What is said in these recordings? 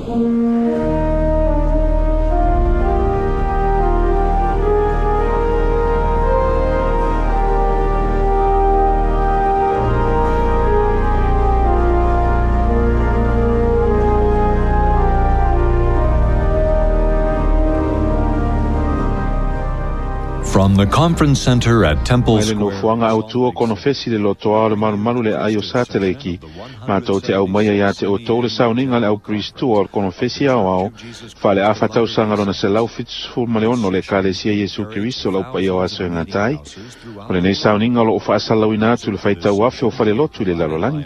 From the Conference Center at Temple Mai le Square. Nofoaga autū o konofesi le lotoa o le malumalu le aai o Sateleki, matou te aumaia iā te outou le sauniga a le aupiristua o le konofesi aoao faaleafa tausaga lona 176 o le Ekalesia Iesu Keriso o le Au Paia o Aso e Gata ai. O lenei sauniga o loo faasalalauina atu i le faitau afe o falelotu i le lalolagi.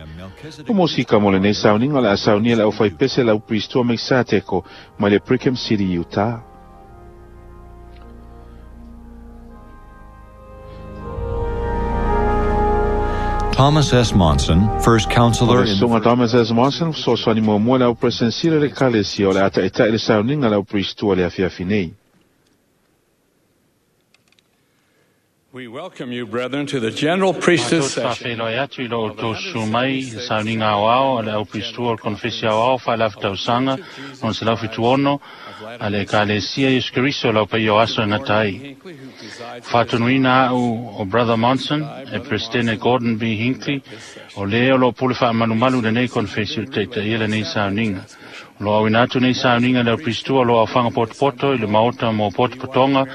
O mosika mo lenei sauniga o le a saunia e le aufaipese le aupiristua Mekisateko mai le Brigham City, Utah. Thomas S. Monson, first O counselor le in Susuga Thomas S. Monson, fesoasoani muamua le au Peresetene o le Ekalesia o le a taʻitaʻi le sauniga a le aupiristua i le afiafi nei. We welcome you, brethren, to the General Priesthood Matou te session. faafeiloai atu i lo outou susu mai i le sauniga aoao a le aupiristua o le konofesi aoao faaleafa tausaga lona 176 a le Ekalesia Iesu Keriso o le Au Paia o Aso e Gata ai. Faatonuina a'u o Brother Monson e Peresetene Gordon B. Hinckley o lē o loo pule faamalumalu lenei konofesi o le taʻitaʻia lenei sauniga. O loo auina atu nei sauniga le aupiristua o loo aofaga potopoto i le maota mo potopotoga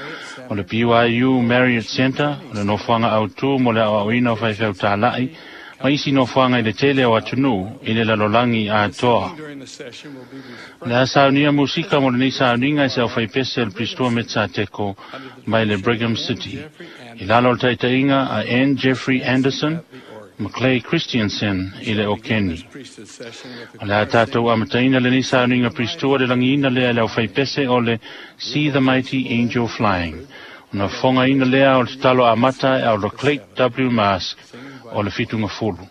o le BYU Marriott Center, o le nofoaga autū mo le aoaoina o faifeau tālaʻi ma isi nofoaga i le tele o atunuu i le lalolagi atoa. During the session will be O le a saunia musika mo lenei sauniga e se aufaipese o le piristua Metsateko mai le Brigham City. I lalo o le taʻitaʻiga a N. Jeffrey Anderson, McClay Christiansen i le okeni. priesthood session with O le a tatou amataina lenei sauniga piristua le lagiina lea e le aufaipese o le See the Mighty Angel Flying. Ona fofogaina lea o le tatalo amata e Elder Clayt W. Mask o le fitugafulu.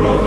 To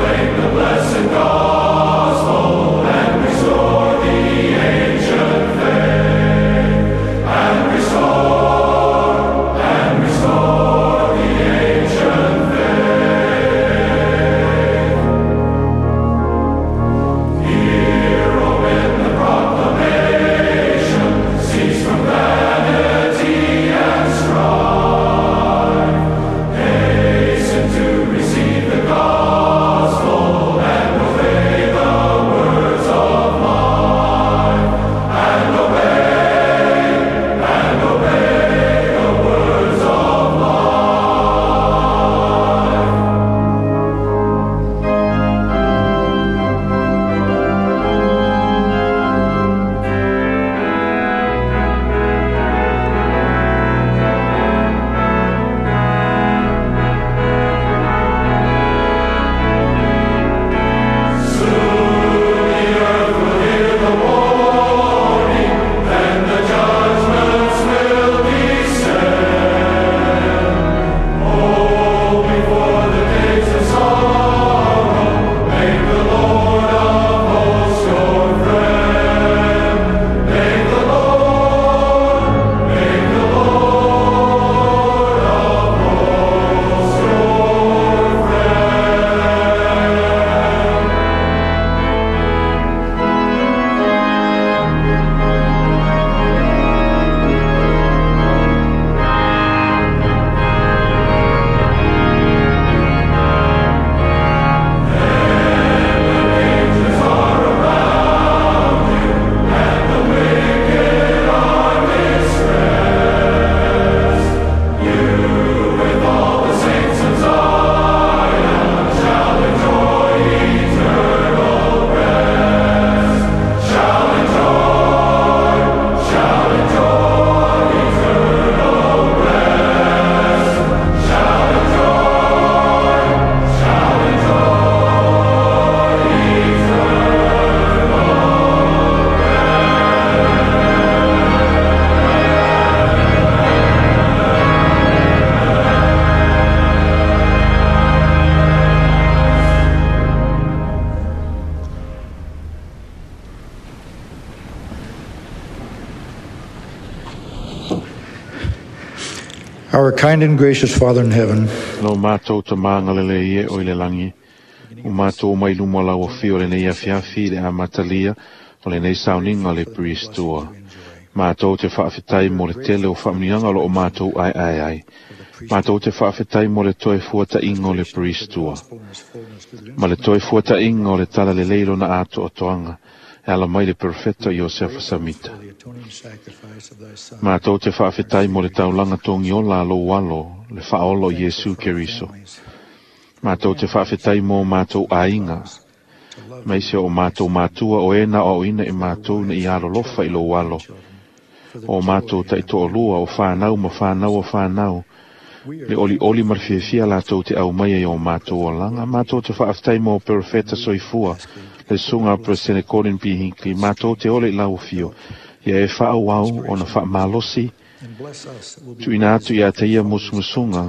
Our kind and gracious Father in heaven, Lo mātou ta māngalele i e o i le langi. O mātou mai luma lau o le nei afiafi le amatalia o le nei sauninga le priestua. Mātou te whaawhitai mo le tele o whaamnianga lo o mātou ai ai ai. Mātou te whaawhitai mo le toe fuata inga o le priestua. Ma le toe fuata inga o le tala le leilo na ato o toanga. E ala mai le perfetto Iosefa Samita. Mātou te whaawhitai mo le taulanga tongi ola lo walo, le whaolo Yesu Keriso. Mātou te whaawhitai mo mātou ainga. Mai se o mātou mātua o ena o ina i mātou na i alo lofa i lo walo. O mātou taito o lua o whanau ma whanau o whanau. Le oli oli marfiafia lātou te au mai e o mātou o langa. Mātou te whaawhitai mo perfeta soifua. Le sunga presene Colin P. Hinckley. Mātou te ole i lau fio. Ia e whaau au o na whaamalosi. Tuina atu ia te ia musumusunga.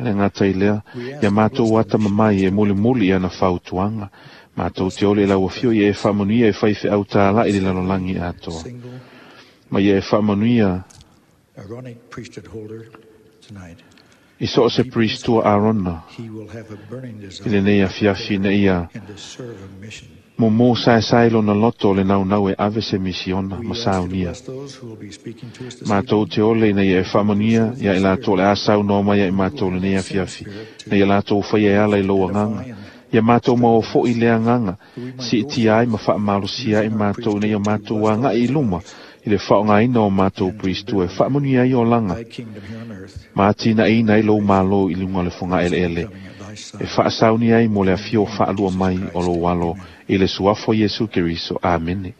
Le ngata i lea. Ia mātou ata mamai e muli muli ia na whautuanga. Mātou te ole i lau fio ia e whaamanuia e whaiwhe au tāla i le lalolangi atoa. Ma ia e whaamanuia i so se priestua Arona i le nei afiafi na ia mo mō sae sae lona loto le nau nau e ave se misiona ma saunia. Mātou te ole ina ia e whaamania ia i lātou le asau no mai ia i mātou le nei afiafi na ia lātou whai e ala i loa nganga. Ia mātou mau fo i lea nganga si i tia ai ma whaamalosia i mātou na ia mātou anga i luma i le whaongaina o mātou priestua e whaamania i o langa. Mātina ina i lo malo i lunga le whanga ele ele. E whaasauni ai mo le awhio whaalua mai o lo walo i le suafo Yesu Keriso. Amene.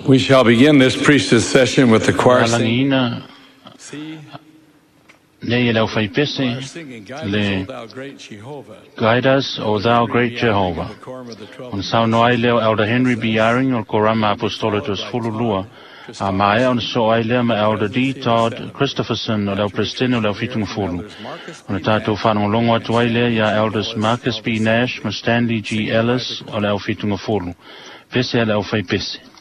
We shall begin this priesthood session with the choir singing. Alangiina nei e lau whaipese Singing, Guide le us, O thou great Jehovah. Guide us, O thou great Jehovah. Ona saunoa ai lea o Elder Henry B. Eyring o le Korama Apostolo Toasefulu A maea ona so ai lea ma Elder D. Todd Christopherson o le au Presidente o le au Fitungafulu. Ona tātou whanongolongo atu ai lea ia Elders Marcus B. Nash ma Stanley G. Ellis o le au Fitungafulu. Pese a le au whaipese.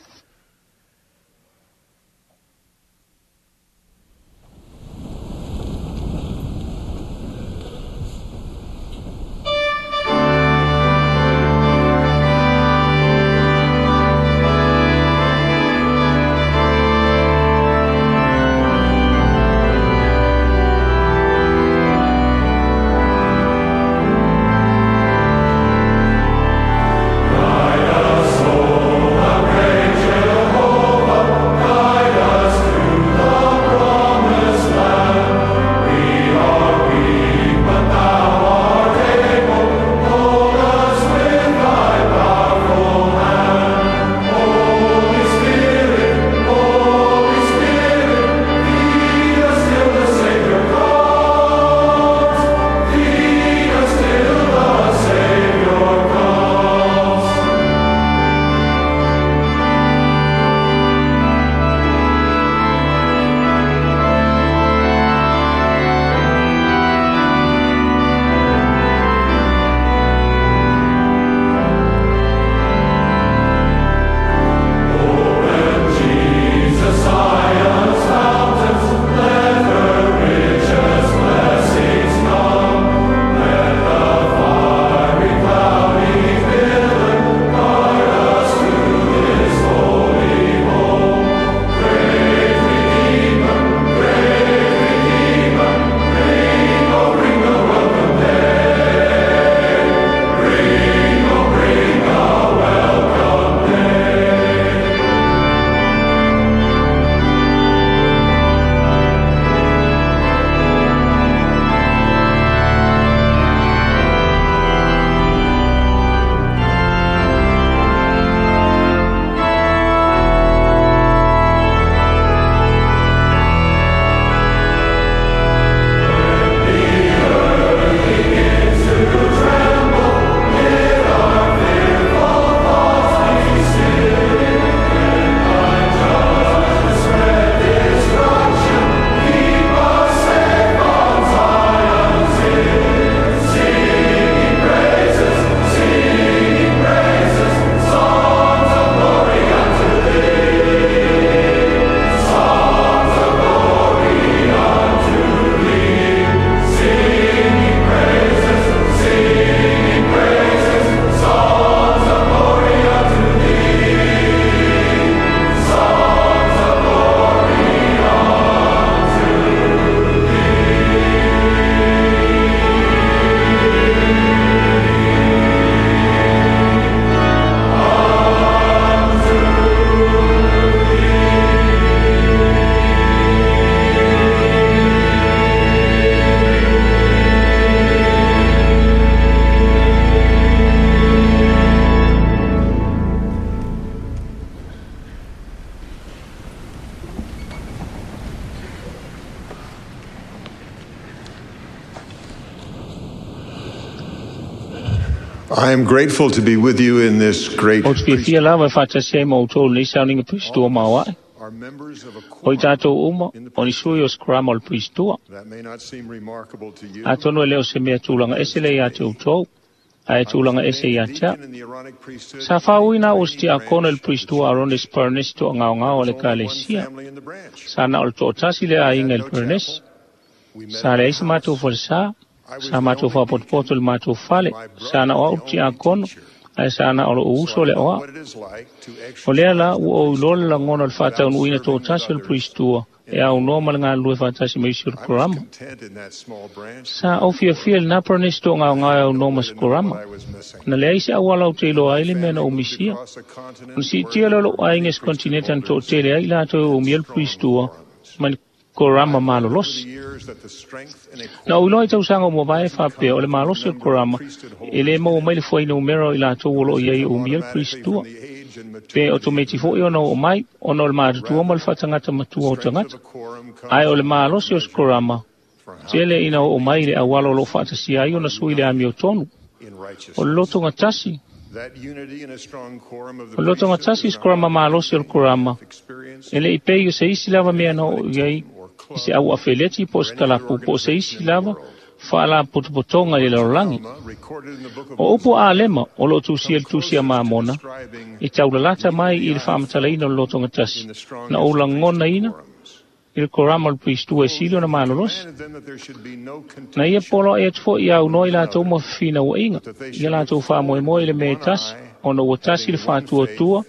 Guide us, O I am grateful to be with you in this great Ou te fiafia lava e faatasi ai ma outou lenei sauniga Piristua maoaʻe. Are members of a O i tatou uma, in the o ni sui o se korama o le Piristua. That may not seem remarkable to you. Atonu e le o se mea tulaga ese lea iā te outou, ae tulaga ese iā te au. Deacon in the Aaronic priesthood, Sa fāuina o se tiakono i le Piristua Aronis Parnesi to'agaogao o le only one Ekalesia. family in the branch. Sa na o le to'atasi le aiga i le Parnesi. We met Sa leai se matou falesā, sa matou faapotopoto i le matou fale, sa na o au le tiakono, ae sa na o lou uso le oa. what it is like to O lea la ua ou iloa le lagona o le faataunuuina to'atasi o le Piristua e aunoa ma le galulue faatasi ma isi o le korama. content in that small branch. Sa ou fiafia i lenā Parnesi to'agaogae e aunoa ma se korama. I was missing. Na leai se auala ou te iloa ai le mea na ou misia. Across a continent Ona siitia lea o lou aiga i se kontineta na to'atele ai i latou e umia le Piristua ma le korama malolosi. the years that the strength and Na ou iloa i tausaga o muavae faapea o le malosi o le korama e lē maua mai le fuainumera o i latou o loo iai e umia le Piristua. the age and maturity Pe o tometi foʻi ona oo mai, ona o le matutua ma le faatagata matua o tagata. quorum comes Ae o le malosi o se korama, tele ina oo mai i le auala o loo faatasia ai ona sui le amiotonu. in righteousness. O le lotogatasi, That unity and a strong quorum of the o le lotogatasi i se korama malosi o le korama, experience e lei pei o se isi lava mea na oo i ai i se au afeleti po o se kalapu po o se isi lava faalapotopotoga i le lalolagi. recorded in the book of O upu a Alema o loo tusia i le tusi a Mamona, describing e taulalata mai i le faamatalaina o le lotogatasi, na ou lagonaina i le korama o le Piristua e sili ona malolosi. commanded them that there should be no Na ia contention polo e atu foʻi aunoa i latou ma fefinauaiga, ia latou faamoemoe i le mea e tasi, ona ua tasi le faatuatua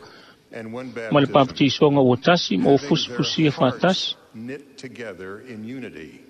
and one ma le baptism, papatisoga ua tasi ma ua having their fusifusia hearts faatasi, knit together in unity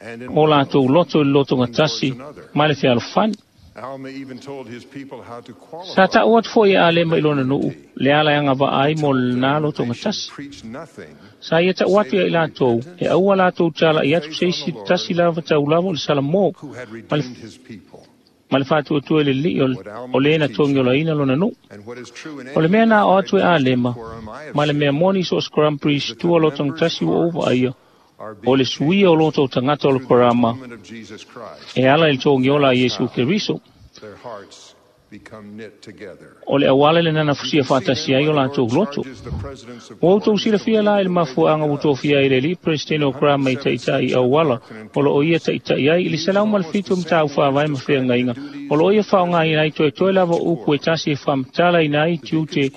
and in o love. latou loto i le lotogatasi ma le fealofani. Alma even told his people how to Sa qualify. ta'u atu foʻi e Alema i lona nuu, le ala e agava'a ai mo lenā lotogatasi. Preach nothing Sa ia ta'u atu ia i latou, e aua latou tala'i atu se isi tasi lava taulava o le Salamō, who had ma le redeemed his people. ma le faatuatua i le lili'i o lē na togiolaina lona nuu. And what is true in O le any mea na o atu e Alema, quorum I have ma le mea moni so o se korama Piristua lotogatasi ua ou vaaia, are o le suia o loto o tagata o le korama being of Jesus Christ. e ala i le togiola a Iesu Keriso. Their hearts become knit together. O le auala lenā na fusia faatasi ai o latou loto. Charges the presidents of Ua outou silafia la i le mafuaaga ua tofia ai le alii Peresetene o Korama i taʻitaʻi auala o loo ia taʻitaʻi ai i le 107 mataupu faavae ma feagaiga o loo ia faaaogāina ai toetoe lava o upu e tasi e faamatalaina ai tiute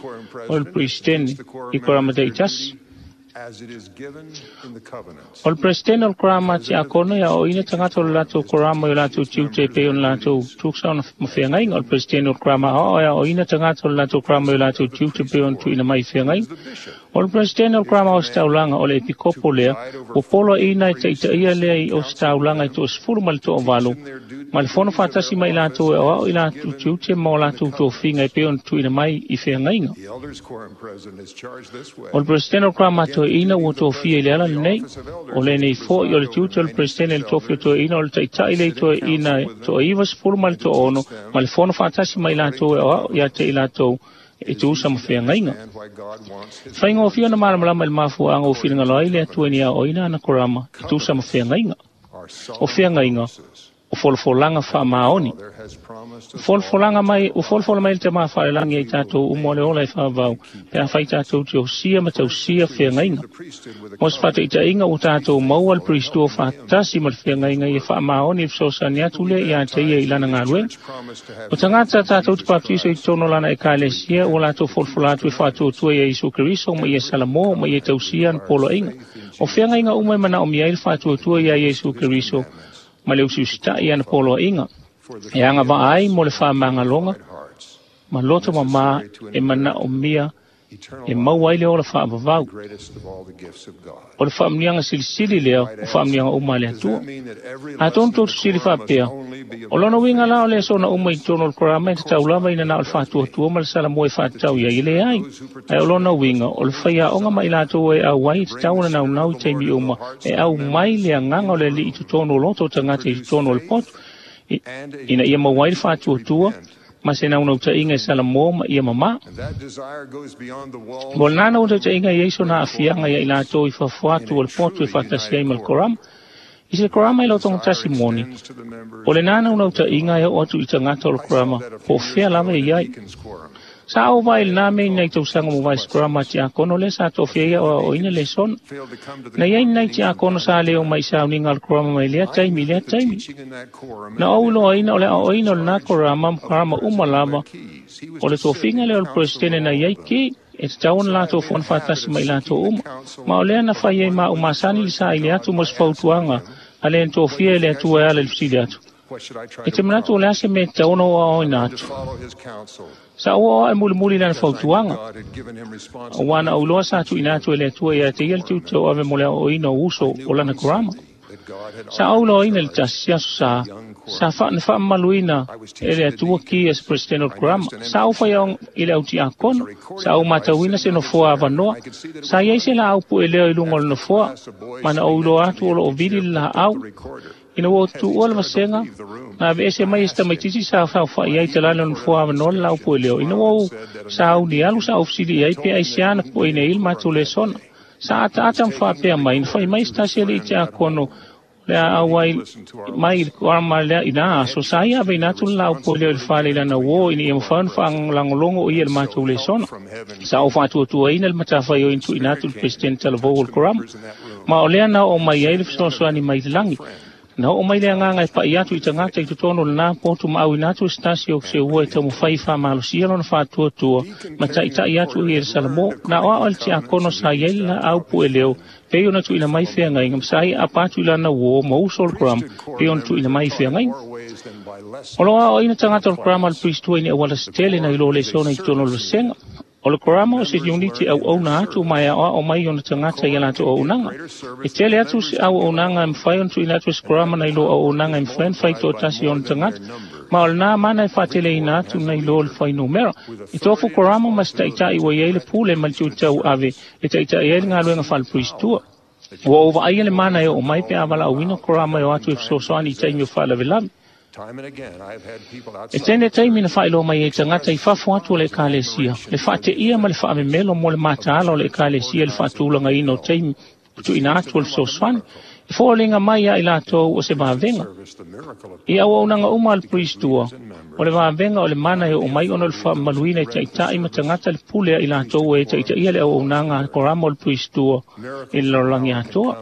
o le Peresetene i Korama taʻitasi. as it is given in the covenants. O le Peresetene o le Korama tiakono ia oʻoina tagata o le latou korama i o latou tiute e pei ona latou tusa ona ma feagaiga. O le Peresetene o le Korama aoao ia oʻoina tagata o le latou korama i o latou tiute e pei ona tuuina mai i feagaiga. O le Peresetene o le Korama ositaulaga o le epikopo lea, ua poloaʻina e taʻitaʻia lea i ositaulaga i toʻasefulu ma le toʻavalu, ma le fono faatasi ma i latou e aoao i latou tiute ma o latou tofiga e pei ona tuuina mai i feagaiga. The elders quorum president is charged this way. O le Peresetene o le Korama toeaina ua tofia i le ala lenei, o lenei foʻi o le tiute o le Peresetene i le tofi o toeaina o le taʻitaʻi lea i toeaina toa-90 ma le toa-6, ma le fono faatasi ma i latou e aoao iā te i latou e tuusa ma feagaiga. And why God wants his Faigofie ona malamalama i le mafuaaga ua finagalo ai le Atua i ni aoaoina ana korama e tuusa ma feagaiga. our O solemn feagaiga, promises. o folafolaga faamaoni. Father has promised us Folafolaga mai, ua folafola mai le tamā faalelagi ai tatou uma o le ola e faavau, pe afai tatou te osia ma tausia feagaiga. the priesthood with a Mo se faataʻitaʻiga ua tatou maua le Piristua faatasi ma le feagaiga ia faamaoni i le fesoasoani atu lea iā te ia i lana galuega. promise to have O tagata tatou te papatiso i totonu o lana ekalesia ua latou folafola atu e faatuatua ia Iesu Keriso ma ia Salamō ma ia tausia ana poloaiga. O feagaiga uma e manaomia ai le faatuatua ia Iesu Keriso ma le usiusitaʻi ana poloaiga. E agava'a ai mo le faamagaloga hearts, ma loto mamā e manaomia e maua ai le ola faavavau. greatest of all the gifts of God. O le faamuniaga silisili lea o faamuniaga uma a le Does Atua. that mean that every Atonu lesson in tou the fesili quorum must faapea, only be o lona uiga la o le aso ona uma i totonu o le korama e tatau lava ina na o le faatuatua ma le salamoe faatatau i ai e leai. Ae o lona uiga, o le faiaoga ma i latou e auai e tatau ona naunau i taimi uma, e au mai le agaga o le alii i totonu o loto o tagata i totonu o le poto, ina ia maua ai le faatuatua ma se naunautaiga e Salamō ma ia mamā. And that desire goes beyond the walls Mo lena naunautaiga i ai sona aafiaga ia i latou i fafo atu o le poto e faatasi ai ma le korama. I se korama i lau togotasi moni, o le nana una uta'iga e oo atu i tagata o le korama po o fea lava e iai. Sa ou vaai i lenā mea i nai tausaga mo vae korama a tiakono lea sa tofia ia o aoaoina lesona. Na iai ni nai tiakono sa lē o mai i sauniga o le korama mai lea taimi i lea taimi. Na ou iloaina o le aoaoina o lenā korama ma korama uma lava o le tofiga lea o le peresetene na iai ki e tatau ona latou fono faatasi ma i latou uma. Ma o lea na fai ai ma au masani le saili atu mo se fautuaga a le na tofia e le Atua e ala i le fesili atu. E te manatu o le a se mea e tatau ona ou aoaoina atu. Sa ou aoao e mulimuli i lana fautuaga, auā na ou iloa sa tuuina atu e le Atua ia te ia le tiute tauave mo le aoaoina o uso o lana korama. Sa ou iloaina i le tasi aso sa sa na faamamaluina e le Atua ki ia se peresetene o le korama. Sa ou faiaoga i le au tiakono, sa ou matauina se nofoa avanoa. Sa iai se laau pueleo i luga o le nofoa, ma na ou iloa atu o loo vili le laau. Ina ua tuua le vasega, na aveese mai e se tamaitiiti sa saofa'i ai talane o le nofoa avanoa le laau pueleo. Ina ua ou sauni alu sa ou fesili i ai pe aisea na pueina ai le matou lesona. Sa ataata ma faapea mai, na fai mai se tasi alii tiakono le a auai mai i le korama lea i nā aso, sa ia aveina atu le laau pueleo i le fale i lana uō ina ia mafai ona faalagologo o ia i le matou lesona. Sa ou faatuatuaina le matafaioi na tuuina atu i le peresetene talavou o le korama. Ma o lea na oo mai ai le fesoasoani mai i le lagi. Na oo mai le agaga e pa'i atu i tagata i totonu o lenā potu ma auina atu e se tasi o se ua e taumafai e faamalosia lona faatuatua ma taʻitaʻi atu ia i le Salamo. Na aoao e le tiakono sa i ai le laau pueleo pei ona tuuina mai feagaiga ma sa ia aapa atu i lana uō ma uso o le korama pei ona tuuina mai feagaiga. O loo aoaoina tagata o le korama a le Priestua i ni auala se tele nai lo lesona i totonu o le vasega. O le korama o se uniti auauna atu ma e aoao mai ona tagata i a latou auaunaga. E tele atu se auaunaga e mafai ona tuuina atu e se korama nai lo auaunaga e mafai ona fai toatasi i ona tagata, ma o lenā mana e faateleina atu nai lo le fuainumera. E tofu korama ma se taʻitaʻi ua i ai le pule ma le tiute tauave e taʻitaʻi ai le galuega faalepuisitua. Ua ou vaaia le mana e oo mai pe a valaauina korama e o atu e fesoasoani i taimi o faalavelave. E tele taimi na faailoa mai ai tagata i fafo atu o le Ekalesia, le faateia ma le faamemelo mo le mataala o le Ekalesia i le faatulagaina o taimi tuuina atu o le fesoasoani. E foliga mai ia i latou o se vavega. I auaunaga uma a le Priestua, o le vavega o le mana e oo mai ona o le faamamaluina e taʻitaʻi ma tagata le pule a i latou e taʻitaʻia le auaunaga a korama o le Priestua i le lalolagi atoa.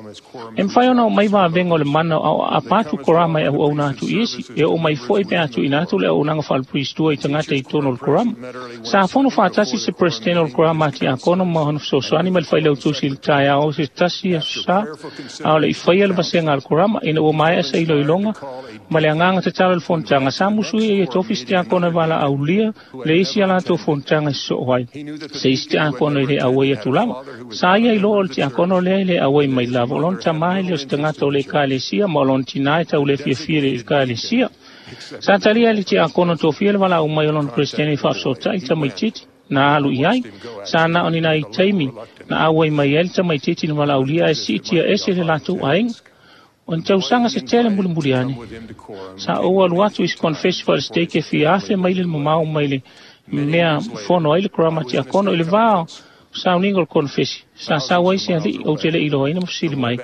E mafai ona oo mai vavega o le mana o aapa atu korama e auauna atu i isi, e oo mai foi pe a tuuina atu le auaunaga faalepuisitua i tagata i totonu o le korama. Sa fono faatasi se peresetene o le korama a tiakono ma ona fesoasoani ma le failautusi i le taeao o se tasi aso sa a o le i faia le vasega a le korama. Ina ua maea se iloiloga ma le agaga tatalo i le fonotaga, sa musuia ia tofi se tiakono e valaaulia le isi a latou fonotaga e sosoo ai se isi tiakono e le auai atu lava. Sa ia iloa o le tiakono lea e le auai mai lava, o lona tamā e le o se tagata o le Ekalesia ma o lona tinā e tau le fiafia i le Ekalesia. Sa talia e le tiakono tofia le valaau mai o lona peresetene i faafesootai tamaitiiti na alu i ai. Sa na o ni nai taimi na auai mai ai le tamaitiiti na valaaulia ae siitia ese le latou aiga. O ni tausaga se tele mulimuli ane, sa ou alu atu i se konefesi faale-stake e fia afe mai le mamao mai le mea fono ai le korama tiakono i le va o sauniga o le konefesi. Sa sau ai se alii ou te le iloaina ma fesili mai.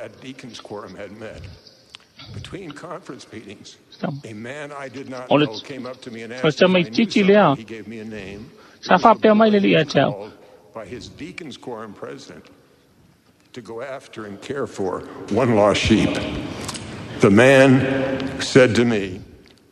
O le tamaitiiti lea sa faapea mai le alii ia te au. To go after and care for one lost sheep. The man said to me,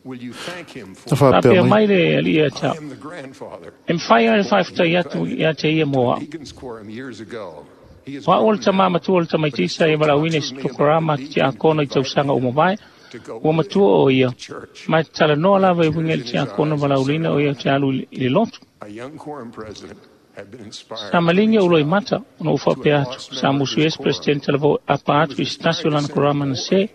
Will you thank him for Na faapea Faapea mai. mai le alii ia te I au, am the grandfather. E mafai ona faafetai atu ia te ia mo au. Deacon's quorum years ago. He is O au o le grown tamā now, matua o le but he tamaitiiti sa still ia valaauina talks i with se me about tokorama the a te deacon tiakono i invited tausaga ua mavae, to go ua with matua him o ia, to church. ma e talanoa lava e uiga i le Tears in his tiakono eyes and valaauliina o ia te alu i le lotu. A young quorum president had been inspired Sa to maligi reach ou out loimata ona ou to a faapea atu, lost sa member of musu his ai se quorum. peresetene talavou e apa He atu was i se tasi o inspired to lana send a korama na boy se.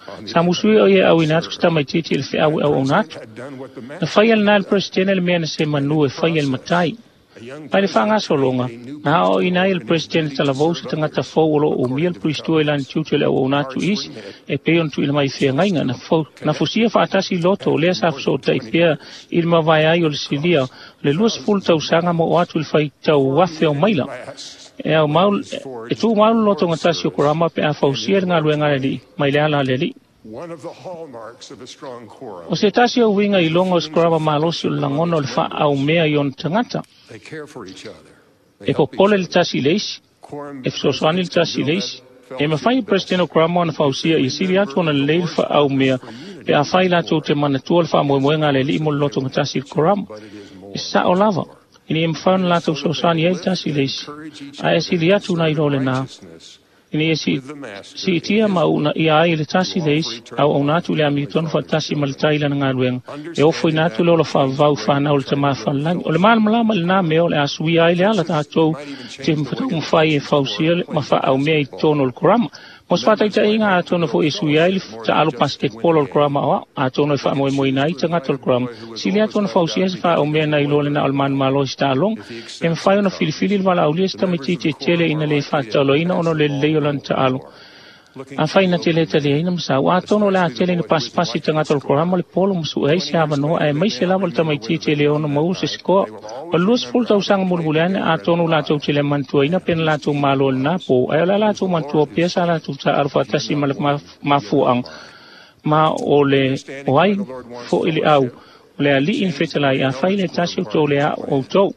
on the Sa other musu ai o hand ia to auina atu se serve. tamaitiiti i le feau e That auauna president atu. had done what the Na master faia had lenā e le done. peresetene le mea na se And in manu the e faia e le process, matai. a young Mai le president faagasologa, trained a new na aoaoina ai e priest le in his peresetene duty to talavou se serve tagata others fou o loo umia according le to the puisitua i lana covenants. tiute o le auauna atu Hearts isi were knit, e pei ona tuuina mai i feagaiga. Na, fau, na fusia faatasi loto o lea after sa more than fesootai 20 pea years. i le mavae ai o le silia Cost le 20 thousands of tausaga ma oo dollars. atu i le faitau Before afe o the maila. meeting lasts, E au mau e tumau le lotogatasi o korama pe a fausia le galuega a le alii mai le ala a le alii. O se tasi o uiga iloga o se korama malosi o le lagona o le faaaumea i ona tagata. E popole le tasi i le isi, e fesoasoani le tasi i le isi. E mafai e Peresetene o Korama ona fausia ia sili atu ona lelei le faaaumea pe afai latou te manatua le faamoemoega a le Alii mo le lotogatasi i le Korama. E sao lava, ina ia mafai ona latou fesoasoani ai le tasi i le isi, ae sili atu nai lo lena, ina ia siitia ma uunaia ai le tasi i le isi, auauna atu i le amiotonu faatasi ma le tai i lana galuega, e ofoina atu le ola faavavau i fanau o le Tamā Falelagi. O le malamalama i lenā mea o le a suia ai le ala tatou te taumafai e fausia ma faaaumea i totonu o le Korama. Mo se faataitaiga, atonu foi e suia ai le taalo basketball o le Korama aoao, atonu e faamoemoeina ai tagata o le Korama, sili atu ona fausia se faaumea nai lo le na o le manumalo i se taaloga. E mafai ona filifili le valaaulia se tamaitiiti e tele ina le faatataloina ona o le lelei o lana taalo. Afai na te le taliaina ma sau, atonu o le a tele ina pasipasi tagata o le Korama le polo ma sue ai se avanoa, aemaise lava le tamaitiiti e le ono maua se sikoa. O le 20 tausaga mulimuli ane, atonu latou te le manatuaina pe na latou malo i lenā po, ae o le a latou manatua pea sa latou taaalo faatasi ma le mafuaaga ma o le o ai foi le au o le alii na fetalai, afai le tasi o tou le a'o outou.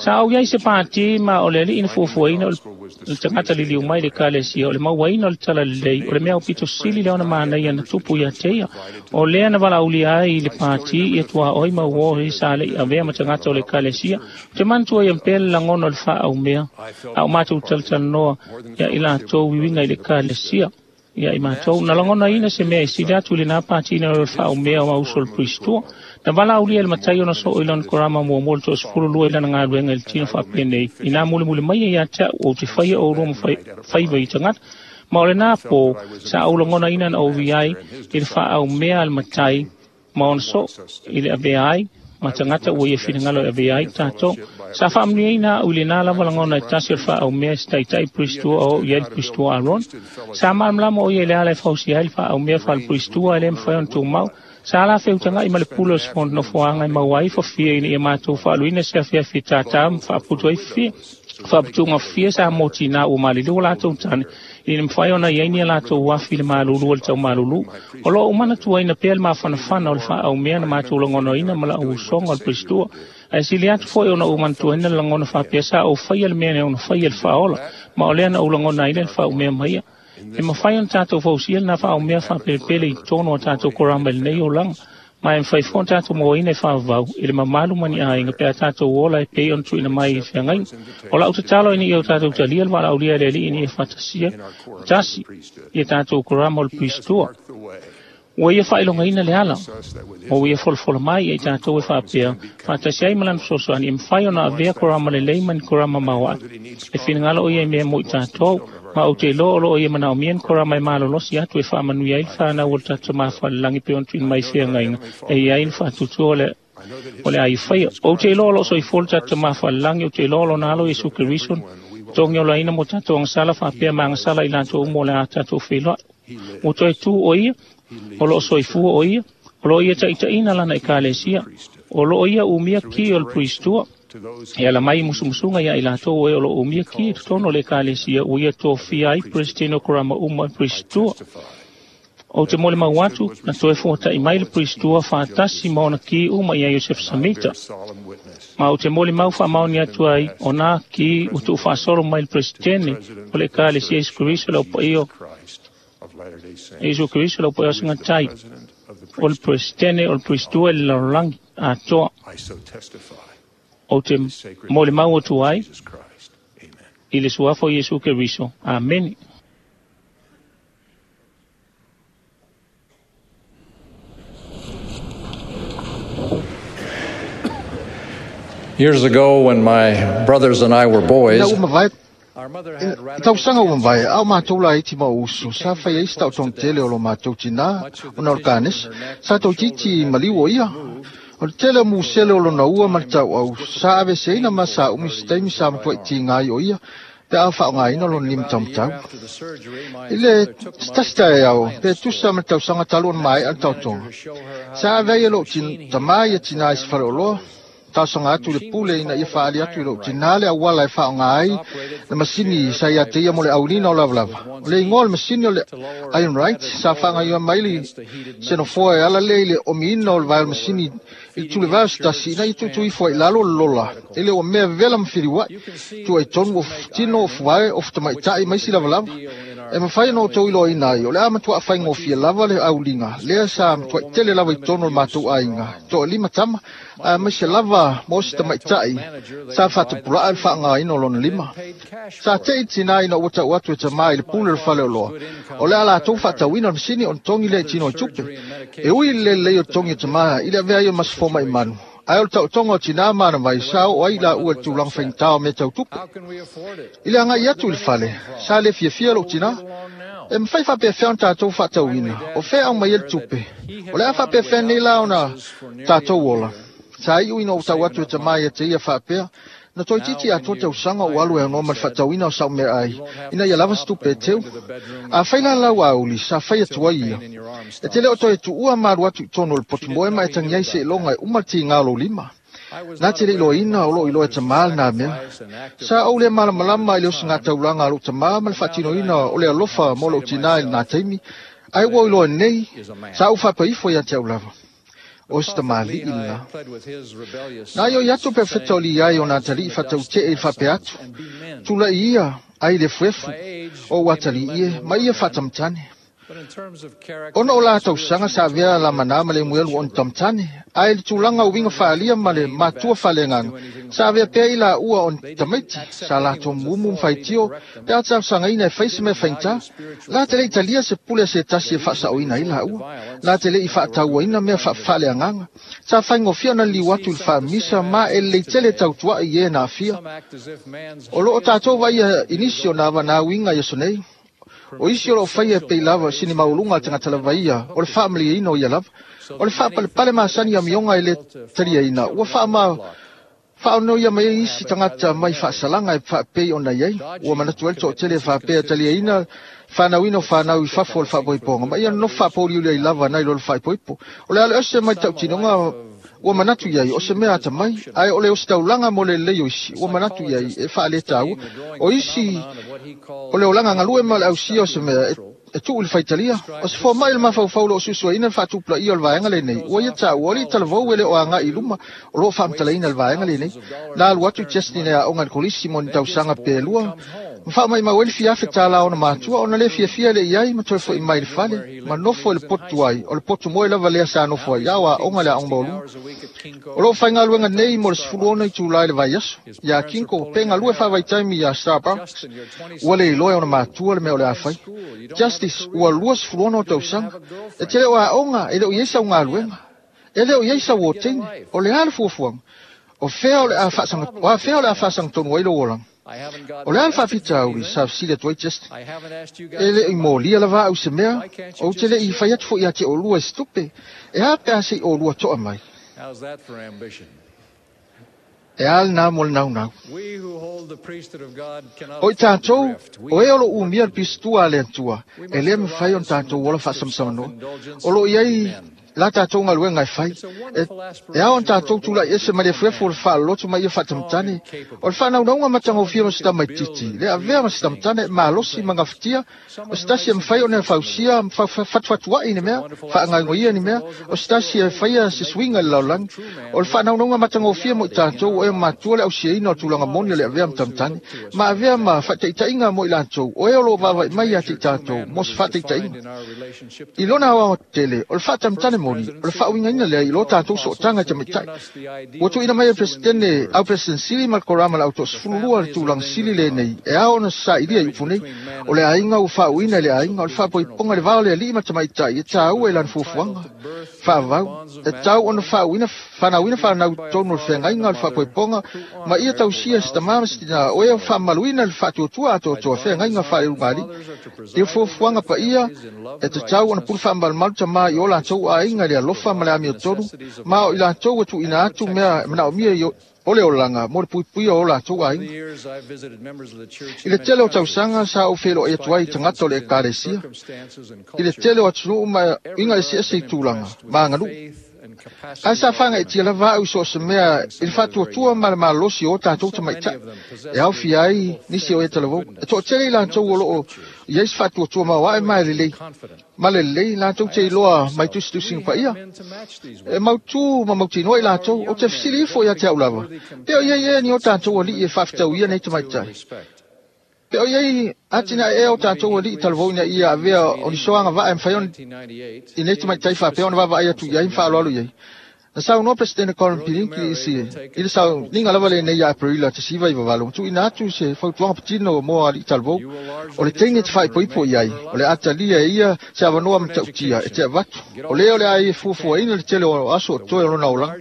Sa ou i ai se pātī ma o le alii na fuafuaina o le tagata liliu mai i le Ekalesia, o le mauaina o le talalelei, o le mea aupito sili lea ona manaia na tupu ia te ia. O lea na valaaulia ai i le pātī ia tuaoi ma uō he sa le i avea ma tagata o le Ekalesia. Ou te manatua ia pea le lagona o le faaaumea, a o matou talatalanoa ia i latou i uiga i le Ekalesia. Ia i matou, na lagonaina se mea e sili atu i lenā pātī nai lo le faaumea o auso o le Pristua. Na valaaulia e le matai ona soo i lona korama muamua le 12 i lana galuega i le tino faapenei, inā mulimuli mai ia ia te a'u ou te faia oulua ma faiva i tagata. Ma o lenā pō, sa ou lagonaina na ou i ai i le faaumea a le matai ma ona soo i le avea ai ma tagata ua ia finagalo e avea ai tatou. Sa faamanuiaina a'u i lenā lava lagona e tasi o le faaaumea e se taitai Pristua o oo i ai le Pristua Aarona. Sa malamalama o ia i le ala e fausia ai le faaaumea faale-Pristua e le mafai ona tumau. Sa la feutaga'i ma le pule o se nofoaga e maua ai fafia ina ia matou faaluina se afiafi tātā ma faaputu ai fafia. Faaputuga fafia sa mo tinā ua maliliu o latou tane ina mafai ona i ai ni a latou afi i le malulu o le taumalulu. O lo o ou manatuaina pea le mafanafana o le faaaumea na matou lagonaina ma la'u usoga o le Pristua. Ae sili atu foi ona ou manatuaina le lagona faapea sa ou faia le mea e ono faia le faaola, ma o lea na ou lagona ai le faaumea mai ia. E mafai ona tatou fausia lenā faaumea faapelepele i totonu o a tatou korama i lenei olaga, ma e mafai foi ona tatou mauaina e faavavau i le mamalu ma ni aiga pe a tatou ola e pei ona tuuina mai i feagaiga. O la'u tatalo ina ia o tatou talia le valaaulia e le Alii ina ia faatasia tasi i a tatou korama o le Pristua. Ua ia faailogaina le ala, ma ua ia folafola mai ia i tatou e faapea, faatasi ai ma lana fesoasoani, e mafai ona avea korama lelei ma ni korama maoae. E finagalo o ia i mea mo i tatou, ma ou te iloa o lo o ia manaomia ni korama e malolosi atu e faamanuia ai le fanau o le tatou Tama Falelagi pei ona tuuina mai i feagaiga e i ai le faatuatua o le o le a ia faia. Ou te iloa o lo o soifua le tatou Tama Falelagi, ou te iloa o lona alo Iesu Keriso, togi olaina mo tatou agasala faapea ma agasala i latou uma o le a tatou feiloai. Ua toe tu o ia, o lo o soifua o ia, o lo o ia taitaiina lana Ekalesia, o lo o ia umia ki o le Pristua, e ala mai i musumusuga ia i latou o e o lo o umia ki i totonu o le Ekalesia ua ia tofia ai Peresetene o Korama uma e Pristua. Ou te molimau atu, na toe fuata'i mai le Pristua faatasi ma ona ki uma ia Iosefo Samita. Ma ou te molimau faamaoni atu ai, o nā ki ua tuufaasolo mai le Peresetene o le Ekalesia Iesu Keriso le Aupaia o Iesu Keriso le Aupaia o Sagatai, o le Peresetene o le Pristua i le lalolagi atoa. Ou te molimau atu ai i le suafa o Iesu Keriso. Amene. Years ago, when my brothers and I were boys, Ina ua mavae I tausaga ua mavae, a o matou laiti ma ou uso, sa fai ai se taotoga tele o lo matou tinā ona o le kanesa. Sa toeitiiti maliu o ia. O le tele o musele o lona ua ma le tauau, sa aveeseina ma sa umi se taimi sa matuai tiga ai o ia pe a faaaogaina lona limataumatau. I le se tasi taeao, pe tusa ma le tausaga talu ona maea le taotoga, sa ave ai e lou tamā ia tinā i se faleoloa. Talosaga atu i le pule ina ia faaali atu i lou tinā le auala e faaaoga ai le masini sa ia te ia mo le auliina o lavalava. O le igoa o le masini o le Iron Right sa faagaioia mai le senofoa e ala lea i le omiina o le vae o le masini i le tulevae o se tasi ina ia tuutuu ifo ai i lalo le lola e le o mea vevela ma filiua'i, tua i tonu o tino o fuvae o futamaitai ma isi lavalava. E mafai ona outou iloaina ai, o le a matuaʻa faigofie lava le auliga lea sa matuaʻi tele lava i totonu o le matou aiga, toalima tama, aemaise lava mo se tamaitai sa faatupulaʻa i le faaaogaina o lona lima. Sa teʻi tinā ina ua tau atu e tamā i le pule o le fale oloa, o le a latou faatauina le masini ona togi lea i tino i tupe. E ui i le lelei o togi o tamā i le avea ai o masefo mai manu, ae o le taotoga o tinā ma ana vai sa oo ai laua i le tulaga faigata o mea tau tupe. I le agai atu i le fale, sa le fiafia lou tinā. E mafai faapefea ona tatou faatauina, o fea aumai ai le tupe? O le a faapefea nei la ona tatou ola? Sa iu ina ou tau atu e tamā ia te ia faapea, na toeitiiti atoa tausaga ou alu e aunoa ma le faatauina o sau meaai, ina ia lava se tupe e teu. Afai la lau auli, sa fai atu ai ia. E te le o toe tuua ma alu atu i totonu o le potumoe ma e tagi ai seiloga e uma le tiga o lou lima. Na te le iloaina o loo iloa e tamā lena mea. Sa ou le malamalama i le osigataulaga a lou tamā ma le faatinoina o le alofa mo lou tinā i lena taimi, ae ua ou iloa nei, sa ou faapaifo ia te au lava. O se tamalii lena. Na ioi atu perofeta o Liai o nā atalii faatautee i le faapea atu, Tulai ia ai le efuefu o ou atalii e, ma ia faatamatane. Ona o la tausaga sa avea Lamana ma Lemuelu o ni tamatane, ae i le tulaga o uiga faaalia ma le matua faaleagaga, sa avea pea i laua o ni tamaiti, sa latou mumu ma faitio pe a talosagaina e fai se mea faigata. La te le i talia se pule a se tasi e faasaoina ai laua. La te le i faatauaina mea faafaaleagaga. Sa faigofie ona liliu atu i le faamisa ma e lelei tele tautuaʻi i e na aafia. O loo tatou vaaia i nisi o nā vanā uiga i aso nei. O isi o loo faia e pei lava sini maualuga a le tagata lava ia, o le faamalieina o ia lava. O le faapalepale masani amioga e le taliaina, ua faama faaonoia mai ai isi tagata mai faasalaga e faapei ona i ai. Ua manatu ai le toatele e faapea e taliaina fanauina o fanau i fafo o le faapoipoga, ma ia nonofo faapouliuli ai lava nai lo le faaipoipo. O le alo ese mai tautinoga ua manatu i ai o se mea atamai, ae o le ositaulaga mo le lelei o isi ua manatu i ai e faaletaua. O isi o le olaga galue ma le ausia o se mea e tuu i le faitalia. O se foamai o le mafaufau o loo suesueina le faatupulaia o le vaega lenei, ua ia taua o alii talavou e le o agai i luma o loo faamatalaina le vaega lenei. Na alu atu Justin e aoga i le kolisi mo ni tausaga pe lua, ma faamaumau ai le fiafe tālā ona matua ona le fiafia le i ai ma toe foʻi mai i le fale ma nofo i le potu ai, o le potu moe lava lea sa nofo ai a o aoga le aoga maualuga. O loo faigaluega nei mo le 16 itulā i le vaiaso iā Kinko pe galue faavaitaimi iā Starbucks. Ua le iloa e ona matua le mea o le a fai. Justice ua 26 o tausaga. E te le o aoga, e le o i ai sau galuega. E le o i ai sau oteine. O le a le fuafuaga? O fea o le a faasaga, o a fea o le a faasagatonu ai lou olaga? O le a le faafitauli, sa fesili atu ai Justin. E le i molia lava au i se mea, ou te le i fai atu foi ia te oulua i se tupe. E a pe a se i oulua toa mai? E a lena mo le naunau. O i tatou, o e o loo umia le pistua a le Atua, e le mafai ona tatou ola faasamsamanoa. O loo i ai la tatou galuega e fai. E ao ona tatou tulai ese mai le efuefu o le faaloloto ma ia faatamatane. O le faanaunauga matagofie o se tamaitiiti, le avea ma se tamatane e malosi ma gafatia, o se tasi e mafai ona fausia ma fafatufatuaʻi ni mea, faagaogoia ni mea, o se tasi e faia se suiga i le lalolagi. O le faanaunauga matagofie mo i tatou o e matua le ausiaina o le tulaga moni o le avea ma tamatane, ma avea ma faataitaiga mo i latou o e o loo vaavaai mai ia te i tatou mo se faataitaiga. I lona aoaotetele, o le faatamatane moni, o le faauigaina lea i lo tatou sootaga i tamaitai. Ua tuuina mai e le Peresetene, au President Sili ma le Korama le Autosefululua le tulaga sili lenei e ao ona sailia i upu nei, o le aiga ua faauuina i le aiga, o le faapoipoga i le va o le alii ma tamaitai e taua i lana fuafuaga faavavau, e tau ona faauuina fanauina fanau i totonu o le feagaiga o le faapoipoga ma ia tausia se tamā ma se tinā o e faamamaluina le faatuatua atoatoa feagaiga faaleulugalii. I le fuafuaga paia, e tatau ona pule faamalumalu tamā i o latou aiga i le alofa ma le amiotonu, ma o i latou e tuuina atu mea e manaomia i o le olaga mo le puipuia o latou aiga. I le tele o tausaga sa ou feiloai atu ai i tagata o le Ekalesia, i le tele o atunuu ma uiga eseese i tulaga ma aganuu. Ae sa fagaitia lava a'u i so o se mea i le faatuatua ma le malosi o tatou tamaitai e aofia ai nisi o e talavou. E toatele i latou o loo i ai se faatuatua maoae ma e lelei ma le lelei latou te iloa mai tusitusiga paia. E mautū ma mautinoa i latou, ou te fesili ifo ia te a'u lava, pe o iai ea ni o tatou ali'i e faafetauia nei tamaitai. Pe o iai atinae ea o tatou ali'i talavou ina ia avea o ni soaga vaa e mafai ona i nei tamaitai faapea ona vaavaai atu i ai ma faaaloalo i ai. Na saunoa Peresetene Colin Pirinki i se i le sauniga lava lenei ia Aperila 1998 ma tuuina atu se fautuaga patino mo ali'i talavou. O le teine e te faaipoipo i ai, o le a talia e ia se avanoa matautia e te avatu. O lea o le a ia fuafuaina le tele o aso o toe o lona olaga.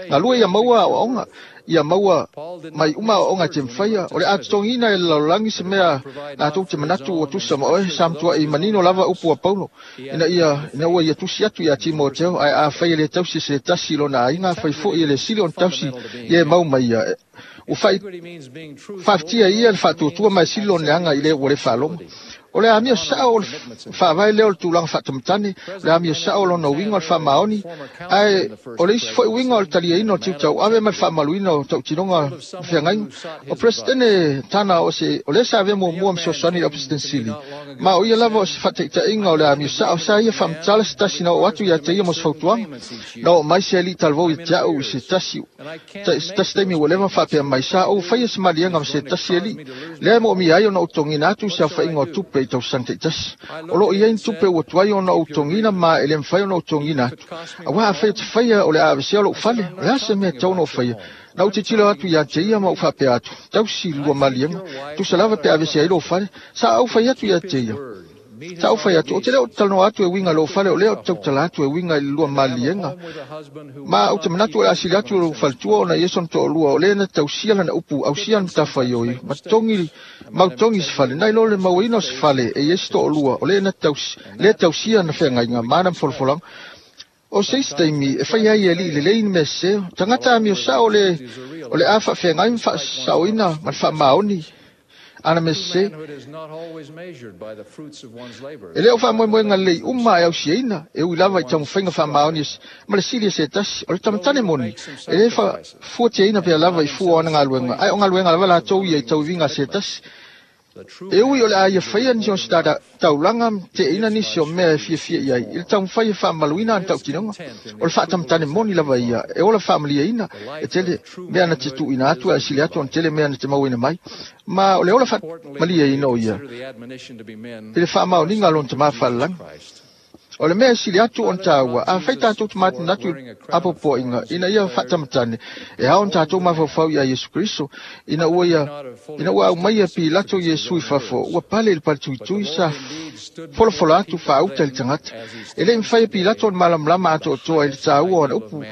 Galue ia maua aoaoga ia maua mai uma aoaoga e te mafaia. O le a totogiina e le lalolagi se mea latou te manatu ua tusa ma oe. Sa matua'i manino lava upu a Paulo ina ia ina ua ia tusi atu iā Timoteo, ae afai e lē tausi e se tasi i lona aiga, afai fo'i e le sili ona tausi ia e mau mai ia. Ua fai faafetia ia le faatuatua ma e sili lona leaga i le ua lē faalogo. O le amio sa'o o le faavae lea o le tulaga fa'atamatane, o le amio sa'o o lona uiga o le fa'amaoni, ae o le isi fo'i uiga o le taliaina o tiute tauave ma le fa'amaluina o ta'utinoga ma feagaiga. O Peresetene Tana o se o lea sa avea muamua ma fesoasoani i le Peresetene Sili, ma o ia lava o se fa'ataʻitaʻiga o le amio sa'o sa ia faamatala se tasi na oo atu iā te ia mo se fautuaga. Na oo mai se ali'i talavou ia te a'u i se tasi se tasi taimi ua leva ma faapea mai, sa ou faia se maliega ma se tasi ali'i lea e mo'omia ai ona ou togiina atu i se aofa'iga o tupe i tausaga ta'itasi. O loo i ai ni tupe ua tuai ona ou togiina ma e lē mafai ona ou togiina atu. Auā afai e te faia o le a avesea lo'u fale, o le a se mea e tatau ona ou faia? Na ou tilotilo atu iā te ia ma ou faapea atu, tausi lua maliega, tusa lava pe avese ai lou fale. Sa ou fai atu iā te ia. Sa ou fai atu, ou te le o talanoa atu e uiga i lou fale, o lea ou te tautala atu e uiga i le lua maliega. Ma ou te manatu o le a sili atu lou faletua ona ia sona toalua, o lea na tausia lana upu, ausia ana matafaioi, ma togi, mau togi se fale. Nai lo le mauaina o se fale e iai se toalua, o lea na tausi, lea tausia ana feagaiga, ma ana folafolaga. O se isi taimi e fai ai e ali'i lelei ni mea sesē, o tagata amio sa'o le, o le a fa'afeagai ma fa'asa'oina ma le fa'amaoni ana mea sesē. E le o fa'amoemoega lelei uma e ausiaina, e ui lava i taumafaiga fa'amaoni ma le sili e se tasi. O le tamatane moni, e lē fuatiaina pea lava i fua o ana galuega, ae o galuega lava latou ia i tauiviga a se tasi. E ui o le a ia faia nisi o se taulaga ma te'eina nisi o mea e fiafia i ai i le taumafai e fa'amaluina ana ta'utinoga, o le fa'atamatane moni lava ia e ola fa'amaliaina e tele mea na te tu'uina atu ae sili atu ona tele mea na te mauaina mai, ma o le ola fa'amaliaina o ia i le fa'amaoniga a lona tamā fa'alalagi. O le mea e sili atu ona tāua, afai tatou te manatunatu i apoapoaiga ina ia fa'atamatane, e ao ona tatou mafaufau iā Iesu Keriso, ina ua ia ina ua aumaia e Pilato Iesu i fafo, ua pale i le paletuitui, sa folafola atu faauta i le tagata. E le'i mafai e Pilato ona malamalama atoatoa i le tāua o ana upu,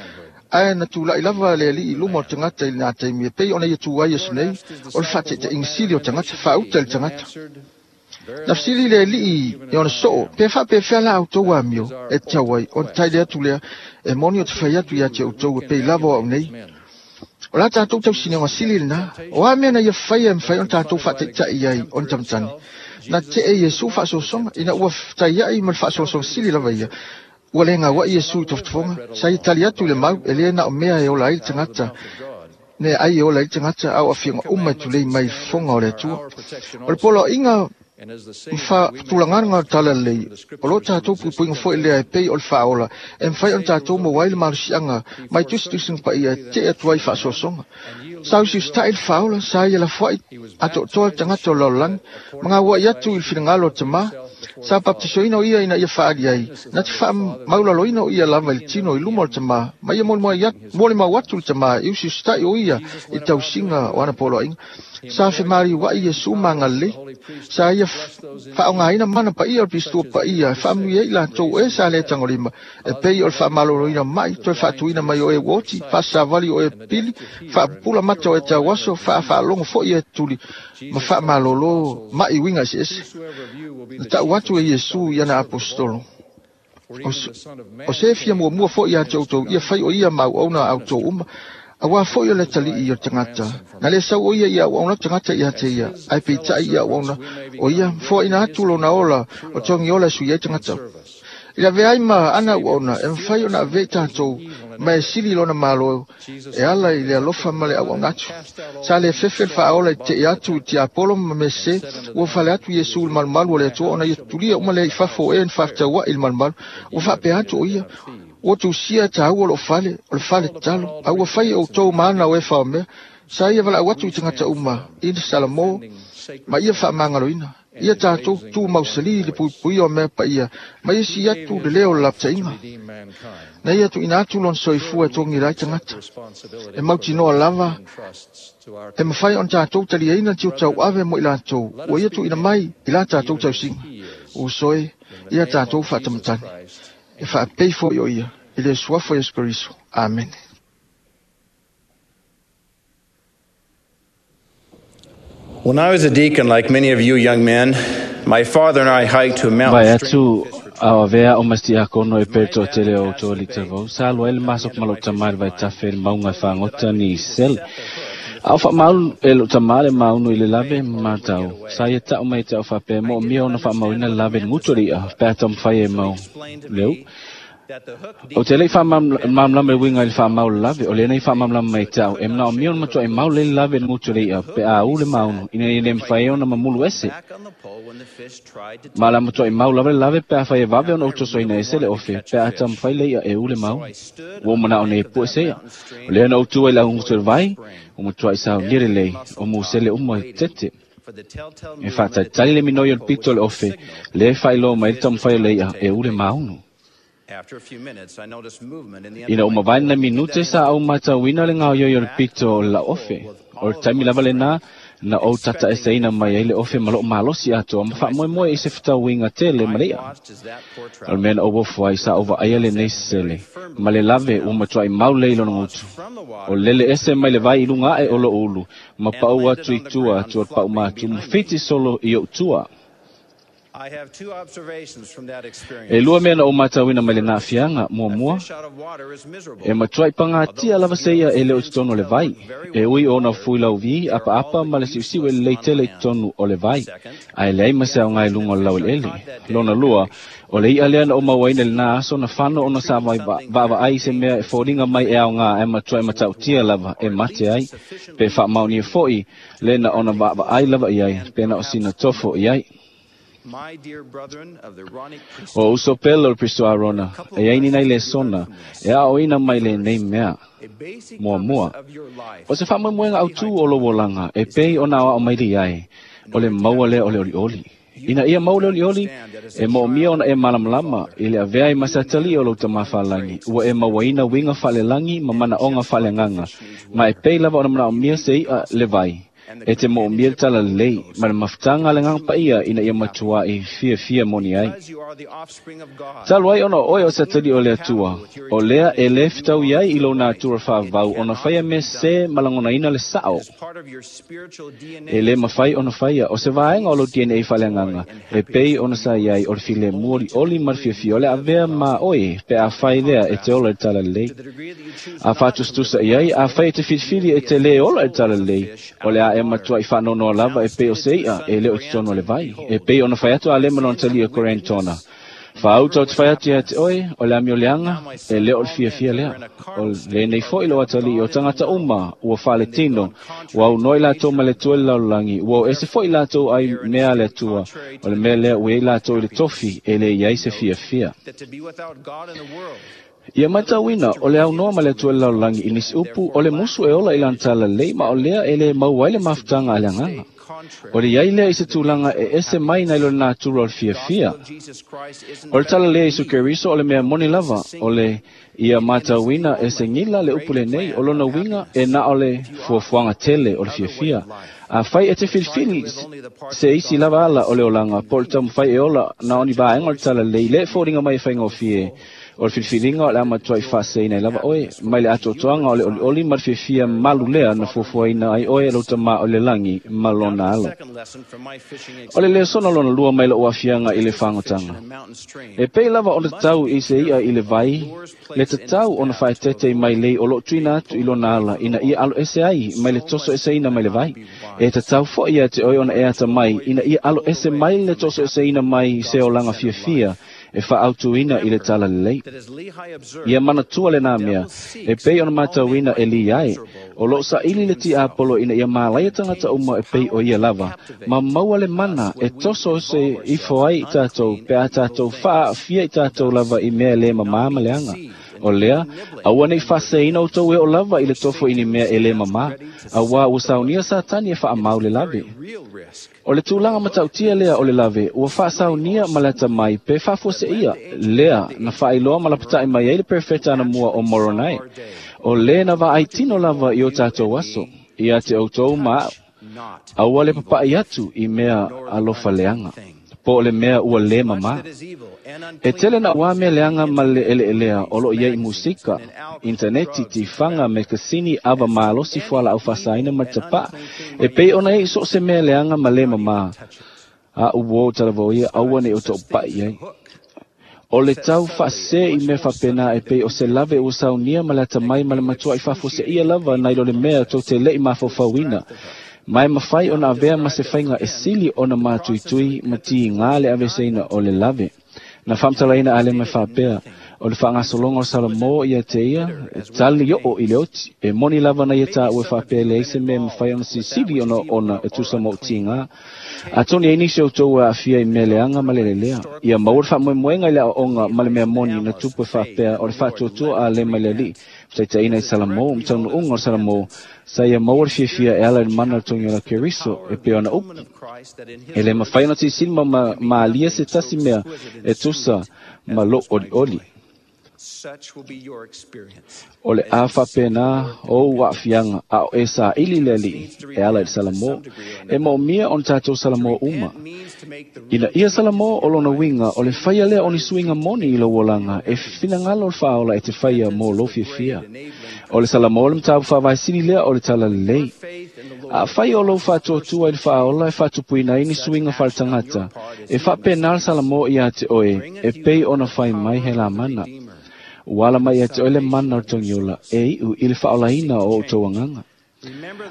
ae na tula'i lava le ali'i i luma o le tagata i lenā taimi e pei ona ia tu ai aso nei, o le fa'ataʻitaʻiga sili o tagata, faauta i le tagata. Na fesili le ali'i i ona soo, pe fa'apefea la outou amio e tatau ai, ona taele atu lea, e moni o te fai atu iā te outou e pei lava o a'u nei. O la tatou tausiniga sili lenā, o a mea na ia faia e mafai ona tatou fa'ataʻitaʻi ai ona tamatane. Na te'e Iesu fa'asoasoga, ina ua fetaia'i ma le fa'asoasoga sili lava ia, ua le gaua'i Iesu i tofotofoga, sa ia tali atu i le mau, e lē na o mea e ola ai le tagata, ne ai e ola ai le tagata, a o aafiaga uma e tulei mai i le fofoga o le Atua. O le poloaiga ma fa'atulagaga o le talalelei, o lo tatou puipuiga fo'i lea e pei o le fa'aola e mafai ona tatou maua ai le malosi'aga mai tusitusiga paia e te'e atu ai fa'asoasoga. Sa usiusita'i le fa'aola, sa ia lafoa'i ato'atoa le tagata o le lalolagi, ma gaua'i atu i le finagalo o le tamā. Sa baptisoina o ia ina ia fa'aali ai, na te fa'amaulaloina o ia lava i le tino i luma o le tamā, ma ia molimau atu le tamā e usiusita'i o ia i le tausiga o ana poloaiga. Sa femāliua'i Iesu ma agalelei. Sa ia fa'aaogāina mana paia o le pistua paia e fa'amanuia ai i latou e sa lē tagolima, e pei o le fa'amaloloina ma'i, toe fa'atuina mai o e ua oti, fa'asasavali o e pili, fa'apupula mata o e tauaso, fa'afaalogo fo'i e tuli, ma fa'amalōlō ma'i uiga eseese. Na ta'u atu e Iesu i ana aposetolo, O se fia muamua fo'i iā te outou ia fai o ia ma auauna a outou uma, auā fo'i o le atalii o le tagata. Na lē sau o ia i auauna tagata iā te ia, ae peita'i i auauna o ia, ma foaʻina atu lona ola o togi ola e sui ai tagata. I le avea ai ma ana auauna, e mafai ona avea i tatou ma e sili lona malo e ala i le alofa ma le auauna atu. Sa le fefe le faaola i te'i atu i tiapolo ma mea sesē. Ua fale atu Iesu i le malumalu o le Atua ona ia tulia uma lea i fafo o e na faafetaua'i i le malumalu. Ua faapea atu o ia, ua tusia e tāua lou fale, o le fale tatalo, a ua fai e outou ma ana o e faomea. Sa ia valaau atu i tagata uma i le Salamo ma ia faamagaloina. Ia tātou tu mausali i le puipuia o mea paia, ma ia sii atu le leo o le lapataiga. Na ia tuuina atu lona soifua e togila ai tagata. E mautinoa lava e mafai ona tatou taliaina le tiute tauave mo i latou ua ia tuuina mai i la tatou tausiga. Uso e, ia tatou faatamatagi. E faapei foi o ia i le suafa o Iesu Keriso. Amene. When I was a deacon, like many of you young men, my father and I hiked to a Vae mountain atu ao avea o mas tiakono e pe toatele o outou alii talavou, sa alu ai le masopo ma lou tama i le vaitafe i le mauga e fagota ni sele. A o faamaulu e lou tama le maunu i le lave ma matau, sa ia ta'u mai ia te au faapea e mo'omia ona faamauina le lave i le gutu o le i'a pe a taumafai e mau le u'u. Ou te le i faamalamalama le uiga i le faamau o le lave, o lea na ia faamalamalama mai te au, e manaomia ona matuai mau lelei le lave i le gutu o le i'a pe a ū le maunu, ina ia le mafai ai ona mamulu ese. Ma o le a matuai mau lava le lave pe afai e vave ona ou tosoina ese le ofe, pe a taumafai le i'a e ū le maunu. Ua ou mana'o nei e pue se i'a. O lea na ou tu ai i le augutu o le vai, ua matuai saunia lelei, o musele uma i tete. E faatalitali le minoi o le pito o le ofe, lea e faailoa mai ai le taumafai o le i'a e ū le maunu. Ina ua mavae nai minute sa ou matauina le gaoioi o le pito o le lauofe. O le taimi lava lenā na ou tataeseina mai ai le ofe ma lou malosi atoa ma faamoemoe i se fetauiga tele ma le i'a. O le mea na ou ofo ai sa ou vaaia lenei sele ma le lave ua matuai mau lelei i lona gutu. O lele ese mai le vai i luga ae o lou ulu ma paʻu atu i tua atu o le paumatu ma fiti solo i ou tua. E lua mea na ou matauina mai lenā aafiaga. Muamua, e matuai pagatia lava se i'a e le o i totonu o le vai, e ui o ona fui lauvi, apaapa ma le siusiu e lelei tele i totonu o le vai, ae leai ma se aoga i luga o le laueleele. Lona lua, o le i'a lea na ou mauaina i lenā aso na fano ona sa vaavaai i se mea e foliga mai e aoga ae matuai matautia lava e mate ai, pe faamaonia foi le na ona vaavaai lava i ai, pe na o sina tofo i ai. O uso pele o le Pristo Arona, e ai ni nai lesona e aoaoina mai lenei mea. Muamua, o se faamoemoega autū o lou olaga e pei ona aoao mai li ai, o le maua lea o le olioli. Ina ia mau le olioli, e moomia ona e malamalama i le avea ai ma se atalii o lou Tama Faalagi, ua e mauaina uiga faalelagi ma manaoga faaleagaga, ma e pei lava ona manaomia se i'a le vai. E te moomia le talalelei ma le mafutaga a le Agaga Paia ina ia matuai fiafia moni ai. Talu ai ona o oe o se atalii o le Atua, o lea e lē fetaui ai i lou natura faavavau ona faia mea sesē ma lagonaina le sa'o. E lē mafai ona faia o se vaega o lou DNA faaleagaga e pei ona sa i ai o le filemu olioli ma le fiafia o le avea ma oe pe afai lea e te ola i le talalelei. A faatusatusa i ai, afai e te filifili e te lē ola i le talalelei, o le a e matuai faanoanoa lava e pei o se i'a e le o i totonu o le vai, e pei ona fai atu a Alema lona talia Koriantona. Faauta ou te fai atu ia te oe, o le amioleaga, e le o le fiafia lea. O lenei foi lou atalii o tagata uma ua faaletino, ua aunoa i latou ma le Atua i le lalolagi, ua o ese foi latou ai mea a le Atua, o le mea lea ua i ai latou i le tofi e le i ai se fiafia. Ia matauina, o le aunoa ma le Atua i le lalolagi i nisi upu, o le musu e ola i lana talalelei, ma o lea e le maua ai le mafutaga a le Agaga. O le i ai lea i se tulaga e ese mai nai lo le natura o le fiafia. O le talalelei a Iesu Keriso o le mea moni lava, o le ia matauina e se gila le upu lenei, o lona uiga e na o le fuafuaga tele o le fiafia. Afai e te filifili se isi lava ala o le olaga, po o le taumafai e ola na o ni vaega o le talalelei, le foliga mai e faigofie, O le filifiliga o le a matuai faaseseina ai lava oe, mai le atoatoaga o le olioli ma le fiafia malu lea na fuafuaina ai oe e lou Tama o i le lagi ma lona Alo. O le lesona lona lua mai lou aafiaga i le fagotaga. E pei lava ona tatau i se i'a i le vai, le tatau ona faaeteete i mailei o lo o tuuina atu i lona ala ina ia aloese ai mai le tosoeseina mai le vai. E tatau foi ia te oe ona e atamai ina ia aloese mai le tosoeseina mai se olaga fiafia e fa'autuina i le talalelei. Ia manatua lenā mea, e pei ona matauina e li ai, o loo saili le tiapolo ina ia malaia tagata uma e pei o ia lava, ma maua le mana e toso se ifo ai i tatou pe a tatou faaafia i tatou lava i mea e lē mamā ma leaga. O lea, aua nei faaseseina outou e o lava i le tofo i ni mea e lē mamā, auā ua saunia Satani e faamau le lave. O le tulaga matautia lea o le lave, ua faasaunia ma le atamai pe faafuaseia, lea na faailoa ma lapata'i mai ai le perofeta anamua o Moronai. O lē na vaai tino lava i o tatou aso, ia te outou ma a'u. Aua le papa'i atu i mea alofa leaga, po o le mea ua lē mamā. E tele na uā mea leaga ma le eleelea o loo iai i musika, intaneti, tifaga, mekasini, ava malosi fualaau faasaina ma le tapa'a, e pei ona iai so o se mea leaga ma lē mamā. A'u uō talavō ia aua nei o to'opa'i ai. O le tau faasesē i mea faapena e pei o se lave ua saunia ma le atamai ma le matua'i faafuaseia lava nai lo le mea tou te le'i mafaufauina, ma e mafai ona avea ma se faiga e sili ona matuitui ma tigā le aveseina o le lave. Na faamatalaina Alema e faapea, o le faagasologa o Salomō ia te ia, e tali oo i le oti, e moni lava na ia tāua e faapea e leai se mea e mafai ona silisili ona e tusa ma ou tigā. Atonu e ai nisi o outou ua aafia i mea leaga ma le lelea. Ia maua le faamoemoega i le aoaoga ma le mea moni na tupu e faapea o le faatuatua a Alema i le Alii, fetaitaiina i Salomō, ma taunuuga o Salomō, sa ia maua le fiafia e ala i le mana o le togi ola Keriso, e pei ona upu. E lē mafai ona silisili ma malia se tasi mea e tusa ma lou olioli. O le a faapena ou aafiaga a o e saili le Alii e ala i le Salomō, e moomia ona tatou Salomō uma. Ina ia Salomō o lona uiga o le faia lea o ni suiga moni i lou olaga e finagalo le faaola e te faia mo lou fiafia. O le Salomō le mataupu faavaesili lea o le talalelei. Afai o lou faatuatua i le faaola e faatupuina ai ni suiga faaletagata, e faapena le Salomō iā te oe e pei ona fai mai he lamana. Ua ala mai ia te oe le mana o le togiola e iʻu i le faaolaina o outou agaga.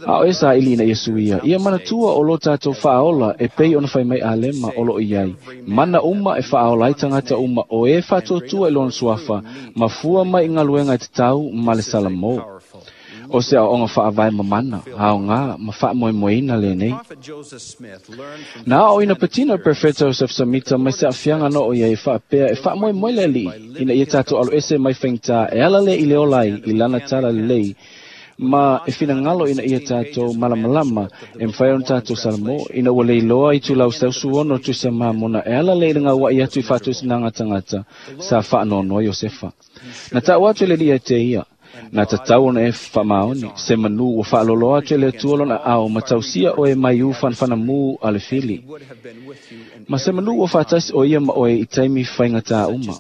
A o e saili ina ia suia, ia manatua o lo tatou faaola e pei ona fai mai Alema o loo iai, mana uma e faaola ai tagata uma o e faatuatua i lona suafa, ma fua mai i galuega e tatau ma le Salomō. O se aoaoga faavae mamana, aogā ma faamoemoeina lenei. Na aoaoina patino e le Perofeta Joseph Samita mai se aafiaga na oo iai e faapea e faamoemoe le Alii ina ia tatou aloese mai faigata e ala lea i le ola ai i lana talalelei ma e finagalo ina ia tatou malamalama e mafai ona tatou Salomō ina ua leiloa i tulau 160 tusi mamona e ala lea i le gaua'i atu i faatosinaga tagata sa faanoanoa Iosefa. Na ta'u atu e le Alii ia te ia, na tatau ona e faamaoni, se manu ua faaloloa atu e le Atua lona aao ma tausia oe mai u fanafanamū a le fili. Ma se manu ua faatasi o ia ma oe i taimi faigata uma.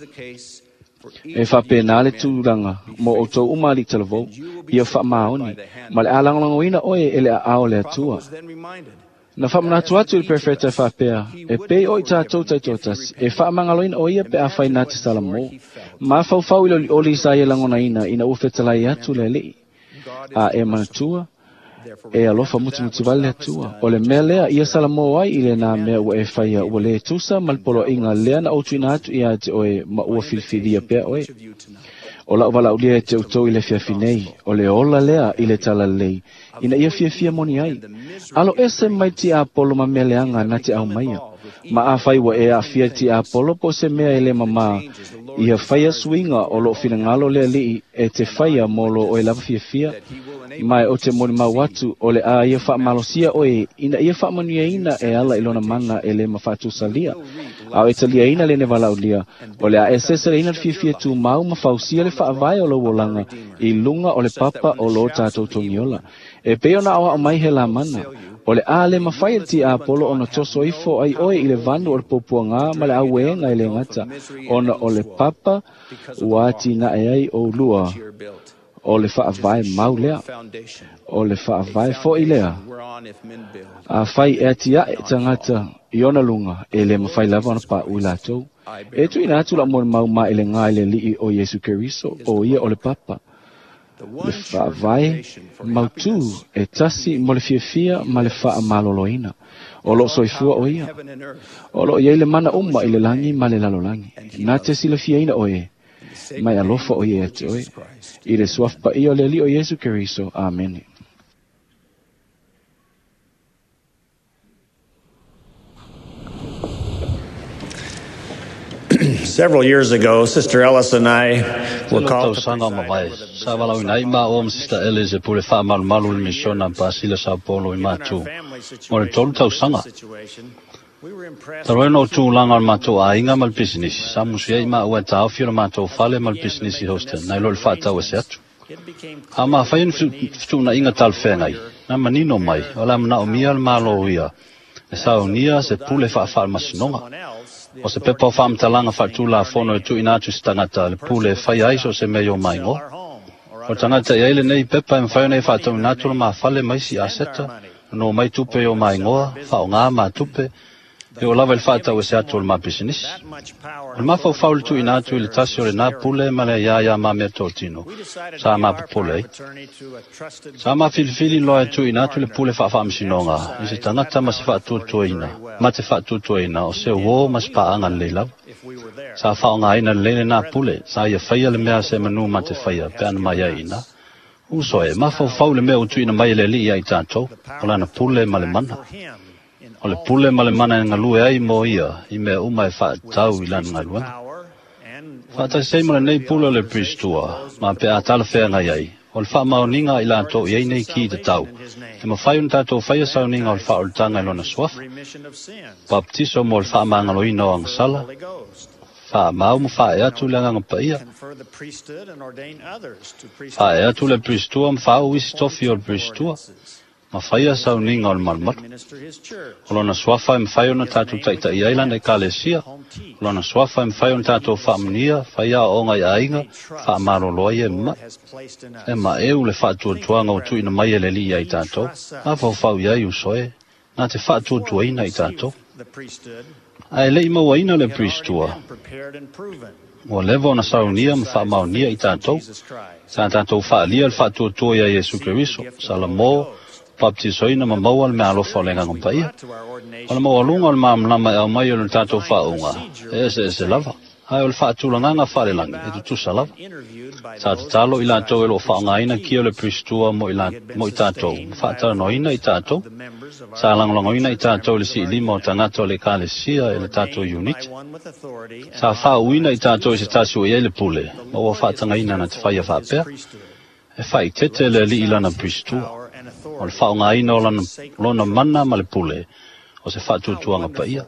E faapena le tulaga mo outou uma alii talavou, ia faamaoni, ma le a lagolagoina oe e le aao o le Atua. Na faamanatu atu i le perofeta e faapea, e pei o i tatou taitoatasi, e faamagaloina o ia pe afai na te Salomō. Mafaufau i le olioli sa ia lagonaina ina ua fetalai atu le Alii. A e manatua, e alofa mutimuti vale le Atua. O le mea lea ia Salomō ai i lenā mea ua e faia ua lē tusa ma le poloaiga lea na ou tuuina atu iā te oe ma ua filifilia pea oe. O la'u valaaulia e te outou i le afiafi nei, o le ola lea i le talalelei, ina ia fiafia moni ai. Alo ese mai tiapolo ma mea leaga na te aumaia. Ma afai ua e aafia i tiapolo po o se mea e lē mamā, ia faia suiga o loo finagalo le Alii e te faia mo lo oe lava fiafia, ma e o te molimau atu o le a ia faamalosia oe ina ia faamanuiaina e ala i lona mana e lē mafaatusalia. A o e taliaina lenei valaaulia, o le a e seseleina le fiafia tumau ma fausia le faavae o lou olaga i luga o le papa o lo tatou togiola. E pei ona aoao mai he lamana, o le a lē mafai e le tiapolo ona toso ifo ai oe i le vanu o le puapuagā ma le auēga e lē gata, ona o le papa ua atinae ai oulua o le faavae mau lea, o le faavae fo'i lea. Afai e atiae tagata i ona luga, e lē mafai lava ona paʻu i latou. E tuuina atu la'u molimau ma i le gā i le Alii o Iesu Keriso, o ia o le papa, le faavae mautū e tasi mo le fiafia ma le faamaloloina. O loo soifua o ia. O loo iai le mana uma i le lagi ma le lalolagi. Na te silafiaina oe, mai alofa o ia te oe. I le suafa paia o le Alii o Iesu Keriso. Amene. Several years ago, Sister Ellis and I were called to tausaga o mavae. Sa valaauina ai maʻo ma Sister Ellis e pule faamalumalu le misiona Pasila Sao Paulo i Matu mo le 3 tausaga. Talu ai ona o tulaga o le matou aiga ma le pisinisi, sa musu ai maʻu e taofi o le matou fale ma le pisinisi Houston nai lo le faatau ese atu. A mafai ona fetuunaiga talafeagai, na manino mai o le a manaomia le Malo ia e saunia se pule faafaamasinoga. O se pepa o faamatalaga faatulafono e tuuina atu se tagata le pule e faia ai so o se mea i o maigoa. O le tagata i ai lenei pepa e mafai ona e faatauina atu le mafale mai si aseta, no mai tupe i o maigoa, faaaoga ma tupe, e o lava i le faatau ese atu o le mapisinisi. O le mafaufau le tuuina atu i le tasi o lenā pule ma le ia ia ma mea tōtino, sa mapopole ai. Sa mafilifili loa e tuuina atu le pule faafaamasinoga i se tagata ma se faatuatuaina, ma te faatuatuaina o se uō ma se paaga lelei lava. Sa faaaogaina lelei lenā pule, sa ia faia le mea se manu ma te faia pe ana mai ai ina. Uso e, mafaufau le mea ua tuuina mai e le Alii ia i tatou, o lana pule ma le mana. O le pule ma le mana e galue ai mo ia i mea uma e faatau i lana galuega. Faatasi ai ma lenei pule o le Pristua, ma pe a talafeagai ai, o le faamaoniga i latou i ai nei ki te tau, e mafai ona tatou faia sauniga o le faaolataga i lona suafa. Baptiso mo le faamagaloina o agasala, faamau ma faae atu le agaga paia, faae atu le Pristua ma faauu isi tofi o le Pristua, ma faia sauniga o le malumalu. O lona suafa e mafai ona tatou taita'i ai lana ekalesia, o lona suafa e mafai ona tatou faamanuia, faia aoaoga i aiga, faamalolo ai e ma'i. E maʻeu le faatuatuaga ua tuuina mai e le Alii ia i tatou, mafaufau i ai uso e, na te faatuatuaina i tatou. Ae leʻi mauaina le Pristua, ua leva ona saunia ma faamaonia i tatou, sa tatou faalia le faatuatua ia Iesu Keriso, Salamo, baptisoina ma maua le mea alofa o le agaga paia. O le maualuga o le malamalama e aumai o le tatou faauuga, e eseese lava, ae o le faatulagaga faalelagi e tutusa lava. Sa tatalo i latou e loo faaaogaina kia o le Pristua mo i tatou, ma faatalanoaina i tatou. Sa lagolagoina i tatou i le siilima o tagata o le ekalesia e le tatou unit. Sa faauuina i tatou i se tasi ua i ai le pule, ma ua faatagaina na te faia faapea. E faaitete le Alii lana Pristua. O le faaaogaina o lona mana ma le pule, o se faatuatuaga paia.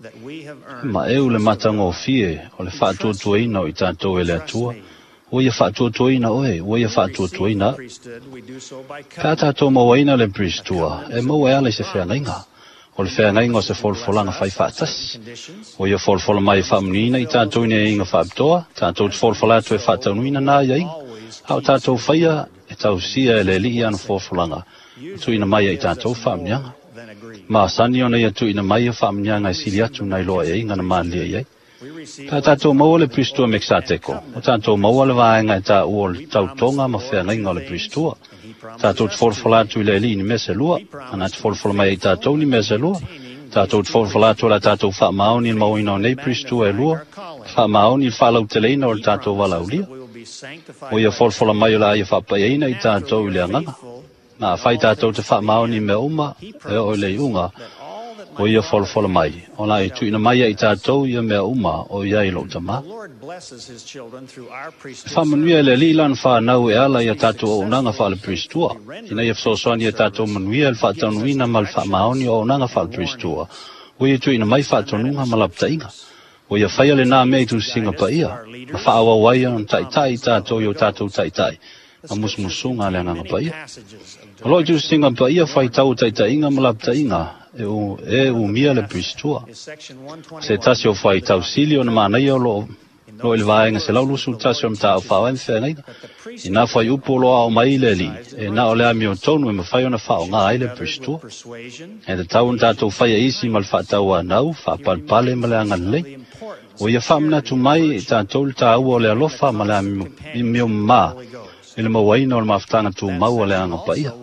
E maʻeu le matagofie o le faatuatuaina o i tatou e le Atua, ua ia faatuatuaina oe, ua ia faatuatuaina aʻu. Pe a tatou mauaina le Pristua, e maua e ala i se feagaiga. O le feagaiga o se folafolaga fai faatasi. Ua ia folafola mai e faamanuiina i tatou i nei aiga faapitoa, tatou te folafola atu e faataunuina nā aiaiga, a o tatou faia e tausia e le Alii ana folafolaga, tuuina mai ai tatou faamanuiaga. Ma asani ona ia tuuina mai ia faamanuiaga e sili atu nai loa e aiga na malilie i ai. Pe a tatou maua le Pristua Mekisateko, o tatou maua le vaega e taua o le tautoga ma feagaiga o le Pristua. Tatou te folafola atu i le Alii ni mea se lua, ana te folafola mai ai tatou ni mea se lua. Tatou te folafola atu o le tatou faamaoni i le mauaina o nei Pristua e lua, faamaoni i le faalauteleina o le tatou valaaulia. O ia folafola mai o le a ia faapaiaina i tatou i le agaga. Na afai tatou te faamaoni mea uma, e oo i le iuga, o ia folafola mai, o la e tuuina mai ai i tatou ia mea uma o i ai lou tamā. E faamanuia e le Alii lana whanau e ala ia tatou auaunaga faale-Pristua, ina ia fesoasoani ia tatou manuia i le faataunuina ma le faamaoni o auaunaga faale-Pristua, ua ia tuuina mai faatonuga ma lapataiga. Ua ia faia lenā mea i tusiga paia, ma faaauau ai ona taʻitaʻi i tatou i o tatou taʻitaʻi, ma musumusuga a le agaga paia. O loo i tusiga paia faitau o taʻitaʻiga ma lapataiga e umia le Pristua. Se tasi o faitau sili ona manaia o loo i le vaega 121 o mataupu faavae ma feagaiga. I nā fuaiupu o lo o aao mai i le Alii, e na o le amiotonu e mafai ona faaaoga ai le Pristua. E tatau ona tatou faia isi ma le faatauanau, faapalepale ma le agalelei. Ua ia faamanatu mai i tatou le taua o le alofa ma le amiomamā i le mauaina o le mafutaga tumau a le agaga paia.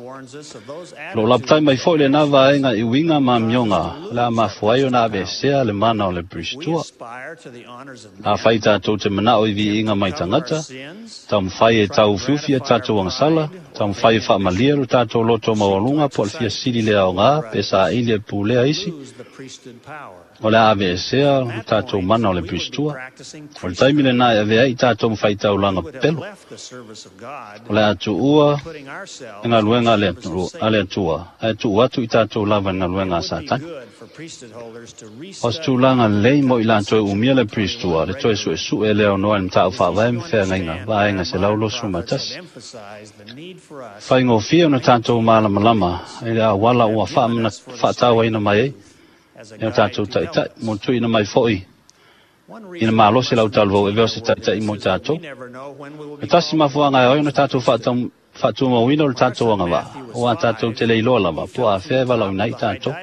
Lo lapatai mai fo'i lenā vaega i uiga ma amioga o le a mafua ai ona aveesea le mana o le Pristua. Afai tatou te mana'o i viiga mai tagata, taumafai e tauufiufi a tatou agasala, taumafai e faamalie lo tatou loto maualuga po o le fiasili le aogā pe saili e pulea isi, o le a aveesea lo tatou mana o le Pristua. O le taimi lenā e avea ai tatou ma faitaulaga pepelo. O le a tuua le galuega a le Atua, ae tuu atu i tatou lava i le galuega a Satani. O se tulaga lelei mo i latou e umia le Pristua, le toe su'esu'e e le aonoa i le mataupu faavae ma feagaiga vaega 121. Faigofie ona tatou malamalama i le auala ua fa'atauaina mai ai e o tatou ta'ita'i mo le tuuina mai fo'i i le malosi lau talavou e avea o se ta'ita'i mo i tatou. E tasi mafuaaga e ao ai ona tatou fa'atumauina o le tatou agava'a, auā tatou te le iloa lava po o afea e valaauina ai i tatou.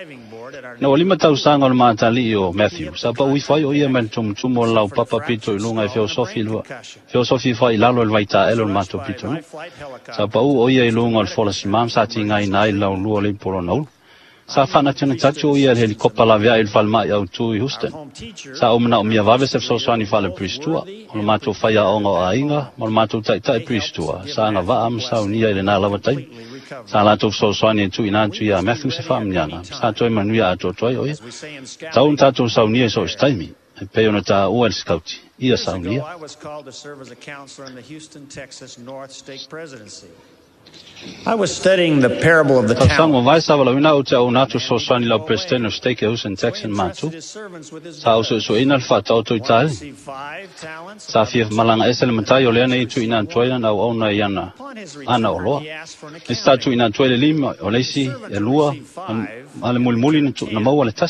Ina ua 5 tausaga o le matali'i o Matthew, sa pa'u ifo ai o ia mai le tumutumu o le laupapa pito i luga e feosofi ifo ai i lalo i le vaitaele o le matou pitonuu. Sa pa'u o ia i luga o le folasimā ma sa tigaina ai le laulua o le ipu o lona ulu. Sa fa'anatinatatu o ia i le helikopa lavea'i i le falema'i autū i Houston. Sa ou mana'omia vave se fesoasoani fa'ale-Pristua, o le matou faiaoga o aiga ma le matou ta'ita'i Pristua sa agava'a ma saunia i lenā lava taimi. Sa latou fesoasoani e tuuina atu iā Matthew se fa'amuniaga, sa toe manuia atoatoa ai o ia. Tau ona tatou saunia i so o se taimi, e pei ona tāua i le sikauti, ia saunia. I was studying the parable of the Tausaga talents. ua vae sa valaauina au te auuna atu fesoasoani i lau Peresetene o Stake e Houston, Texas mātu. Sa ou su'esu'eina le fa'ataoto i taele. Sa fia malaga ese le matai o lea nei tuuina atu ai lana auauna i ana ana oloa. Le isi sa tuuina atu ai le 5, o le isi e 2, ma le mulimuli na maua le 1.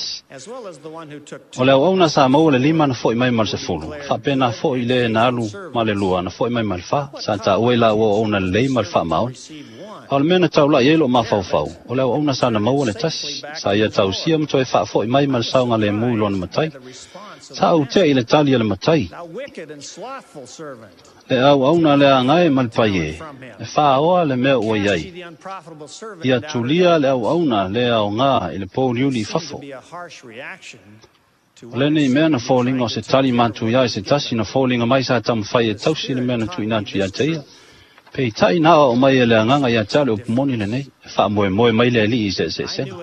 O le auauna sa maua le 5 na fo'i mai ma le 10, fa'apena fo'i le na alu ma le 2 na fo'i mai ma le 4. Sa tāua i laua auauna lelei ma le fa'amaoni. A o le mea na taula'i ai lo'u mafaufau, o le auauna sa na maua le 1, sa ia tausia ma toe fa'afo'i mai ma le saogalēmū i lona matai. Sa ou te'i i le tali a le matai. Le auauna le agae ma le paiē, e fāoa le mea ua iai. Ia tulia le auauna le aogā i le pouliuli i fafo. O lenei mea na foliga o se tali matuiā i se tasi na foliga mai sa taumafai e tausi le mea na tuuina atu iā te ia. Peitai na aoao mai e le agaga iā te au le upu moni lenei, e fa'amoemoe mai le ali'i i se'ese'esega.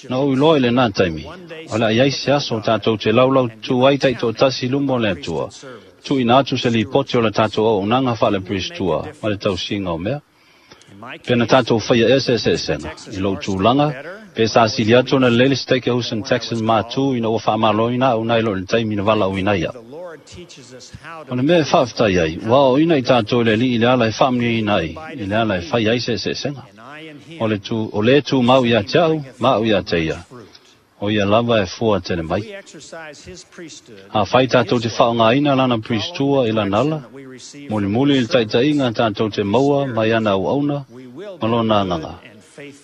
Na ou iloa i lenā taimi, o le a iai se aso o tatou te laulau tutū ai ta'ito'atasi i luma o le Atua, tuuina atu se lipoti o le tatou auaunaga fa'ale-Pristua ma le tausiga o mea. Pe na tatou faia ea se'ese'esega, i lou tulaga, pe sa sili atu ona lelei le Stake e Houston, Texas mātū ina ua fa'amāloina a'u nai lo i le taimi na valaauina ai a'u. O le mea e fa'afetai ai, ua aoaoina i tatou e le Ali'i i le ala e fa'amanuiaina ai, i le ala e fai ai se'ese'esega. O le tū, o lē tumau iā te a'u, ma a'u iā te ia. O ia lava e fua tele mai. Afai tatou te fa'aaogāina lana Pristua i lana ala, mulimuli i le ta'ita'iga tatou te maua mai ana auauna ma lona agaga,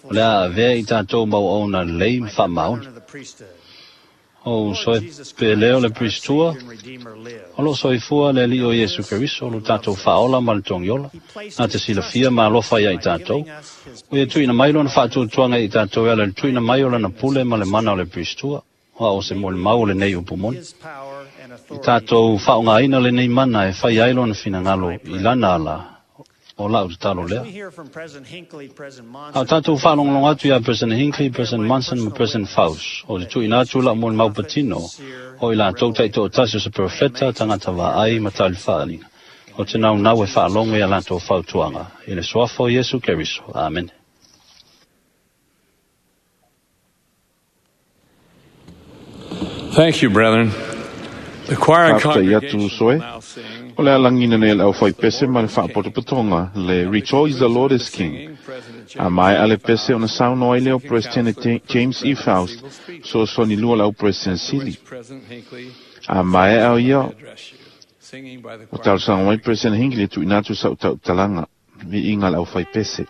o le a avea i tatou mau auauna lelei ma fa'amaoni. O uso e pele o le Pristua, o lo'o soifua le Ali'i o Iesu Keriso, lo tatou fa'aola ma le togiola, na te silafia ma alofa iā i tatou. Ua ia tuuina mai lona fa'atuatuaga i tatou e ala i le tuuina mai o lana pule ma le mana o le Pristua, o a'o se molimau o lenei upu moni. I tatou fa'aaogāina lenei mana e fai ai lona finagalo i lana ala, o la'u tatalo lea. A o tatou fa'alogologo atu iā President Hinckley, President Monson ma President Faust, o te tuuina atu la'u molimau patino, o i latou ta'ito'atasi o se perofeta, tagata vaai ma talifa'aliga. O te naunau e fa'alogo iā latou fautuaga, i le suafa o Iesu Keriso. Amene. Thank you, brethren. The choir and Fa'afetai atu congregation uso e. will now sing O le alagina nei le aufaipese ma le fa'apotopotoga, le Rejoice the Lord is King. A mae'a le pese ona saunoa ai lea o Peresetene James E. Faust, fesoasoani lua le au Peresetene Sili. President Hinckley A mae'a o ia, address you, singing by the o choir. talosaga mai President Hinckley e tuuina atu sa'u ta'utalaga, vi'iga le aufaipese.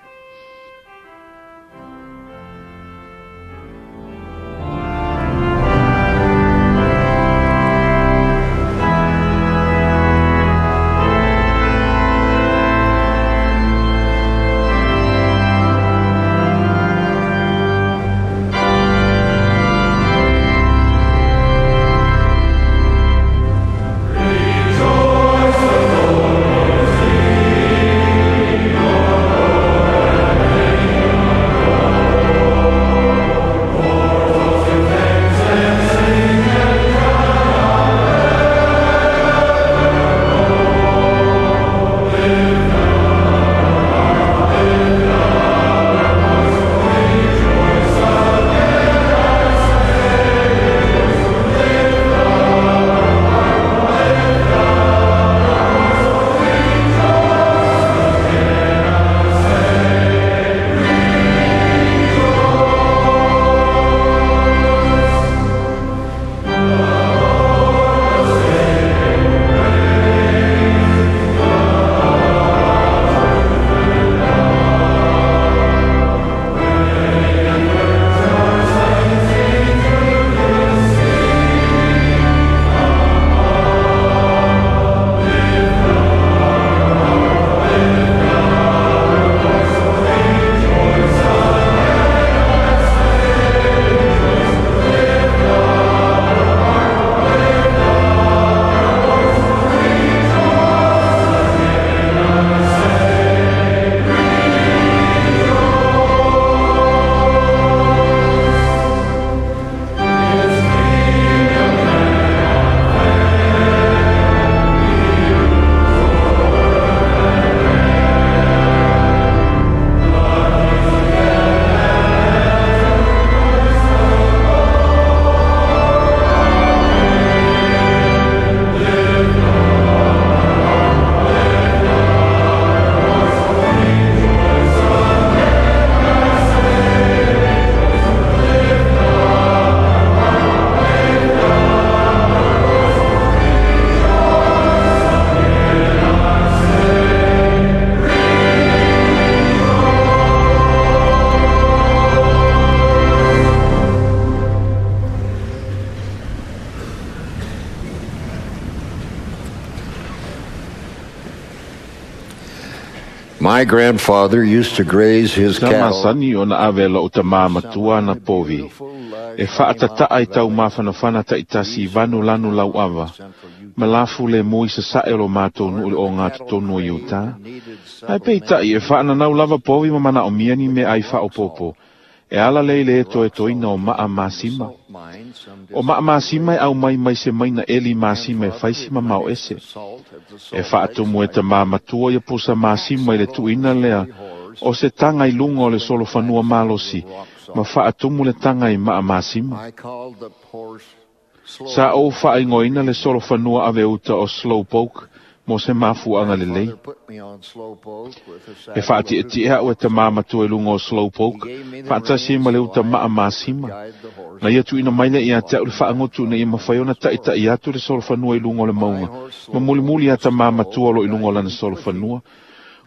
My grandfather used to graze his Sa cattle masani ona ave lo'u tamā matua ana povi. E fa'atata'a i taumafanafana ta'itasi i vanu lanu lau'ava, ma lafu lemu i sasa'e o lo matou nu'u i le ogatotonu o Iutā. Ae peita'i e fa'ananau lava povi ma mana'omia ni mea'ai fa'aopoopo, e ala lea i le etoetoina o ma'a masima. O ma'a masima e aumai mai se maina eli masima e faisi mamao ese. E fa'atumu e tamā matua ia pusa masima i le tu'uina lea o se taga i luga o le solofanua malosi ma fa'atumu le taga i ma'a masima. Sa ou fa'aigoaina le solofanua aveuta o Slowpoke mo se mafu'aga lelei. E fa'ati'eti'e a'u e tamā matua i luga o Slowpoke fa'atasi ai ma le uta ma'a masima. Na ia tu'uina mai lea iā te a'u le fa'agotu ina ia mafai ona ta'ita'i atu le solofanua i luga o le mauga ma mulimuli iā tamā matua o lo'o i luga o lana solofanua.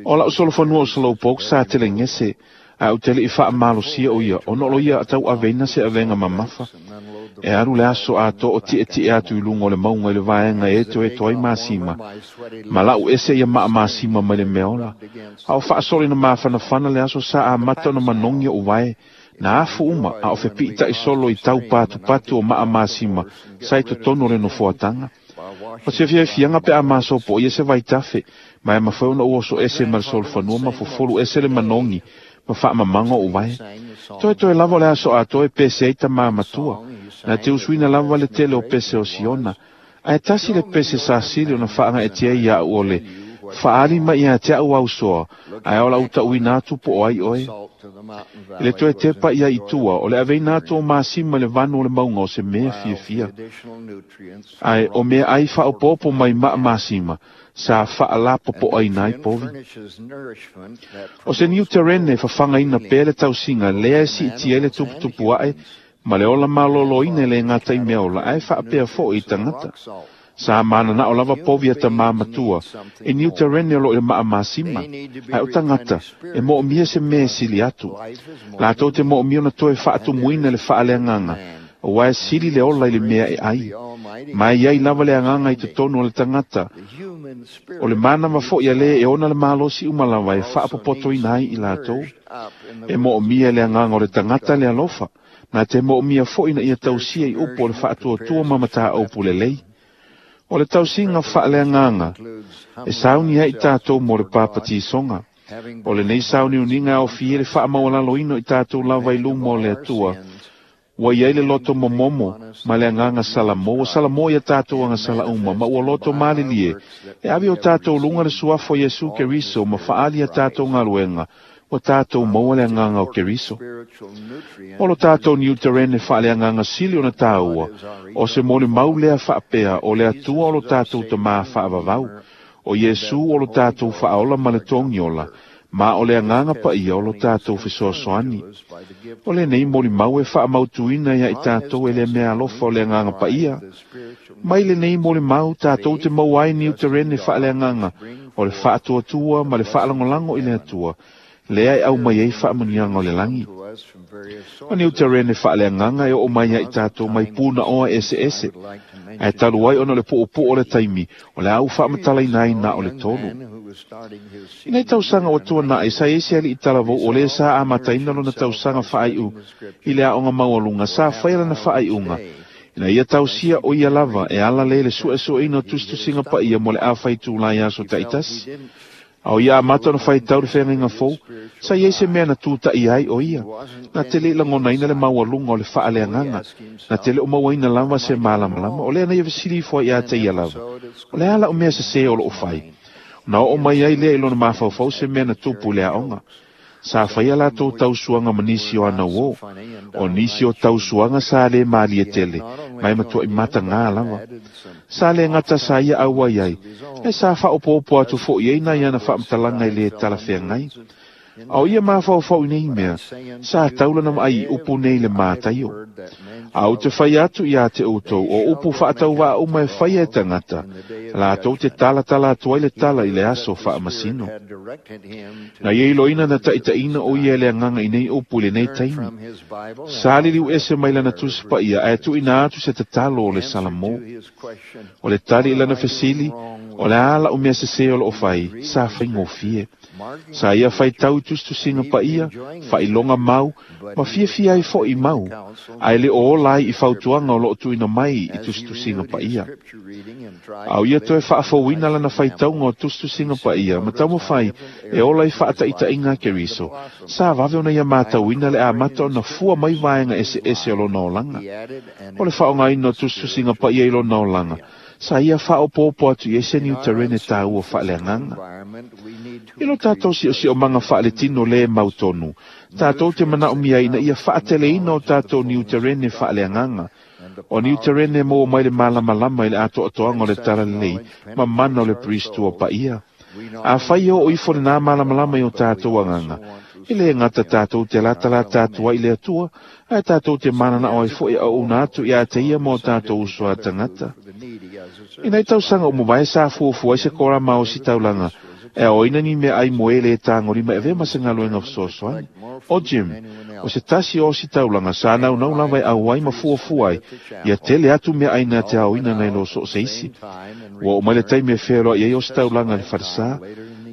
O la'u solofanua o Slowpoke sa telegese, ae ou te le'i fa'amalosia o ia ona o lo ia tau'aveina se avega mamafa. E alu le aso atoa o ti'eti'e atu i luga o le mauga i le vaega e etoeto ai masima, ma la'u ese ia ma'a masima mai le mea ola. A o fa'asolo ina mafanafana le aso sa amata ona manogi o'u vae, na afu uma a o fepi'ita'i solo i tau patupatu o ma'a masima sa i totonu o le nofoataga. O se fiafiaga pe a masopo'oia se vaitafe, ma e mafai ona ou oso ese ma le solofanua ma fofolu ese le manogi ma fa'amamaga o'u vae. Toetoe lava o le aso atoa e pese ai tamā matua, na te usuina lava le tele o pese o Siona, ae tasi le pese sa sili ona fa'aga'etia ai ia'u o le, Fa'ali mai iā te a'u ausoa, ae o la'u ta'uina atu po o ai oe. I le toe tepa ia i tua, o le aveina atu o masima i le vanu o le mauga o se mea fiafia. Ae o mea'ai fa'aopoopo mai ma'a masima, sa fa'alapopo'aina ai povi. O se niu terene e fafagaina pea le tausiga lea e si'itia ai le tuputupu a'e ma le ola malōlōina e lē gata i meaola ae fa'apea fo'i i tagata. Sa manana'o lava povi a tamā matua i niu terene o lo'o i le ma'a masima, ae o tagata e mo'omia se mea e sili atu. Latou te mo'omia ona toe fa'atumuina le fa'aleagaga, auā e sili le ola i le mea e ai. Ma e iai lava le agaga i totonu o le tagata, o le manava fo'i a lē e ona le malosi uma lava e fa'apopotoina ai i latou. E mo'omia e le agaga o le tagata le alofa, na te mo'omia fo'i ina ia tausia i upu o le fa'atuatua ma matā'aupu lelei. O le tausiga fa'aleagaga e sauni ai i tatou mo le papatisoga. O lenei sauniuniga e aofia ai le fa'amaualaloina o i tatou lava i luma o le Atua, ua i ai le loto momomo ma le agaga salamo, ua salamo ia tatou agasala uma, ma ua loto malilie e ave i o tatou luga le suafa o Iesu Keriso ma fa'ali a tatou galuega, ua tatou maua le agaga o Keriso. O lo tatou niu terene fa'aleagaga sili ona tāua, o se molimau lea fa'apea o le Atua o lo tatou tamā fa'avavau, o Iesu o lo tatou fa'aola ma le togiola, ma o le agaga pa'ia o lo tatou fesoasoani. O lenei molimau e fa'amautuina iā i tatou e le mea alofa o le agaga pa'ia. Mai lenei molimau tatou te maua ai niu terene fa'aleagaga o le fa'atuatua ma le fa'alagolago i le Atua, lea e aumai ai fa'amanuiaga o le lagi. O niu terene fa'aleagaga e o'o mai ia i tatou mai puna'oa eseese, ae talu ai ona o le pu'upu'u o le taimi, o le a ou fa'amatalaina ai na o le tolu. I nei tausaga ua tuana'i, sa i ai se ali'i talavou o lē sa amataina lona tausaga fa'ai'u i le a'oga maualuga, sa faia lana fa'ai'uga ina ia tausia o ia lava e ala lea i le su'esu'eina o tusitusiga pa'ia mo le afaitulā i aso ta'itasi. A o ia amata ona faitau le feagaiga fou, sa i ai se mea na tūta'ia ai o ia, na te le i lagonaina le maualuga o le fa'aleagaga, na te le o mauaina lava se malamalama, o lea na ia fesili ifo ai iā te ia lava, O le a la'u mea sesē o lo'o fai? Ona oo mai ai lea i lona mafaufau se mea na tupu i le aoga. Sa faia latou tausuaga ma nisi o ana uō. O nisi o tausuaga sa lē malie tele, ma e matua'i matagā lava. Sa lē gata sa ia auai ai, ae sa fa'aopoopo atu fo'i ai nai ana fa'amatalaga i lē talafeagai. A o ia mafaufau i nei mea, sa tau lana vaai i upu nei i le Mataio. A ou te fai atu iā te outou, o upu fa'atauvaa uma e faia e tagata, latou te talatala atu ai le tala i le aso fa'amasino. Na ia iloina na ta'itaʻina o ia e le agaga i nei upu i lenei taimi. Sa liliu ese mai lana tusi pa'ia ae tu'uina atu se tatalo o le Salamo. O le tali i lana fesili, O le a la'u mea sesē o lo'o fai, sa faigofie. Sa ia faitau i tusitusiga paia, faailoga mau, ma fiafia ai fo'i mau, ae le o ola ai i fautuaga o lo'o tuuina mai i tusitusiga paia. A o ia toe faafouina lana faitauga o tusitusiga paia ma taumafai e ola i faataitaiga a Keriso, sa vave ona ia matauina le amata ona fua mai vaega eseese o lona olaga. O le faaaogaina o tusitusiga paia i lona olaga, sa ia faaopoopo atu i ai se niutarene taua faaleagaga. I lo tatou siosiomaga faaletino lē mautonu, tatou te manaomia ai ina ia faateleina o tatou niutarene faaleagaga. O niutarene e maua mai le malamalama i le atoatoaga o le Talalelei ma mana o le Peristua paia. Afai e oo ifo lenā malamalama i o tatou agaga, e lē gata tatou te latalata atu ai i le Atua, ae tatou te mananao ai fo'i e auauna atu iā te Ia ma o tatou uso a tagata. I nai tausaga ua mavae sa fuafua ai se korama a ositaulaga e aoina ni meaai mo e lē tagolima e avea ma se galuega fesoasoani. O Jim, o se tasi o ositaulaga sa naunau lava e auai ma fuafua ai ia tele atu meaai na te aoina nai lo so o se isi. Ua oo mai le taimi e feoloai ai ositaulaga i le falesā.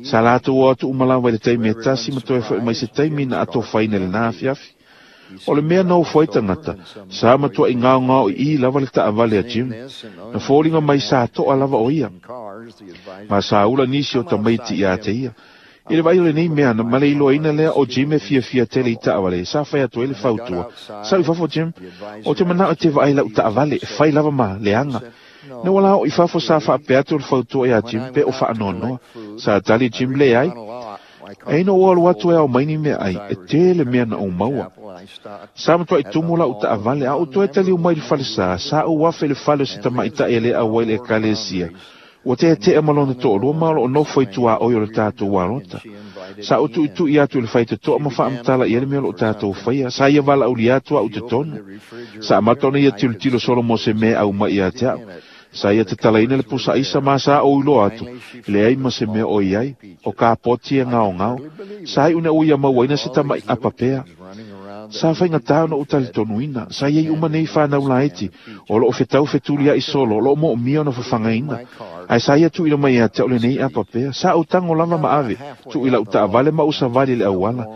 Sa latou o atu uma lava i le taimi e tasi ma toe fo'i mai se taimi na atofaina i lenā afiafi. O le mea na ofo ai tagata, sa matua'i gaogao iī lava le taavale a Jim. Na foliga mai sa to'a lava o ia. Ma sa ula nisi o tamaiti iā te ia. I le vaai o lenei mea, ma le iloaina lea o Jim e fiafia tele i taavale, sa fai atu ai le fautua, Sau i fafo Jim, ou te manao e te vaai i la'u taavale, e fai lava ma leaga. Na ua la oo i fafo sa faapea atu le fautua iā Jim pe o faanoanoa. Sa tali Jim, Leai. E ina ua alu atu e ao mai ni meaai, e tele mea na ou maua. Sa matuai tumu la'u taavale, a ou toe taliu mai i le falesā, sa ou afe i le fale o se tamaita'i e lē auai i le Ekalesia. Ua teete'a ma lona to'alua ma o lo'o nofo i tuaoi o le tatou alota. Sa ou tu'itu'i atu i le faitoto'a ma faamatala i ai le mea o lo'o tatou faia. Sa ia valaaulia atu a'u totonu. Sa amata ona ia tilotilo solo mo se mea e aumai ia te a'u. Sa ia tatalaina le pusa aisa ma sa ou iloa atu, leai ma se mea o i ai, o ka poti e gaogao. Sa iu ina ua ia mauaina se tama'i apa pea. Sa faigata ona ou talitonuina, sa i ai uma nei fanau laiti, o loo fetau fetulia'i solo, o loo moomia ona fafagaina. Ae sa ia tuuina mai ia te a'u lenei apa pea. Sa ou tago lava ma ave, tuu i la'u taavale ma ou savali i le auala.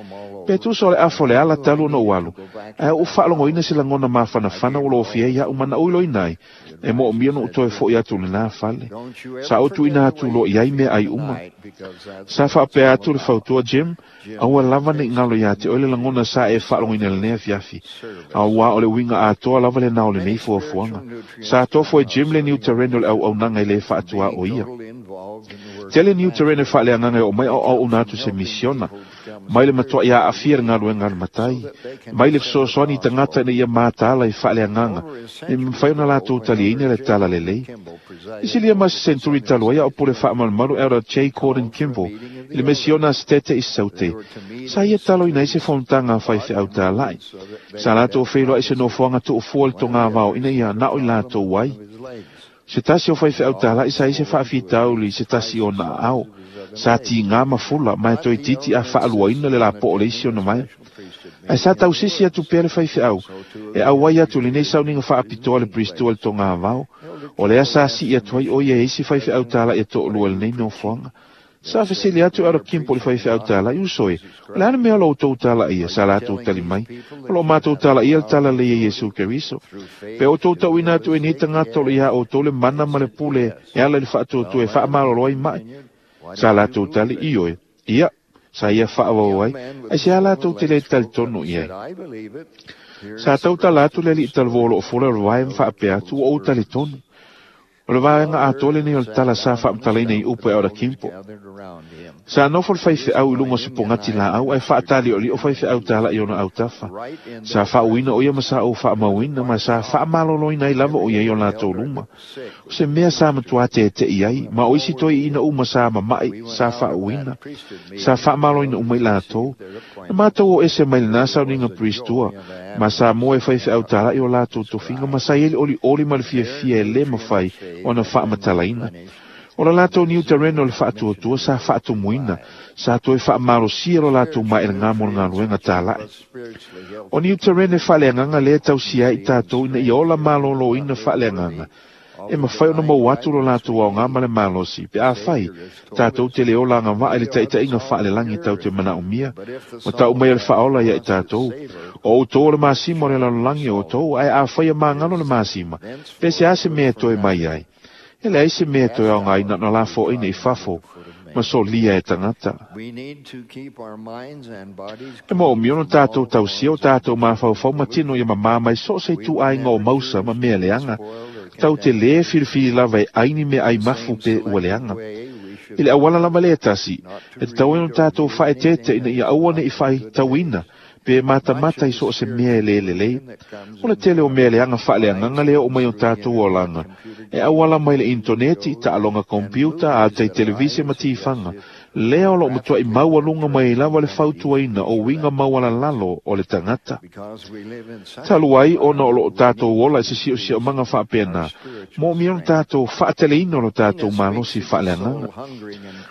Pe tusa o le afa o le ala talu ona ou alu, ae ua ou faalogoina se lagona mafanafana ua lofia ai a'u ma na ou iloina ai, e moomia ona ou toe fo'i atu i lenā fale. Sa ou tuuina atu loa i ai meaai uma. Sa faapea atu le fautua, Jim, aua lava ne i galo iā te oe le lagona sa e faalogoina i lenei afiafi, auā o le uiga atoa lava lenā o lenei fuafuaga. Sa tofo e Jim le niutarene o le auaunaga e lē faatuā o ia. Tele niutarene faaleagaga e oo mai a o auauna atu i se misiona, mai le matua'i aafia i le galuega a le matai, mai le fesoasoani i tagata ina ia mataala i faaleagaga e mafai ona latou taliaina le talalelei. I silia ma se senturi talu ai a o pule faamalumalu Elder J. Gordon Kimball i le misiona a Setete i Saute, sa ia taloina ai se fonotaga a faifeau tāla'i. Sa latou feiloai i se nofoaga tuufua i le togavao ina ia na'o i latou ai. Se tasi o faifeau tāla'i sa i ai se faafitauli i se tasi o ona aao. Sa tigā ma fula, ma e toeitiiti a faaluaina le lapo'o o le isi ona vae. Ae sa tausisi atu pea le faifeau, e auai atu i lenei sauniga faapitoa a le Peristua i le togavao. O lea sa si'i atu ai o ia e isi faifeau tāla'i e to'alua i lenei nofoaga. Sa fesili atu Elder Kimball i le faifeau tāla'i, Uso e, o le a le mea o lo outou talaia? Sa latou tali mai, O lo matou talaia le talalelei a Iesu Keriso. Pe outou tauina atu e nei tagata o lo iā outou le mana ma le pule e ala i le faatuatua e faamalolo ai ma'i. Sa latou tali, Ioe. Ia, sa ia faaauau ai, aisea latou te le talitonu i ai? Sa tautala atu le alii talavou o loo fola o le vae ma faapea atu, Ua ou talitonu. O le vaega atoa lenei o le tala sa faamatalaina i upu e Elder Kimball. Sa nofo le faifeau i luga o se pogati laau ae faatali'oli'o faifeau tāla'i ona autafa. Sa faauuina o ia ma sa ou faamauina ma sa faamaloloina ai lava o ia i o latou luma. O se mea sa matuā tete'i ai, ma o isi toeaiina uma sa mama'i sa faauuina. Sa faamaloina uma i latou. Na matou o ese mai lenā sauniga Peristua, ma sa moe e faifeau tāla'i o latou tofiga ma sa i ai le olioli ma le fiafia e lē mafai ona faamatalaina. O le latou niutarene o le faatuatua sa faatumuina, sa toe faamalosia lo latou maelegā mo le galuega tāla'i. O niutarene faaleagaga lea e tausia ai i tatou ina ia ola malōlōina faaleagaga, E mafai ona maua atu lo latou aogā ma le malosi pe afai tatou te le ola agava'a i le taʻitaʻiga faalelagi tau te manaʻomia ma taʻu mai o le faaola ia i tatou. O outou o le masima o le lalolagi o outou, ae afai e magalo le masima, pe se a se mea e toe mai ai? E leai se mea e toe aogaina ona lafoaina i fafo ma solia e tagata. E moomia ona tatou tausia o tatou mafaufau ma tino ia mamā mai so o se ituaiga o mausa ma mea leaga, tau te lē filifili lava e ai ni meaai mafu pe ua leaga. I le auala lava lea e tasi, e tatau ai ona tatou faaeteete ina ia aua neʻi faitauina pe matamata i so o se mea e lē lelei. O le tele o mea leaga faaleagaga le oo mai o tatou olaga, e auala mai le initoneti, taaloga kompiuta, atai televise ma tifaga, lea o loo matuaʻi maualuga mai ai lava le fautuaina o uiga maualalalo o le tagata. Talu ai ona o loo tatou ola i se siosiomaga faapena, moomia ona tatou faateleina o lo tatou malosi faaleagaga.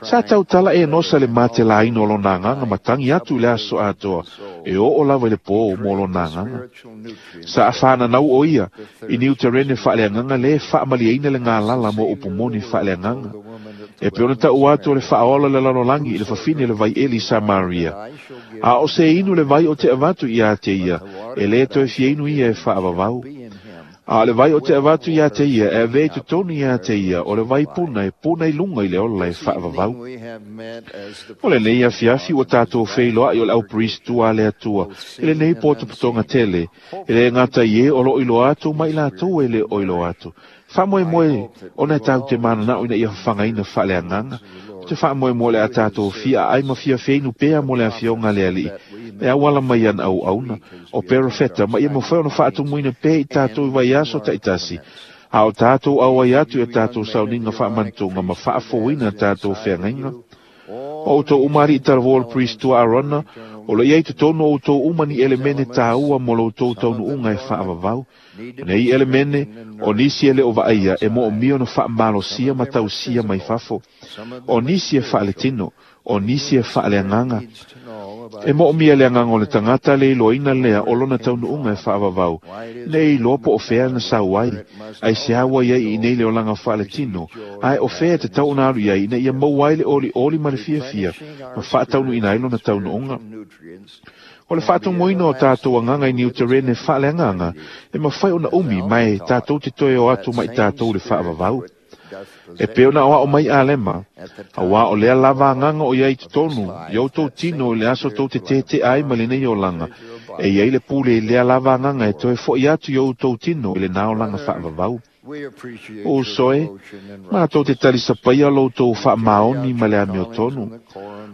Sa tautala Enosa le matelaina o lona agaga ma tagi atu i le aso atoa e oo lava i le pō mo lona agaga. Sa afananau o ia i niuterene faaleagaga lē faamalieina le galala mo upu moni faaleagaga. E pe ona taʻu atu o le faaola le lalolagi i le fafine le vaieli i Samaria. A o se inu le vai o te avatu iā te ia, e lē toe fiainu ia e faavavau. A o le vai o te avatu iā te ia, e avea i totonu iā te ia, o le vai puna e puna i luga i le ola e faavavau. O lenei afiafi ua tatou feiloaʻi o le aupriest tua a le Atua i lenei potopotoga tele, e lē gata i e o loo iloa atu ma i latou e lē o iloa atu. Faamoemoe ona e tatou te mananaʻo ina ia fafagaina faaleagaga. O te faamoemoe o le a tatou fia aai ma fia feinu pea mo le afioga a le Aliʻi e auala mai ana auauna o perofeta ma ia mafai ona faatumuina pea i tatou i vaiaso taʻitasi, a o tatou auai atu i a tatou sauniga faamanatuga ma faafouina tatou feagaiga. O outou uma aliʻi talavou o le priest tua Arona, o lo o i ai i totonu o outou uma ni elemene tāua mo lo outou taunuuga e faavavau. O nei elemene, o nisi e le o vaaia e moomia ona faamalosia ma tausia mai fafo. O nisi e faaletino, o nisi e faaleagaga. E moomia le agaga o le tagata le iloaina lea o lona taunuuga e faavavau, nei iloa po o fea na sau ai, aisea ua i ai iinei le olaga faaletino, ae o fea e tatau ona alu i ai ina ia maua ai le olioli ma le fiafia ma faataunuuina ai lona taunuuga. O le faatomoina o tatou agaga i niuterene faaleagaga e mafai ona umi ma e tatou te toe o atu ma i tatou le faavavau. E pei ona aoao mai Alema, auā o lea lava agaga o i ai i totonu i outou tino i le aso tou te teteʻa ai ma lenei olaga, e i ai le pule i lea lava agaga e toe foʻi atu i outou tino i lenā olaga faavavau. O uso e, matou te talisapaia lo outou faamaoni ma le amiotonu.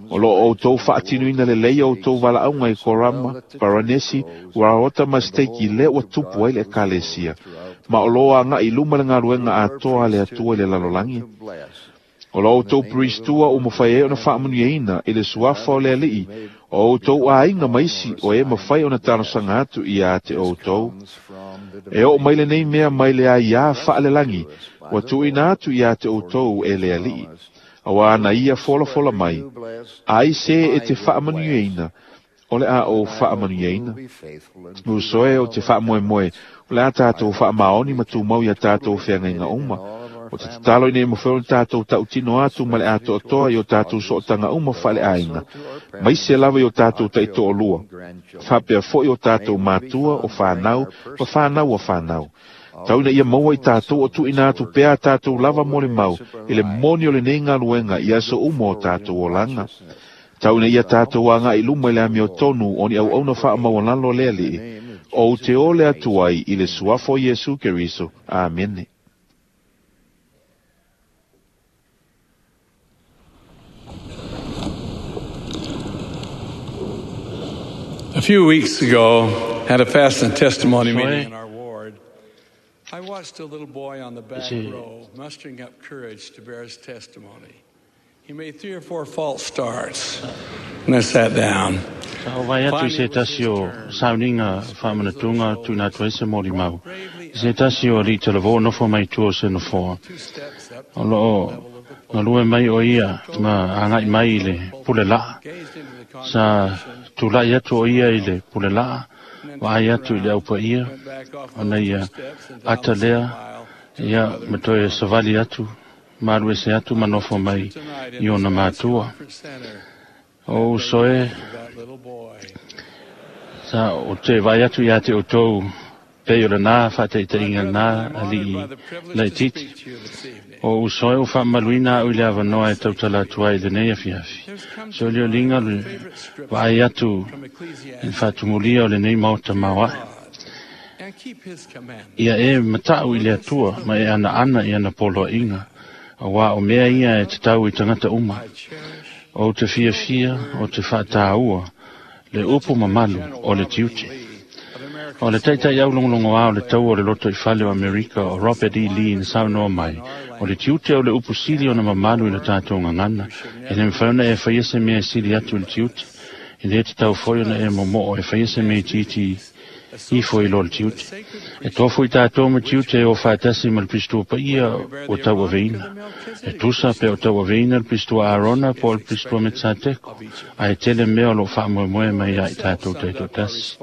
O loo outou faatinuina lelei o outou valaauga i Korama, Paranesi, Raota ma Steiki lea ua tupu ai le Ekalesia, ma o loo agaʻi i luma le galuega atoa a le Atua i le lalolagi. O lo outou priest tua ua mafai ai ona faamanuiaina i le suafa o le Aliʻi o outou aiga ma isi o e mafai ona talosaga atu iā te outou. E oo mai lenei mea mai le aiā faalelagi ua tuuina atu iā te outou e le Aliʻi, auā na ia folafola mai, ai se e te faamanuiaina, o le a ou faamanuiaina. Uso e, ou te faamoemoe, o le a tatou faamaoni ma tumau iā tatou feagaiga uma. O te tatalo ina ia mafai ona tatou tautino atu ma le atoatoa i o tatou sootaga uma faaleaiga, maise lava i o tatou taitoalua, faapea foi o tatou matua, o fanau, ma fanau a fanau. Tau ina ia maua i tatou o tuuina atu pea a tatou lava molimau i le moni o lenei galuega i aso uma o tatou olaga. Tau ina ia tatou agaʻi i luma i le amiotonu o ni auauna faamaualalo a le Aliʻi, ou te ole atu ai i le suafa o Iesu Keriso. Amene. A few weeks ago, at a fast and testimony meeting in our ward, I watched a little boy on the back row mustering up courage to bear his testimony. He made 3 or 4 false starts, and I sat down. Sa ou vaai atu i se tasi o sauniga faamanatuga tuuina atu ai se molimau, i se tasi o alii talavou o nofo mai tua o se nofoa. O loo galue mai o ia ma agaʻi mai i le pule laa. Sa tulaʻi atu o ia i le pule laa, vaai atu i le aupaia, ona ia ata lea Ia ma toe savali atu, malu ese atu ma nofo mai i ona matua. O uso e, sa o te vai atu ia te outou pei o lenā whaataitaiga lenā ali'i laitiiti. O uso e o whaamaluina au i le avanoa e tautala atu ai i lenei afiafi. Se o lioliga le vaai atu i le faatumulia o lenei maota maoae. Ia e mata'u i le Atua ma e anaana i ana poloaiga, auā o mea ia e tatau i tagata uma. Ou te fiafia, o te faataua le upu mamalu o le tiute. O le taitai aulogologoā o le taua o le loto i fale o Amerika o Robert E. Lee na saunoa mai, o le tiute o le upu sili ona mamalu i le tatou gagana, e le mafai ona e faia se mea e sili atu i le tiute. E lē tatau foi ona e momo'o e faia se mea itiiti ifo i lo le tiute. E tofu i tatou ma tiute e o faatasi ma le pistua paia ua tauaveina. E tusa pe o tauaveina le pistua Arona po o le pistua Metsateko, ae tele mea o loo faamoemoe mai ia i tatou taitoatasi.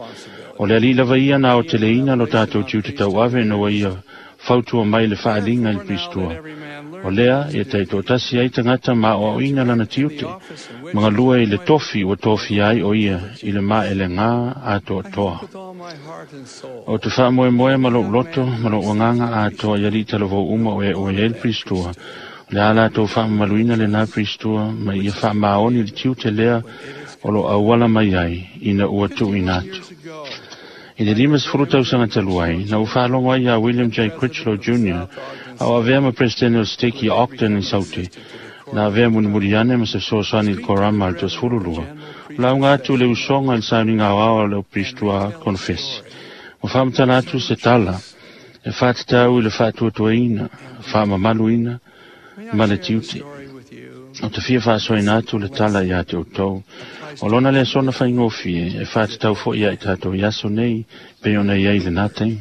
O le alii lava ia na aoteleina lo tatou tiute tauave ina ua ia fautua mai le faaliga i le pistua. O lea e taitoatasi ai tagata ma aoaoina lana tiute, ma galue i le tofi ua tofia ai o ia i le maelegā atoatoa. O te faamoemoe ma lou loto ma lou agaga atoa i alii talavou uma o e ua i ai le pistua, o le a latou faamamaluina lenā pistua ma ia faamaoni le tiute lea o lo auala mai ai ina ua tuuina atu. I le 50 tausaga talu ai, na ua faalogo ai iā William J. Critchlow Jr. a o avea ma Peresetene o le Seteki Ogden i Saute, na avea mulimuli ane ma se fesoasoani i le korama a le 22, o lauga atu le usoga i le sauniga aoao a le aupiristua konofesi. Ua faamatala atu se tala e faatatau i le faatuatuaina, faamamaluina ma le tiute. O te fia faasoaina atu le tala iā te outou. O lona lea sona faigofie e faatatau foi ia i tatou i aso nei pei ona i ai lenā taimi.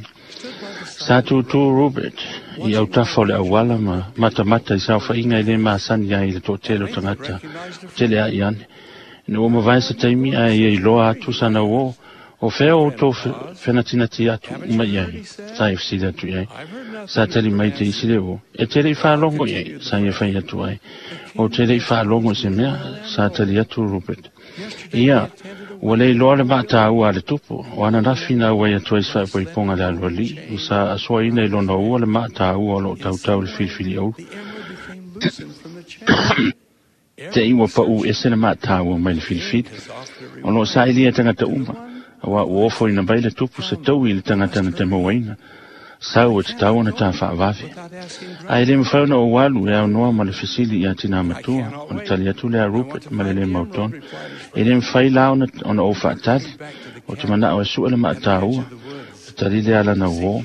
Sa tūtū Rupert i autafa o le auala ma matamata i saofaiga e lē masani ai i le toatele o tagata o tele a'i ane. Ina ua mavae se taimi ae ia iloa atu sana uō, o fea o outou fenatinati atu uma i ai, sa ia fesili atu i ai. Sa tali mai te isi le uō, e te le'i faalogo i ai, sa ia fai atu ai. Ou te le'i faalogo i se mea, sa tali atu Rupert. Ia, ua le iloa le maataua a le tupu, o ananafi na auai atu ai se faaipoipoga le aloalii, ma sa asoaina i lona ua le maataua o loo tautau i le filifili aulu. Te i ua paʻū ese le maataua mai le filifili. O loo saʻilia e tagata uma, auā ua ofoina mai le tupu se taui i le tagata na te mauaina. Sau e tatau ona ta faavave. Ae le mafai ona ou alu e aunoa ma le fesili iā tinā matua, ona tali atu lea a Rupert ma le lē mautonu. E le mafai la ona ou faatali, ou te manao e sue le maataua, le tali lea a lana uō.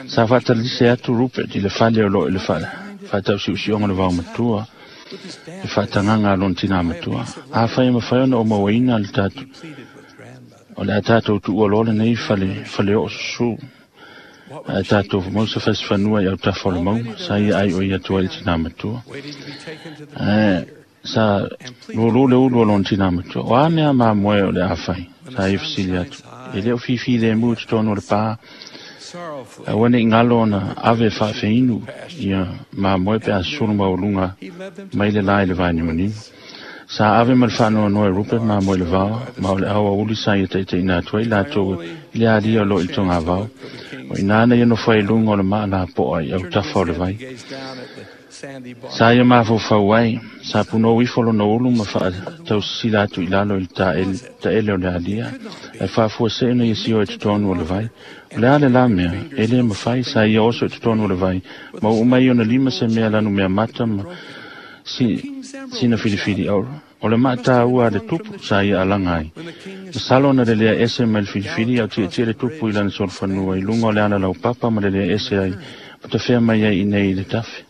Sa faatalise atu Rupert i le fale o loo i le faatausiusioga o le vaomatua, le faatagaga a lona tinā matua. Afai e mafai ona ou mauaina le tatou, o le a tatou tuua loa lenei fale faleoo susū. Ae tatou mau se fasifanua i autafa o le mauga, sa ia ai o ia atu ai i le tinā matua. Ae sa lūlū le ulu o lona tinā matua. O a mea mamoe o le a fai? Sa ia fesili atu. E le o fifi lemu i totonu o le pā. Aua ne'i galo ona ave e faafeinu ia mamoe pe a susulu maualuga mai le la i le vainimanima. Sa ave ma le faanoanoa e Rupert mamoe i le vao, ma o le aoauli sa ia taitaiina atu ai latou i le alia o loo i le togavao. O i na ia nofo ai i luga o le maalapoa i autafa o le vai. Sa ia mafaufau ai, sa punou ifo lona ulu ma faatausisila atu i lalo i le taele o le alia, ae faafuasei ona ia sio i totonu o le vai. O le a le la mea, e lē mafai, sa ia oso i totonu o le vai, ma ua uma ai ona lima se mea lanu meamata ma sina filifili auro. O le maataua a le tupu sa ia alaga ai. Masalo ona le lea ese mai le filifili a o tietie le tupu i lana solofanua i luga o le alalaupapa ma le lea ese ai ma tafea mai ai i nei i le tafe.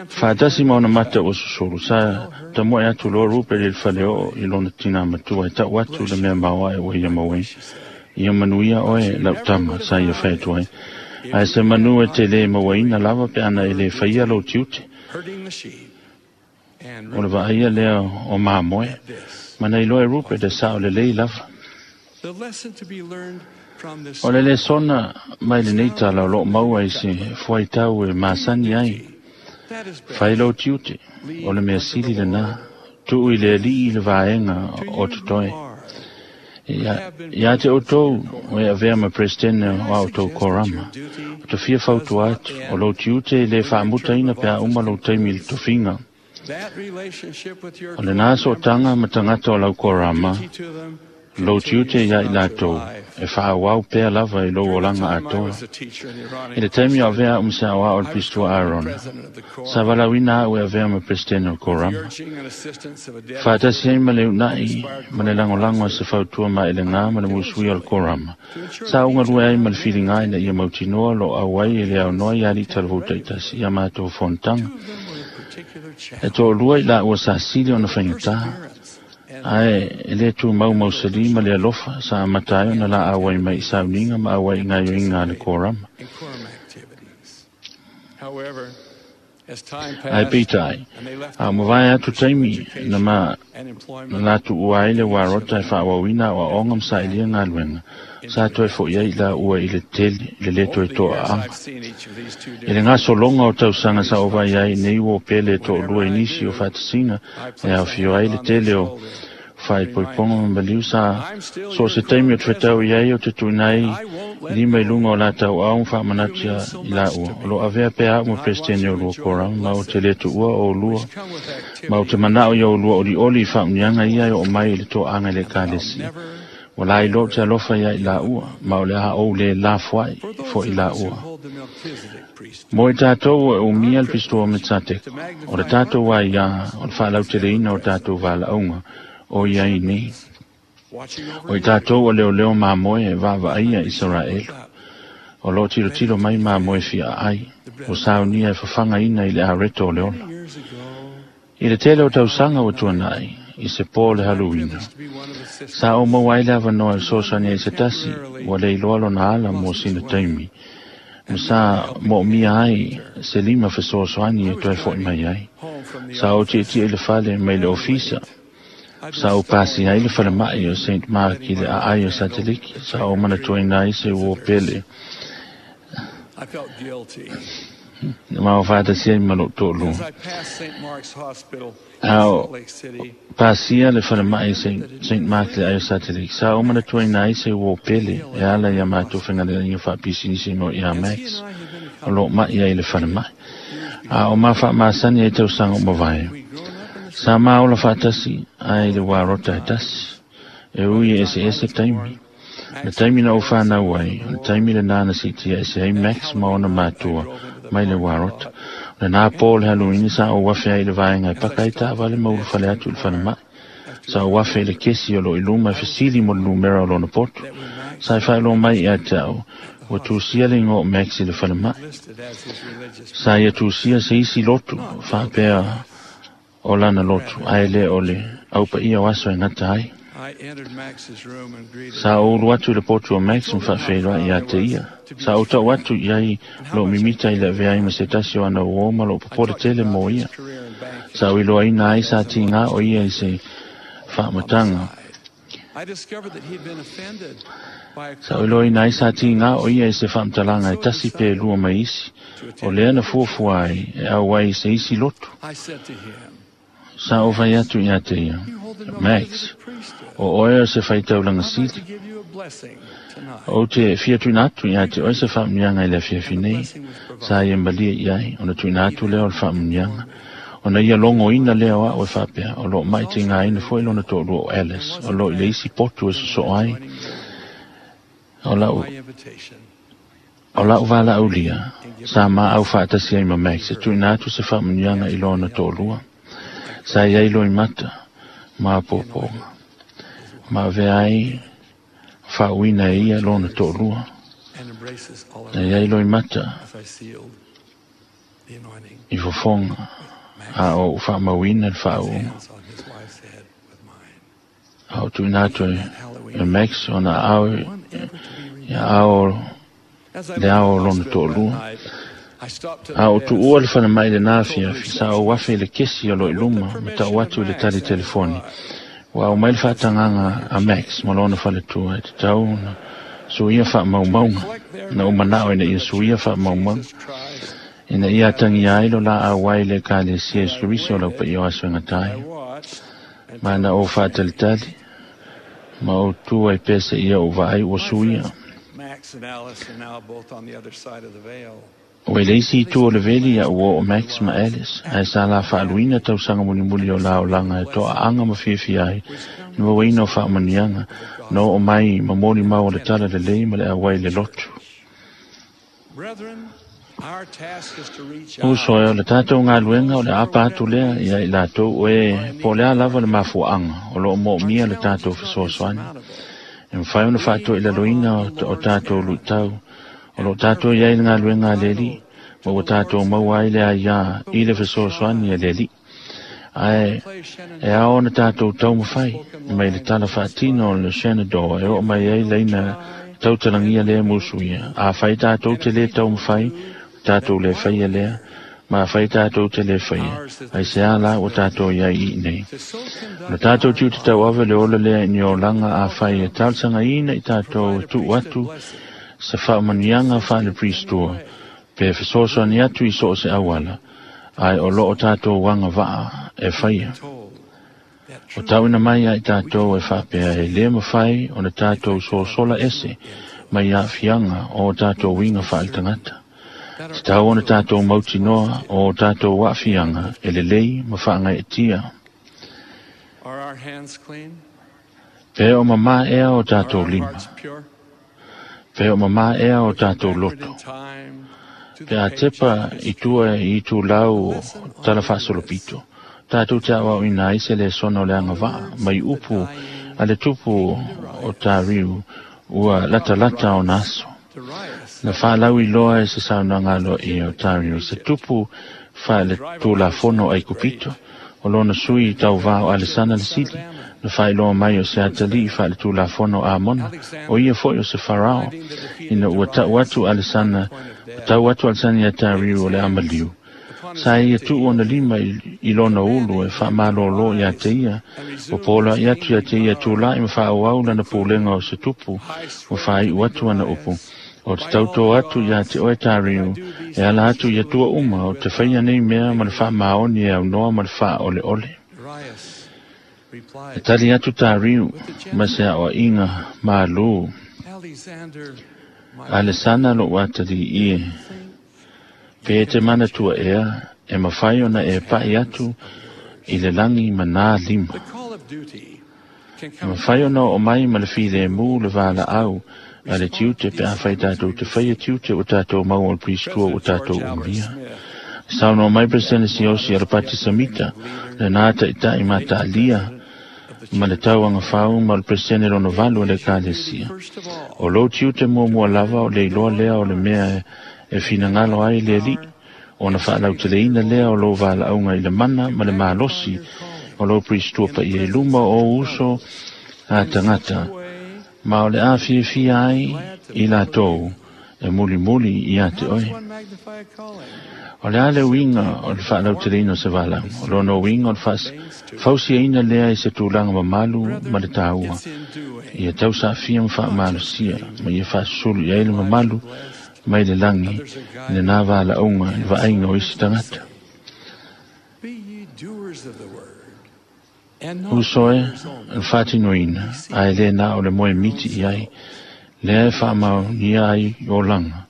Faatasi ma ona mata ua susulu, sa tamoe atu loa Rupert i le faleoo i lona tinā matua e ta'u atu le mea maoae ua ia mauaina. Ia manuia oe lau tama, sa ia fai atu ai. Ae se manu e te lē mauaina lava pe ana e lē faia lou tiute. O le vaaia lea o mamoe, ma na iloa e Rupert e sao lelei lava. O le lesona mai lenei tala o loo maua i se fuaitau e masani ai. Fai lou tiute, o le mea sili lenā, tuu i le Alii i le vaega o totoe. Ia te outou o e avea ma Peresetene o a outou korama, o te fia fautua atu, o lou tiute e le faamutaina pe a uma lou taimi i le tofiga. O lenā sootaga ma tagata o lau korama, lou tiute ia i latou, e faaauau pea lava i lou olaga atoa. I le taimi o avea a'u ma se aoao o le Pistua Aarona, sa valaauina a'u e avea ma Peresetene o le Korama. Faatasi ai ma le uunai ma le lagolago a se fautua maelegā ma le musuia o le Korama, sa ou galue ai ma le filiga ina ia mautinoa lo auai e le aonoa i alii talavou taitasi i a matou fonotaga. E toalua i laua sa sili ona faigata, ae e le tumau mausali ma le alofa sa amata ai ona la auai mai i sauniga ma auai i gaoioiga a le korama. Ae peitai, a o mavae atu taimi na ma na la tuua ai le uarota e faaauauina aoaoga ma sailia galuega, sa toe fo'i ai i laua i le tele i le lē toe to'aaga. I le gasologa o tausaga sa ou vaai ai nei ua pele e to'alua i nisi o faatasiga e aofia ai le tele o faaipoipoga ma maliu sa so o se taimi o te fetau i ai o te tuuina ai lima i luga o la tauau ma faamanatu ia i laua o loo avea pea a'u ma Peresetene o lua korama ma ou te le tuua o olua ma ou te mana'o ia olua olioli i faauniaga ia e oo mai i le toaga i le Ekalesia. Ua lailoa ou te alofa ia i laua ma o le a ou le lafoai fo'i laua. Mo i tatou e umia le Pisitoa me Tsateko, o le tatou aiā o le faalauteleina o tatou valaauga o i ai nei. O i tatou o leoleo mamoe e vaavaaia Isaraelu. O loo tilotilo mai mamoe fiaai, ua saunia e fafagaina i le areto o le ola. I le tele o tausaga ua tuanai, i se pō o le Haluina, sa ou maua ai le avanoa e fesoasoani ai i se tasi ua le iloa lona ala mo sina taimi, ma sa moomia ai se lima fesoasoani e toe fo'i mai ai. Sa ou tietie i le fale mai le ofisa, sa ou pasia ai le falema'i o St. Mark i le aai o Sateliki, sa ou manatuaina ai se uo pele ma o faatasi ai ma lou toalua. A o pasia le falemai St. Mark le aai o Sateliki, sa ou manatuaina ai se uo pele e ala i a matou faigaluega faapisinisi mo ia Max o loo ma'i ai i le falemai. A o ma faamasani ai tausaga o mavae. Sa ma ola faatasi ai le uarota e tasi, e ui e eseese taimi. Le taimi na ou fanau ai, o le taimi lenā na siitia ese ai Max ma ona matua mai le uarota. O lenā pō o le Haluini sa ou afe ai i le vaega e paka ai taavale ma ulufale atu i le falemai. Sa ou afe i le kesi o loo i luma e fesili mo le numera o lona poto. Sa e faailoa mai ia te a'u, ua tusia le igoa o Max i le falemai. Sa ia tusia se isi lotu, faapea o lana lotu, ae le o le aupaia o aso e gata ai. Sa ou ulu atu i le potu o Max ma faafeiloai ia te ia. Sa ou tau atu i ai lou mimita i le avea ai ma se tasi o ana uō ma lou popole tele mo ia. Sa ou iloaina ai sa tigā o ia i se faamataga. Sa ou iloaina ai sa tigā o ia i se faamatalaga e tasi pe lua mai isi, o lea na fuafua ai e auai i se isi lotu. Sa ou fai atu ia te ia, Max, o oe o se faitaulaga sili. Ou te fia tuuina atu ia te oe se faamuniaga i le afiafi nei. Sa ia malie i ai, ona tuuina atu lea o le faamuniaga. Ona ia logoina lea o a'u e faapea, o loo ma'i tigaina foi lona toalua o Alice, o loo i le isi potu e sosoo ai. O lau O la'u valaaulia, sa maau faatasi ai ma Max e tuuina atu se faamuniaga i lona toalua. Sa i ai loimata ma apoapoga. Ma avea ai faauina e ia lona toalua. Na i ai loimata i fofoga a o ou faamauina le faauuga. A o tuuina atu e Max ona aao ia ao le ao o lona toalua. A o tuua le falemai i lenā afiafi, sa ou afe i le kesi o loo i luma ma tau atu i le tali telefoni. Ua au mai le faatagaga a Max ma lona faletua e tatau ona Suia faamaumauga na ou manao ina ia suia faamaumauga ina ia atagia ai lo la auai le Ekalesia Iesu Keriso o lau paia o aso e gata ai. Ma na ou faatalitali ma ou tu ai pea seia ou vaai ua suia. Ua i le isi itu o le veli ia ua oo Max ma Alice, ae sa la faaluina tausaga mulimuli o la olaga e toaaga ma fiafia ai i le mauaina o faamanuiaga na oo mai ma molimau o le tala lelei ma le auai i le lotu. Uso e, o le tatou galuega o le aapa atu lea ia i latou o e po o le a lava le mafuaaga o lo o moomia le tatou fesoasoani. E mafai ona faatoilaloina o tatou luitau o lo o tatou i ai le galuega a le Alii, ma ua tatou maua ai le aiā i le fesoasoani a le Alii. Ae e ao ona tatou taumafai mai le tala faatino o le Shenandoah e oo mai ai laina tautalagia lea musuia. Afai tatou te lē taumafai, tatou lē faia lea, ma afai tatou te lē faia, aisea la ua tatou i ai i inei. O le tatou tiute tauave le ola lea i ni olaga afai e talosagaina i tatou e tuu atu se faamanuiaga faale-Priestua pe fesoasoani atu i so o se auala, ae o lo o tatou agavaa e faia. O tauina mai ia i tatou e faapea e lē mafai ona tatou sosola ese mai aafiaga o o tatou uiga faaletagata. Tatau ona tatou mautinoa o o tatou aafiaga e lelei ma faagaeetia. Pe o mamā ea o tatou lima, pe o mamā ea o tatou loto, pe a tepa i tua i itulau o tala faasolopito, tatou te aoaoina ai se lesona o le agavaa mai upu a le tupu o Tariu ua latalata ona aso. Na faalauiloa e se saunoaga aloaia o Tariu se tupu faaletulafono Aikupito, o lona sui tauvā o Alesana le Sili, na faailoa mai o se atalii faaletulafono Amona, o ia foi o se Farao, ina ua tau atu Alesana, ua tau atu Alesana iā Tariu o le a maliu. Sa ia tuu ona lima i lona ulu e faamalōlō iā te ia, ua poloaʻi atu iā te ia tulaʻi ma faaauau lana pulega o se tupu, ua faaiʻu atu ana upu, O te tautō atu iā te oe Tariu, e ala atu i atua uma, o te faia nei mea ma le faamaoni e aunoa ma le faaʻoleʻole. E tali atu Tariu ma se aʻoaʻiga malū, Alesana loʻu atalii e, Pe e te manatua ea, e mafai ona e paʻi atu i le lagi ma nā lima. E mafai ona oo mai ma le filemu le valaau a le tiute pe afai tatou te faia tiute ua tatou maua o le Priestua ua tatou umia. Saunoa mai Peresene Siaosi Alapati Samita, lenā taʻitaʻi mataalia ma le tauaga fau ma o le Peresene lona valu o le Ekalesia. O lou tiute muamua lava o le iloa lea o le mea e finagalo ai le Alii, ona faalauteleina lea o lou valaauga i le mana ma le malosi o lou Priestua paia i luma o ou uso a tagata, ma o le a fiafia ai i latou e mulimuli iā te oe. O le a le uiga o le faalauteleina o se valaauga? O lona uiga o le faafausiaina lea i se tulaga mamalu ma le taua, ia tausaafia ma faamalosia, ma ia faasusulu i ai le mamalu mai le lagi i lenā valaauga i le vaaiga o isi tagata. Uso e, o le faatinoina, ae le na o le moe miti i ai, lea e faamaonia ai olaga.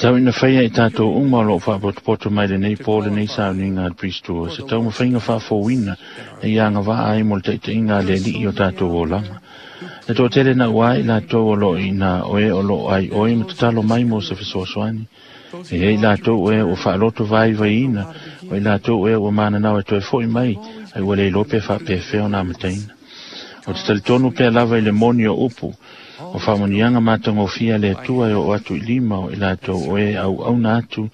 Tau ina faia i tatou uma o lo o faapotopoto mai lenei po lenei sauniga a le Priestua se taumafaiga faafouina e ia agavaa ai mo le taitaiga a le Alii o tatou olaga. E toatele naua ai latou o lo o iina o e o lo o ai oe ma tatalo mai mo se fesoasoani. E i ai latou o e ua faaloto vaivaiina, o i latou o e ua mananao e toe foʻi mai, ai ua le iloa pe faapefea ona amataina. O te talitonu pea lava i le moni o upu, o faamanuiaga matagofie a le Atua e oo atu i lima o i latou o e auauna atu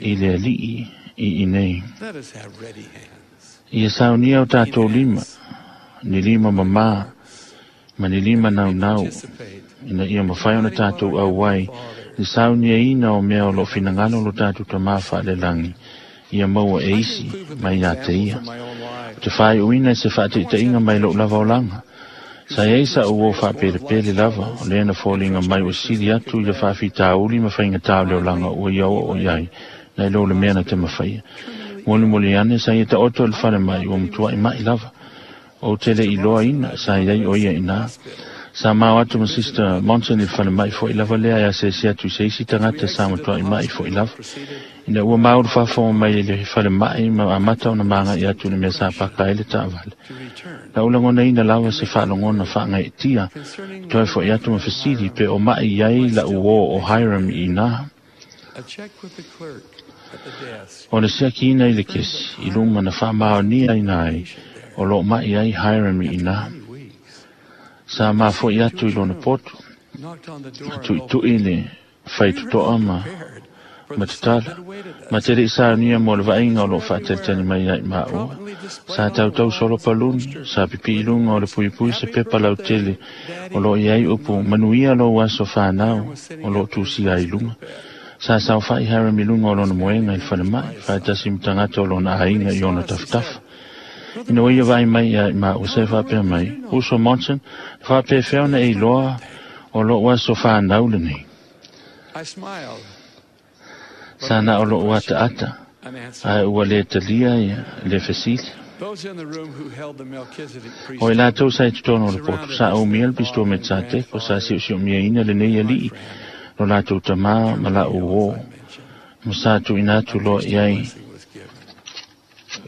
i le Alii i inei. Ia saunia o tatou lima, ni lima mamā, ma ni lima naunau, ina ia mafai ona tatou auai le sauniaina o mea o lo o finagalo lo tatou Tamā faalelagi ia maua e isi mai iā te ia. O te faaiuina i se faataitaiga mai lo'u lava olaga. Sa iai sa'u uo faapelepele lava, o lea na foliga mai ua sili atu i le faafitauli ma faigatā o le olaga ua ia o'o i ai, nai lo le mea na te mafaia. Molimoli ane sa ia ta'oto i le falemai ua matua'i ma'i lava. Ou te le'i iloaina sa iai o ia iná. Sa mao atu ma Sister Monson i le falemai fo'i lava lea e asiasi atu i se isi tagata sa matua'i ma'i fo'i lava. Ina ua mau le faafofoga mai i le falemai ma amata ona maga'i atu i le mea sa paka ai le taavale. Na ou lagonaina lava se faalogona faagaeetia, toe fo'i atu ma fesili pe o ma'i i ai la'u uō o Hiram i inā. O le siakiina i le kesi, i luma na faamaoniaina ai o lo'o ma'i ai Hiram i inā. Sa mafo'i atu i lona potu, ma tu'itu'i le faitotoa ma ma tatala. Ma te le'i saunia mo le vaaiga o lo'o faatalitali mai ia i maua. Sa tautau solo paluni, sa pipi'i i luga o le puipui se pepa lautele o lo'o i ai upu manuia lou aso fanau o lo'o tusia ai i luga. Sa saofa'i Hiram i luga o lona moega i le falemai, faatasi ma tagata o lona aiga i ona tafatafa. Ina ua ia vaai mai ia i maua sa e faapea mai, Uso Monson, na faapefea ona e iloa o lo'u aso fanau lenei? Sa na o lo'u ataata, ae ua lē talia ia le fesili. O i latou sa i totonu o le potu, sa umia le pistua me Tsateko, sa si'osi'omiaina lenei ali'i lo latou tamā ma la'u uō, ma sa tuuina atu loa i ai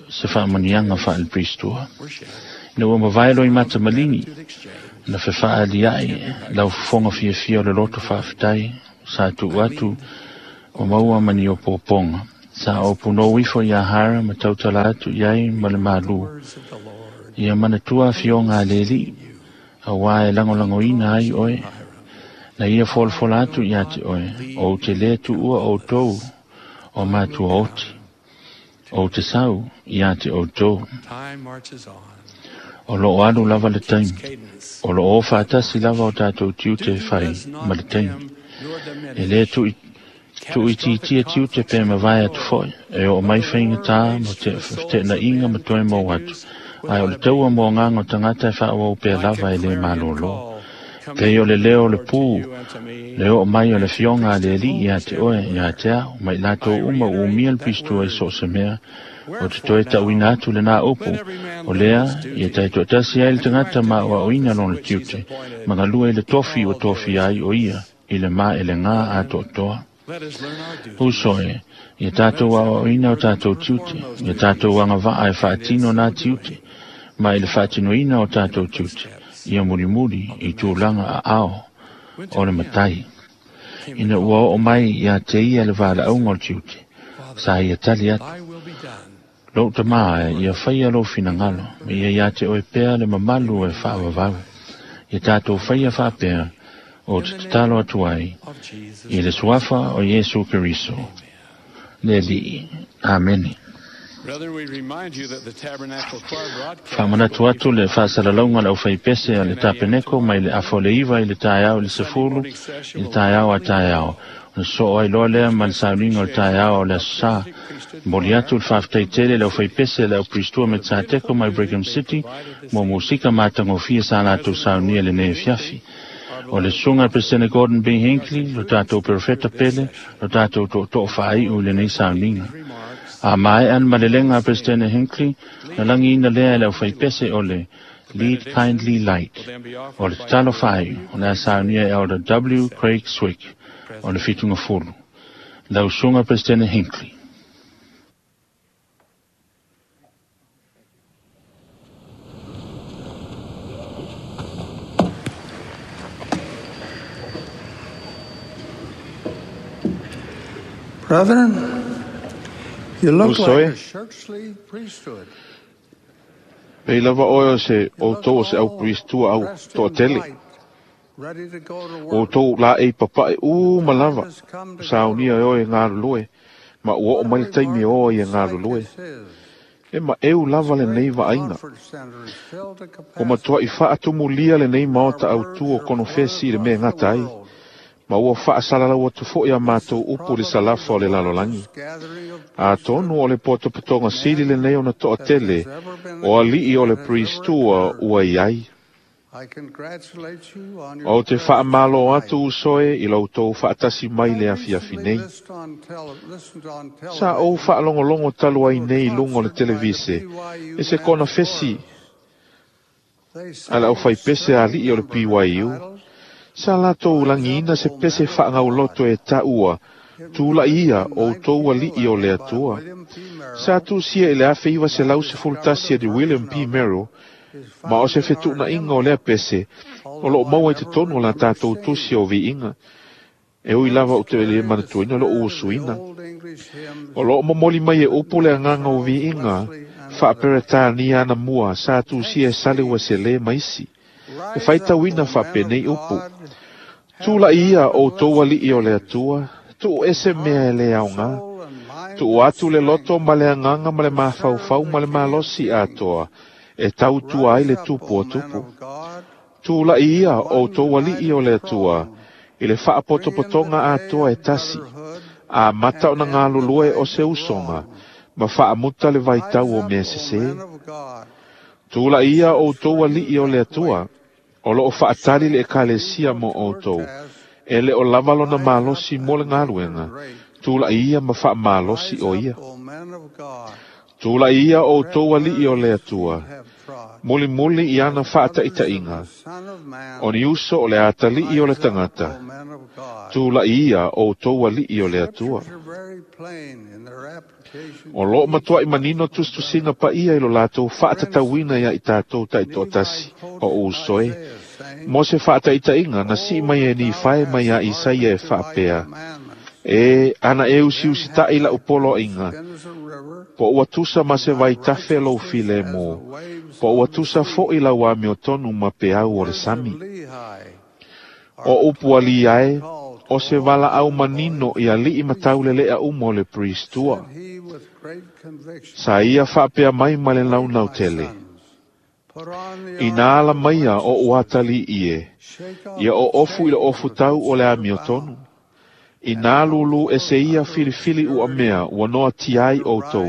se faamanuiaga faale-Pristua. Ina ua mavae loimata maligi, na fefaalia'i lau fofoga fiafia o le loto faafetai, sa tuu atu ua maua ma ni opoopoga. Sa ou punou ifo iā Hiram ma tautala atu i ai ma le malū. Ia manatua afioga a le Alii, auā e lagolagoina ai oe. Na ia folafola atu iā te oe, ou te lē tuua outou o matua oti. Ou te sau iā te outou. O lo'o alu lava le taimi. O lo'o o faatasi lava o tatou tiute e fai ma le taimi. E lē tu'i tu'uitiitia tiute pe mavae atu fo'i, e o'o mai faigatā ma te fete'ena'iga ma toe mau atu, ae o le taua mo agaga o tagata e faaauau pea lava e lē malōlō. Pei o le leo o le pū, le o'o mai o le afioga a le Alii iā te oe, iā te ao, ma i latou uma ua umia le pistua i so o se mea, o te toe ta'uina atu lenā upu, o lea, ia taito'atasi ai le tagata ma a'oa'oina lona tiute, ma galue i le tofi ua tofia ai o ia i le maelegā atoatoa. Uso e, ia tatou aoaoina o tatou tiute, ia tatou agavaa e faatino nā tiute, ma i le faatinoina o tatou tiute, ia mulimuli i tulaga aao o le matai. Ina ua o'o mai iā te ia le valaauga o le tiute, sa ia tali atu, Lou tamā e, ia faia lou finagalo, ma ia iā te oe pea le mamalu e faavavau. Ia tatou faia faapea, ou te tatalo atu ai, i le Suafa o Iesu Keriso, le Alii. Amene. Faamanatu atu le faasalalauga a le aufaipese a le Tapeneko mai le afa o le 9 i le taeao i le 10 i le taeao a taeao. Ona sosoo ai loa lea ma le sauniga o le taeao o le Aso Sa. Momoli atu le faafetai tele i le aufaipese a le Aupriestua me Tsateko mai Brigham City mo musika matagofie sa latou saunia i lenei afiafi. O le susuga a le Peresetene Gordon B. Hinckley, lo tatou perofeta pele, lo tatou tootoo faaiu i lenei sauniga. A maea le malelega a Peresetene Hinckley, na lagiina lea e le aufaipese o le Lead Kindly Light. O le tatalo faaiu, o le a saunia e Elder W. Craig Swick o le Fitugafulu. Lau Susuga Peresetene Hinckley. Brethren, you look Uso like e. a churchly priesthood. Pei lava oe o se outou o se au priestua au Dressed in toatele. white, ready to go to O work. outou laei papae uma lava, Has come to ua saunia e oe e galulue, ma ua oo mai le taimi e o ai e galulue. This is. E maʻeu lava lenei vaaiga. Conference center is filled to Ua matua'i capacity. faatumulia lenei maota autū o konofesi i le mea e gata ai. Ma ua faasalalau atu foʻi a matou upu i le salafa o le lalolagi. Atonu o le potopotoga sili lenei ona toʻatele o aliʻi o le Priestua ua i ai. Ou te faamālō atu uso e i lo outou faatasi mai le afiafi nei. Sa ou faalogologo talu ai nei i luga o le televise e se konofesi a le aufaipese a aliʻi o le BYU. Sa latou lagiina se pese faagauloto e taʻua, Tulaʻi ia outou aliʻi o le Atua. Sa tusia i le 1911 e le William P. Merrill, ma o se fetuʻunaiga o lea pese o loo maua i totonu o la tatou tusi o viiga. E ui lava ou te lē manatuaina loʻu usuina. O loo momoli mai e upu le agaga o viiga faaperetania anamua sa tusia e Sale Ueselē ma isi. E faitauina faapenei upu. Tulaʻi ia outou aliʻi o le Atua, tuu ese mea e lē aogā. Tuu atu le loto ma le agaga ma le mafaufau ma le malosi atoa, e tautua ai le tupu o tupu. Tulaʻi ia outou aliʻi o le Atua, i le faapotopotoga atoa e tasi, amata ona galulue o se usoga, ma faamuta le vaitau o mea sesē. Tulaʻi ia outou aliʻi o le Atua, o loo faatali le Ekalesia mo outou, e lē o lava lona malosi mo le galuega, tulaʻi ia ma faamalosi o ia. Tulaʻi ia outou aliʻi o le Atua, mulimuli i ana faataʻitaʻiga, o ni uso o le ataliʻi o le tagata, tulaʻi ia outou aliʻi o le Atua. O loo matuaʻi manino tusitusiga paia i lo latou faatatauina iā i tatou taitoatasi o uso e. Mo se faataʻitaʻiga na sii mai e Nifae mai iā Isaia e faapea, E, ana e usiusitaʻi laʻu poloaiga, po ua tusa ma se vaitafe lou filemu, po ua tusa foʻi lau amiotonu ma peau o le sami. O upu alii ae, o se valaau manino i aliʻi ma tauleleʻa uma o le Priestua. Sa ia faapea mai ma le launautele. Inā ala maia oʻu atalii e, ia oofu i le ofutau o le amiotonu. Inā lūlū ese ia filifili uamea ua noatia ai outou,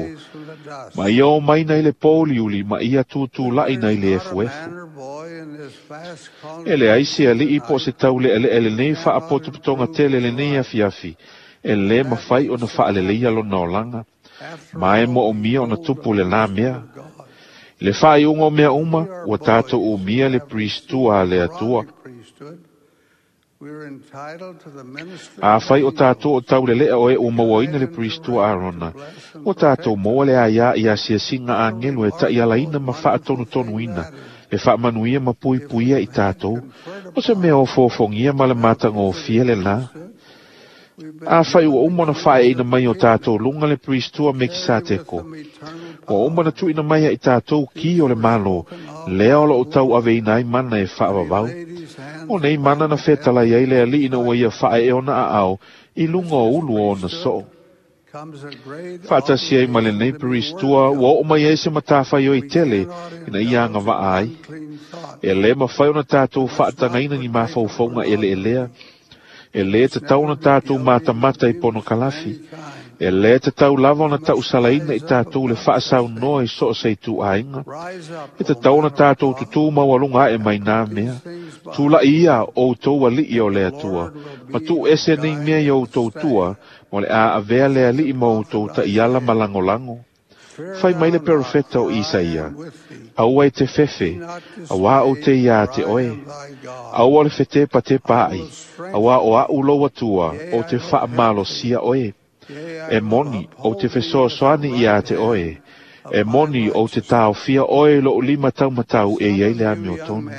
ma ia omai nei le pōuliuli ma ia tutulaʻi nei le efuefu. E leai se aliʻi po o se tauleʻeleʻe lenei faapotopotoga tele lenei afiafi, e lē mafai ona faaleleia lona olaga, ma e moomia ona tupu lenā mea. I le faaiuga o mea uma, ua tatou umia le Priestua a le Atua. Afai o tatou o tauleleʻa o e ua mauaina le Priestua Arona, ua tatou maua le aiā i asiasiga agelu e taʻialaina ma faatonutonuina, e faamanuia ma puipuia i tatou, o se mea ofoofogia ma le matagofie lenā. Afai ua uma ona faaeaina mai o tatou luga le Priestua Mekisateko, ua uma ona tuuina mai ia i tatou ki o le Malo, lea o loo tauaveina ai mana e faavavau. O nei mana na fetalai ai le aliʻi ina ua ia faaee ona aao i luga o ulu o ona soo. Faatasi ai ma lenei Priestua ua oo mai ai se matafaioi tele ina ia agavaa ai. E lē mafai ona tatou faatagaina ni mafaufauga eleelea. E lē tatau ona tatou matamata i ponokalafi. E lē tatau lava ona taʻusalaina i tatou le faasaunoa i so o se ituaiga. E tatau ona tatou tutū maualuga aʻe mai nā mea. Tulaʻi ia outou aliʻi o le Atua, ma tuu ese nei mea i outou tua, ma o le a avea le aliʻi ma outou taʻiala ma lagolago. Fai mai le perofeta o Isaia, Aua e te fefe, auā ou te iā te oe. Aua o le fetepatepa ai, auā o aʻu lou Atua, ou te faamalosia oe. E moni, ou te fesoasoani iā te oe. E moni, ou te taofia oe i loʻu lima taumatau e i ai le amiotonu.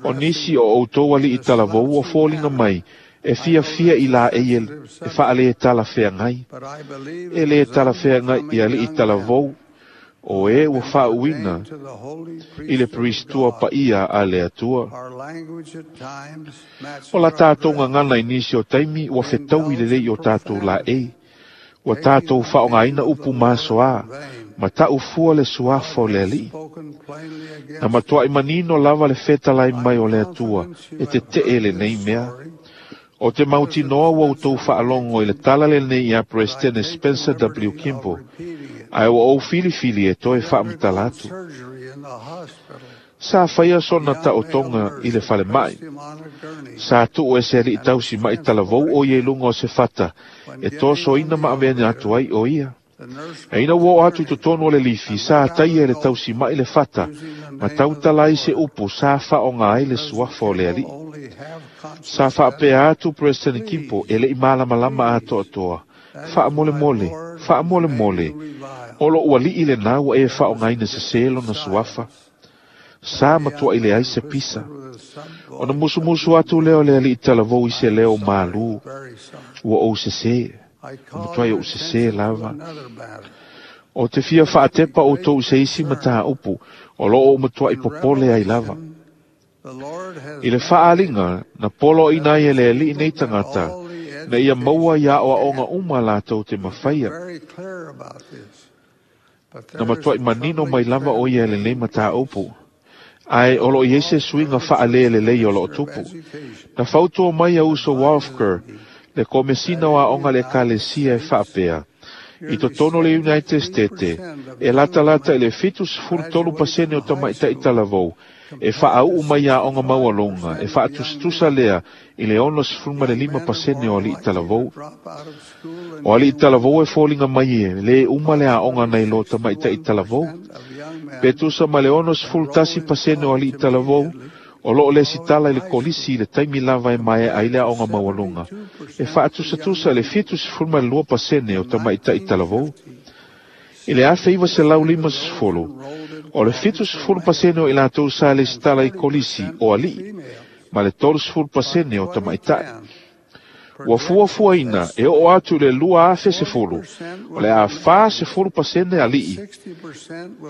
O nisi o outou aliʻi talavou ua foliga mai, e fiafia i laʻei e faalē talafeagai. E lē talafeagai i aliʻi talavou, o e ua faauuina i le Priestua paia a le Atua. O la tatou gagana i nisi o taimi ua fetaui lelei i o tatou laʻei. Ua tatou faaaogaina upu masoā, ma taʻu fua le suafa o le Aliʻi. Na matuaʻi manino lava le fetalai mai o le Atua e teteʻe lenei mea. O te mautinoa ua outou faalogo i le tala lenei ia Peresetene Spencer W. Kimball, ae ua ou filifili e toe faamatala atu. Sa faia sona taotoga i le falemai. Sa tuu e se alii tausi ma'i talavou o ia i luga o se fata e tosoina ma aveane atu ai o ia. E ina ua oo atu i totonu o le lifi, sa taia e le tausima'i le fata, ma tautala ai se upu sa faaaoga ai le suafa o le Alii. Sa faapea atu Peresetene Kimball e le i malamalama atoatoa, Faamolemole, faamolemole, o lo'u alii lenā ua e faaaogaina sesē lona suafa. Sa matua'i leai se pisa. Ona musumusu atu lea o le alii talavou i se leo malū, Ua ou sesē. Ua matuai ou sesē lava. O te fia faatepa outou i se isi mataupu o lo o ou matuai popole ai lava. I le faaaliga na poloaiina ai e le Alii nei tagata, ina ia maua i aoaoga uma latou te mafaia. Na matuai manino mai lava o ia i lenei mataupu. Ae o lo o i ai se suiga faalee lelei o lo o tupu. Na fautua mai a uso Walfker, le Komesina o Aoga a le Ekalesia e faapea, I totonu o le United Stete, e latalata i le 73% o tamaitai talavou e faaauu mai i aoga maualuga, e faatusatusa lea i le 65% o alii talavou. O alii talavou e foliga mai e lē uma le aoga nai lo tamaitai talavou. Pe tusa ma le 61% o alii talavou o lo o lesitala i le kolisi i le taimi lava e maea ai le aoga maualuga, e faatusatusa i le 72% o tamaitai talavou. I le 1950, o le 70% o i latou sa lesitala i kolisi o alii, ma le 30% o tamaitai. Ua fuafuaina e oo atu i le 2010, o le a 40% alii,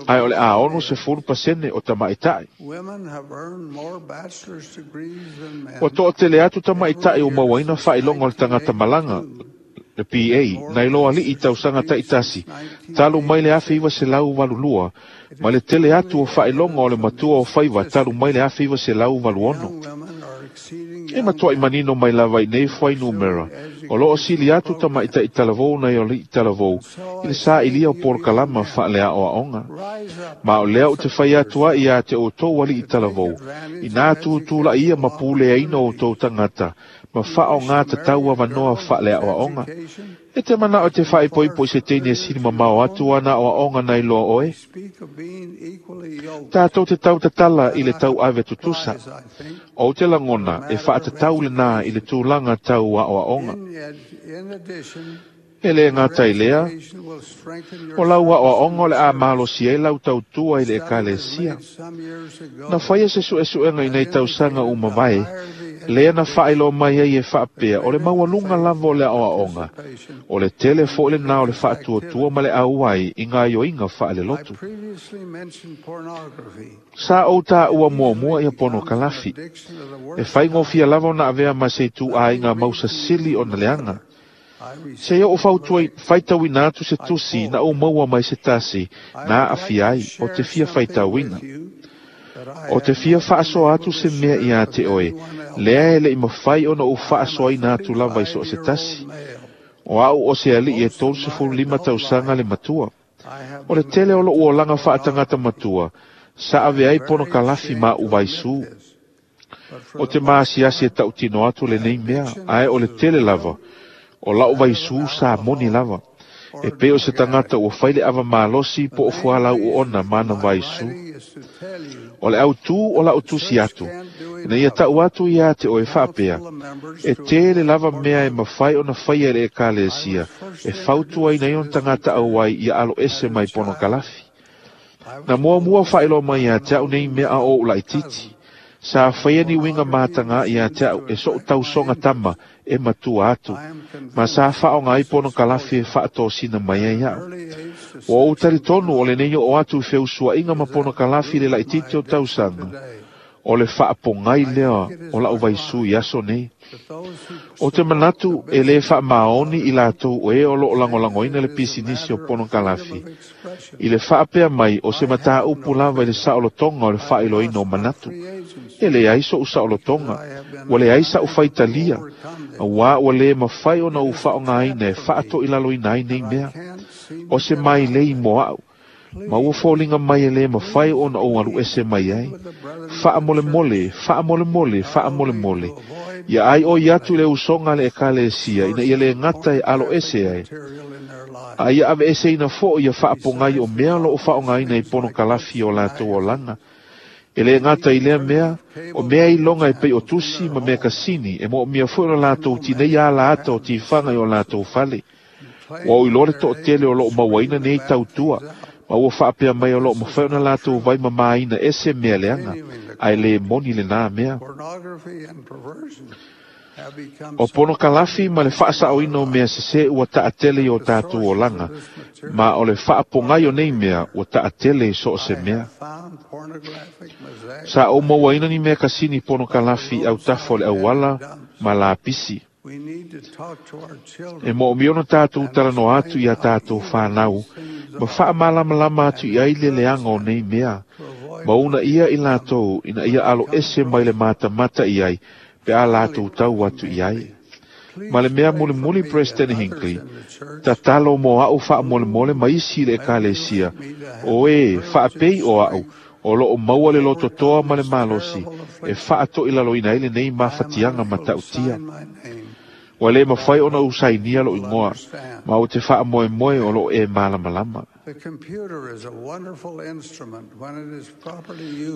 ae o le a 60% o tamaitai. Ua toatele atu tamaitai ua mauaina faailoga o le tagata malaga, le PA, nai lo alii i tausaga taitasi, talu mai le 1982, ma le tele atu o faailoga o le matua o faiva talu mai le 1986. E matuai manino mai lava i nei fuainumera, o lo o sili atu tamaitai talavou nai alii talavou i le sailia o polokalama faaleaoaoga. Ma o lea ou te fai atu ai ia te outou alii talavou, inā tutulaia ma puleaina outou tagata ma faaaoga tatau avanoa faaleaoaoga. E te manao e te faaipoipo i se teine e sili mamao atu ana aoaoga nai loa oe? Tatou te tautatala i le tauave tutusa. Ou te lagona e faatatau lenā i le tulaga tau aoaoga. E le gata i lea, o lau aoaoga o le a malosi ai lau tautua i le Ekalesia. Na faia se suesuega i nei tausaga ua mavae, lea na faailoa mai ai e faapea o le maualuga lava o le aoaoga, o le tele foi lenā o le faatuatua ma le auai i gaoioiga faalelotu. Sa ou taua muamua ia ponokalafi. E faigofie lava ona avea ma se ituaiga mausasili ona leaga. Se i ou faitauina atu se tusi na ou maua mai se tasi na aafia ai o te fia faitauina. O te fia faasoa atu se mea ia te oe, lea e le i mafai ona ou faasoaina atu lava i so o se tasi. O au o se alii e 35 tausaga le matua. O le tele o lo'u olaga faatagata matua, sa ave ai ponokalafi ma a'u vaisū. O te maasiasi e tautino atu lenei mea, ae o le tele lava o la'u vaisū sa moni lava, e pei o se tagata ua fai le ava malosi po o fualau oona ma ana vaisū. O le autū o la'u tusi atu, ina ia ta'u atu iā te oe faapea, e tele lava mea e mafai ona faia e le Ekalesia e fautuaina ai ona tagata auai ia aloese mai ponokalafi. Na muamua faailoa mai ia te a'u nei mea a o ou laitiiti. Sa faia ni uiga matagā ia te a'u e so'u tausoga tama e matua atu, ma sa faaaoga ai ponokalafi e faatosina mai ai a'u. Ua ou talitonu o lenei oo atu i feusuaiga ma ponokalafi i le laitiiti o tausaga. O le faapogai lea o la'u vaisū i aso nei. O te manatu e lē faamaoni i latou o e o lo'o lagolagoina le pisinisi o ponokalafi. I le faapea mai o se matāupu lava i le saolotoga o le faailoaina o manatu. E leai so'u saolotoga, ua leai sa'u faitalia, auā ua lē mafai ona ou faaaogāina e faatoʻilaloina ai nei mea. O se mailei mo a'u, ma ua foliga mai e lē mafai ona ou aluʻese mai ai. Faamolemole, faamolemole, faamolemole, ia ai oi atu i le usoga a le ʻekalesia ina ia lē gata e aloʻese ai, a ia aveeseina foʻi ia faapogai o mea o loo faaaogāina i ponokalafi o latou olaga. E lē gata i lea mea, o mea iloga e pei o tusi ma mea kasini e moomia foi ona latou tineia ala ata o tifaga i o latou fale. Ua ou iloa le toʻatele o loo mauaina nei tautua, ma ua faapea mai o loo mafai ona latou vai mamāina ese mea leaga, ae lē moni lenā mea. O ponokalafi ma le faasaoina o mea sesē ua taatele i o tatou olaga, ma o le faapogai o nei mea ua taatele i so o se mea. Sa ou mauaina ni mea kasini ponokalafi i autafa o le auala ma lapisi. E moomia ona tatou talanoa atu iā tatou fanau, ma faamalamalama atu i ai le leaga o nei mea, ma uunaia i latou ina ia aloese mai le matamata i ai pe a latou tau atu i ai. Ma le mea mulimuli President Hinckley, tatalo mo a'u faamolemole ma isi i le ʻekalesia, o e faapei o a'u o loo maua le lototoa ma le malosi e faatoʻilaloina ai lenei mafatiaga matautia. Ua lē mafai ona ou sainia lo'u igoa, ma ou te faamoemoe o loo e malamalama.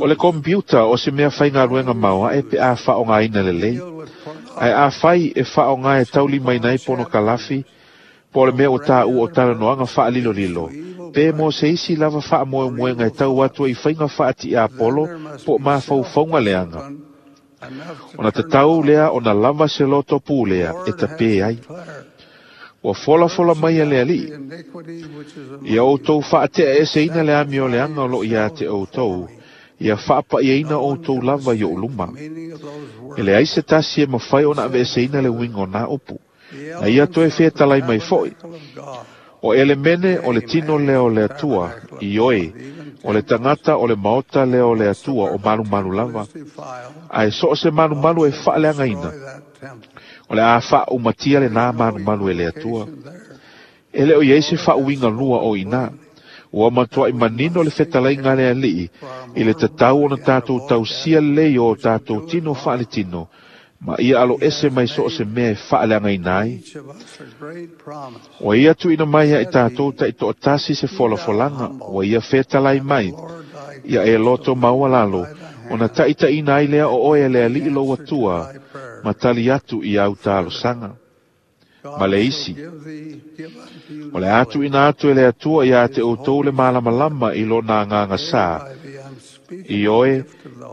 O le kompiuta o se mea faigaluega maoaʻe pe a faaaogāina lelei. Ae afai e faaaogā e taulimaina ai ponokalafi, po o le mea ua tāua o talanoaga faalilolilo, pe mo se isi lava faamoemoega e tau atu ai i faiga faatiapolo po o mafaufauga leaga, ona tatau lea ona lava se loto pulea e tapē ai. Ua folafola mai e le Alii, ia outou faateaeseina le amioleaga o loo iā te outou, ia faapaʻiaina outou lava i oʻu luma. E leai se tasi e mafai ona aveeseina le uiga o nā upu. Na ia toe fetalai mai foʻi. O elemene o le tino lea o le Atua, ioe, o le tagata o le maota lea o le Atua o malumalu lava, ae so o se malumalu e faaleagaina, o le a faaumatia lenā malumalu e le Atua. E le o i ai se faauiga lua o iinā. Ua matuai manino le fetalaiga a le Alii i le tatau ona tatou tausia lelei o o tatou tino faaletino, ma ia aloese mai so o se mea e faaleagaina ai. Ua ia tuuina mai ia i tatou taitoatasi se folafolaga, ua ia fetalai mai, ia e loto maualalo, ona taʻitaʻina ai lea o oe e le Alii lou Atua, ma tali atu i au talosaga. Ma le isi, o le a tuuina atu e le Atua iā te outou le malamalama i lona agaga sā, ioe,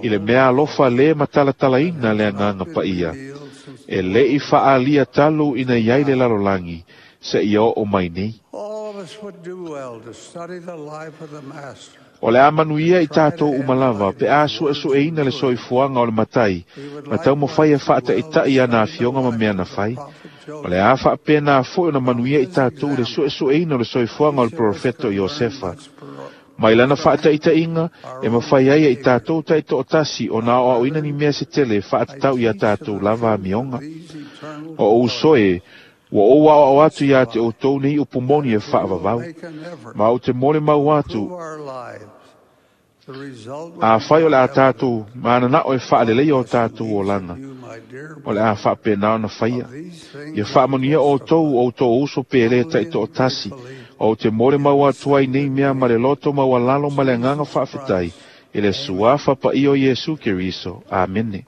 i le mea alofa lē matalatalaina le Agaga Paia, e lē i faaalia talu ina i ai le lalolagi, seia oo mai nei. O le a manuia i tatou uma lava pe a suesueina le soifuaga o le Matai ma taumafai e faataʻitaʻi ana afioga ma mea na fai. O le a faapenā foʻi ona manuia i tatou i le suesueina o le soifuaga o le perofeto Iosefa. Mai lana faataʻitaʻiga e mafai ai e i tatou taitoatasi ona aoaoina ni mea se tele e faatatau iā tatou lava amioga. O ou uso e, ua ou aoao atu iā te outou nei upu moni e faavavau. Ma ou te molimau atu, afai o le a tatou mananao e faaleleia o tatou olaga, o le a faapenā ona faia. Ia faamanuia outou o outou uso pele taitoatasi, ou te molimau atu ai nei mea ma le loto maualalo ma le agaga faafetai i le Suafa Paia o Iesu Keriso. Amene.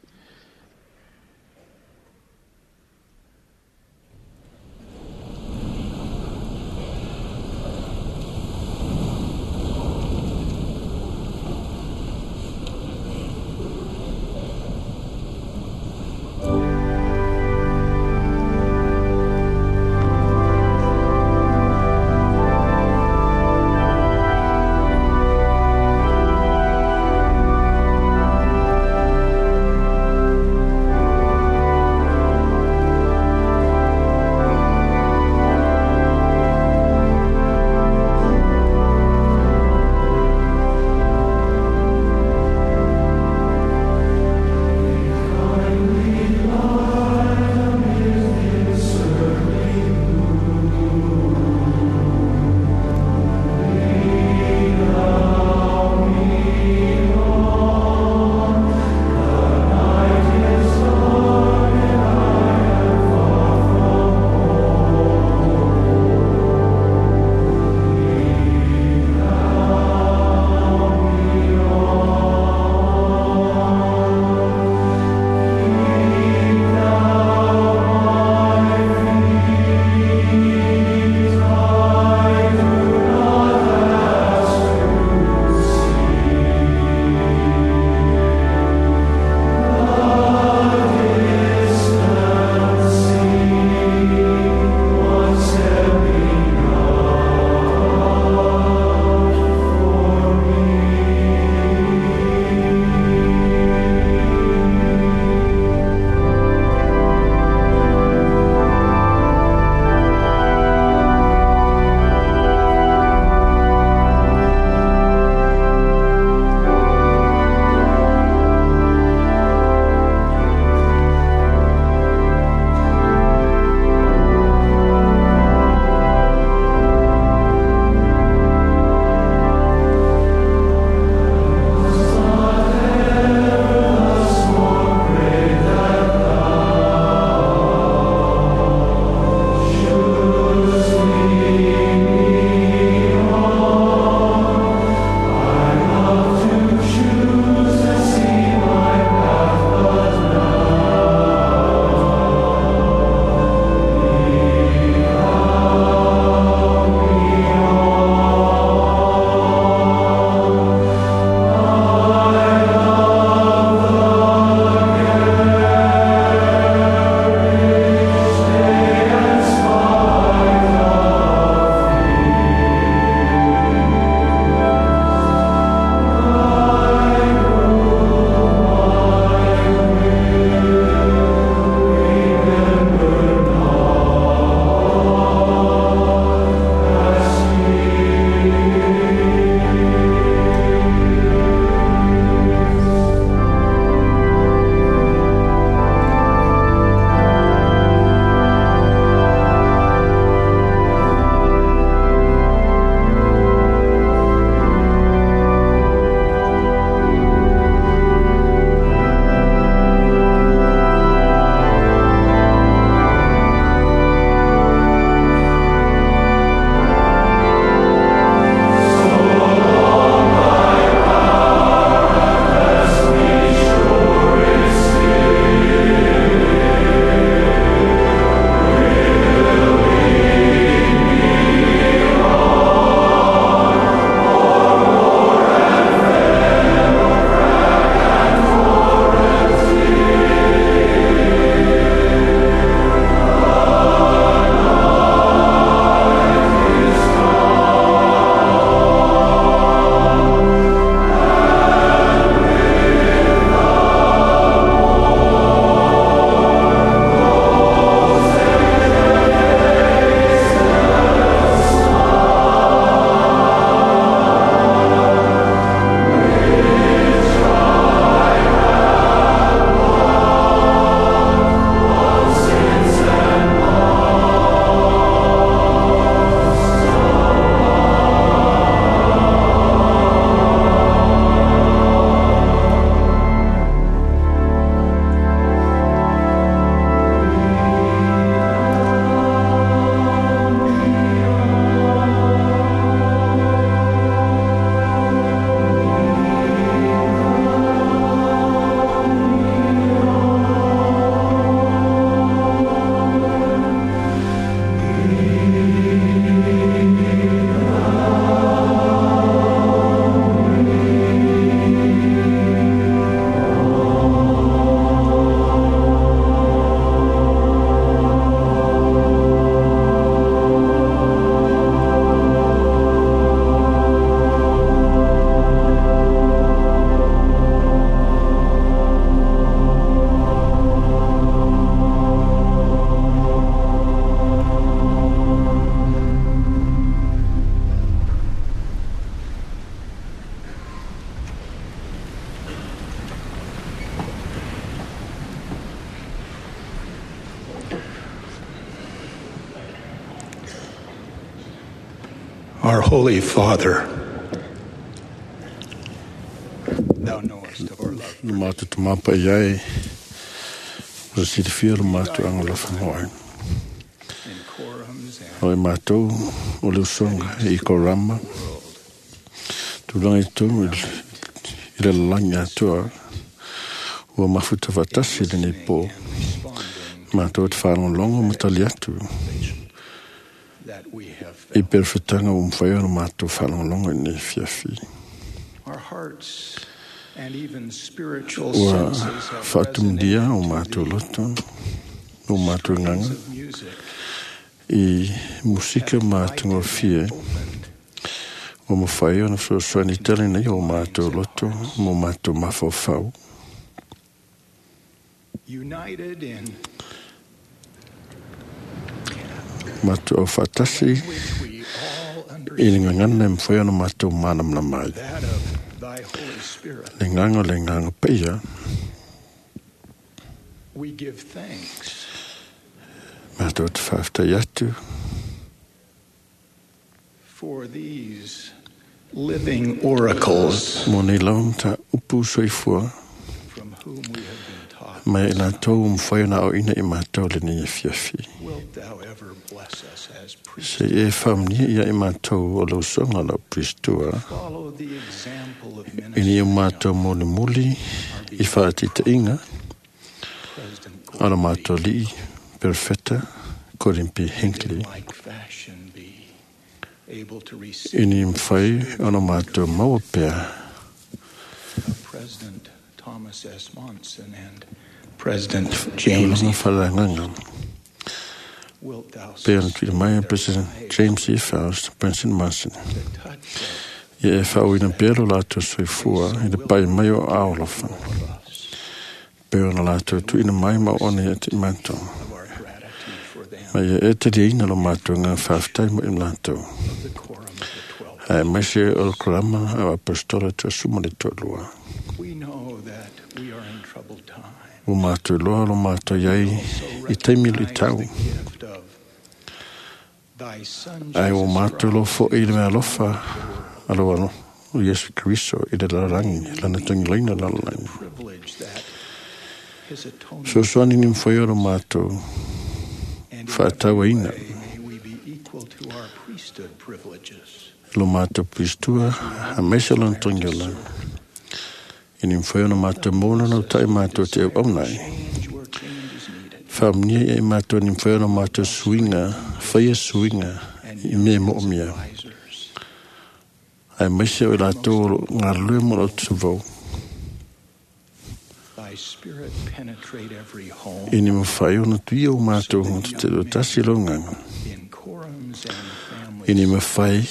Our Holy Father, thou knowest of our love. Lo mātou te mapa i ai, o se silafia lo mātou agalofa moe. O e mātou o le usoga i Korama, tulaga i totonu i le lalagi atoa, ua mafuta faatasi lenei pō, mātou te faalogologo ma tali atu i perefetaga ua mafai ona mātou faalogologo i lenei fiafi. Our hearts and even spiritual Ua senses have faatumulia o mātou loto, o mātou gaga, i musika matagofie ua mafai ona fesoasoani tele nei o mātou loto mo mātou mafaufau. United in Mātou au faatasi i le gagana e mafai ona mātou malamalama ai. that of thy Holy Spirit, Le gaga o le agaga paia, we give thanks mātou te faafetai atu for these living oracles mo nei lava mataupu soifua from whom we have been taught. mai i latou ua mafai ona aoina i mātou lenei afiafi. Wilt thou ever bless us as priests? Se e faamanuia ia i mātou o le usoga lau Pristua, Follow the example of i ni o mātou molimoli i faatitaiga President a la mātou alii Perfeta Gordon B. Hinckley, like fashion be able to receive i ni mafai ona mātou maua pea of President Thomas S. Monson and President James tulaga E. faleagaga Wilt thou pea ona tuuina mai e President James E. Faust, President Monson. Ia e faaauina pea lo latou soifua i le pai mai o aolofa. Pe ona latou tuuina mai ma o ona ia te i mātou. Ma ia e taliaina lo mātou ngā faafetai mo i latou. Ae maise o le korama a apostola 12. We know that we are in troubled times. Ua mātou loa lo mātou iai i taimi le tau. Gift of thy Son Ae ua Jesus mātou lo fo'i i le mea alofa a lo alo o Iesu Keriso i le lalagi, lana tagilaina lalagi. privilege that his atonement Fesoasoani ni mafai o lo mātou faatauaina may we be equal to our priesthood privileges. lo mātou pristua a maise lona tagiola. I ni mafai ona mātou maua na ta'i mātou te auauna ai. Faamanuia ia i mātou ni mafai ona mātou suiga, faia suiga i mea mo'omia. Ae maise o i latou o lo galulue mo lo tusavau. Thy Spirit penetrate every home I ni mafai ona tuia o mātou te te tasi lo gaga. in quorums and families. I ni mafai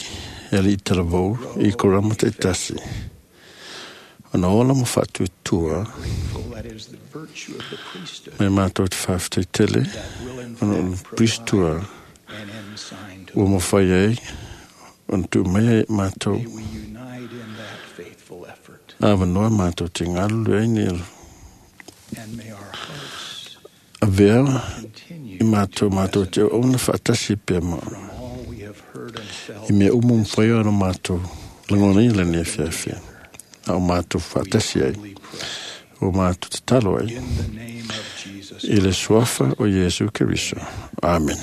e alii talavou i korama ta'itasi. Ona ola ma faatuatua Grateful that is the virtue of the priesthood me mātou te faafetai tele ona o le pristua an ensign to ua mafai ai ona tuu mai ai mātou we unite in that faithful effort. avanoa mātou te galulue ai ni And may our hearts avea continue i mātou mātou te auauna faatasi pea ma all we have heard and felt i mea uma mafai ona mātou lagona i lenei afiafi a o mātou faatasi ai o mātou tatalo ai in the name of Jesus. i le suafa o Iesu Keriso. Amen.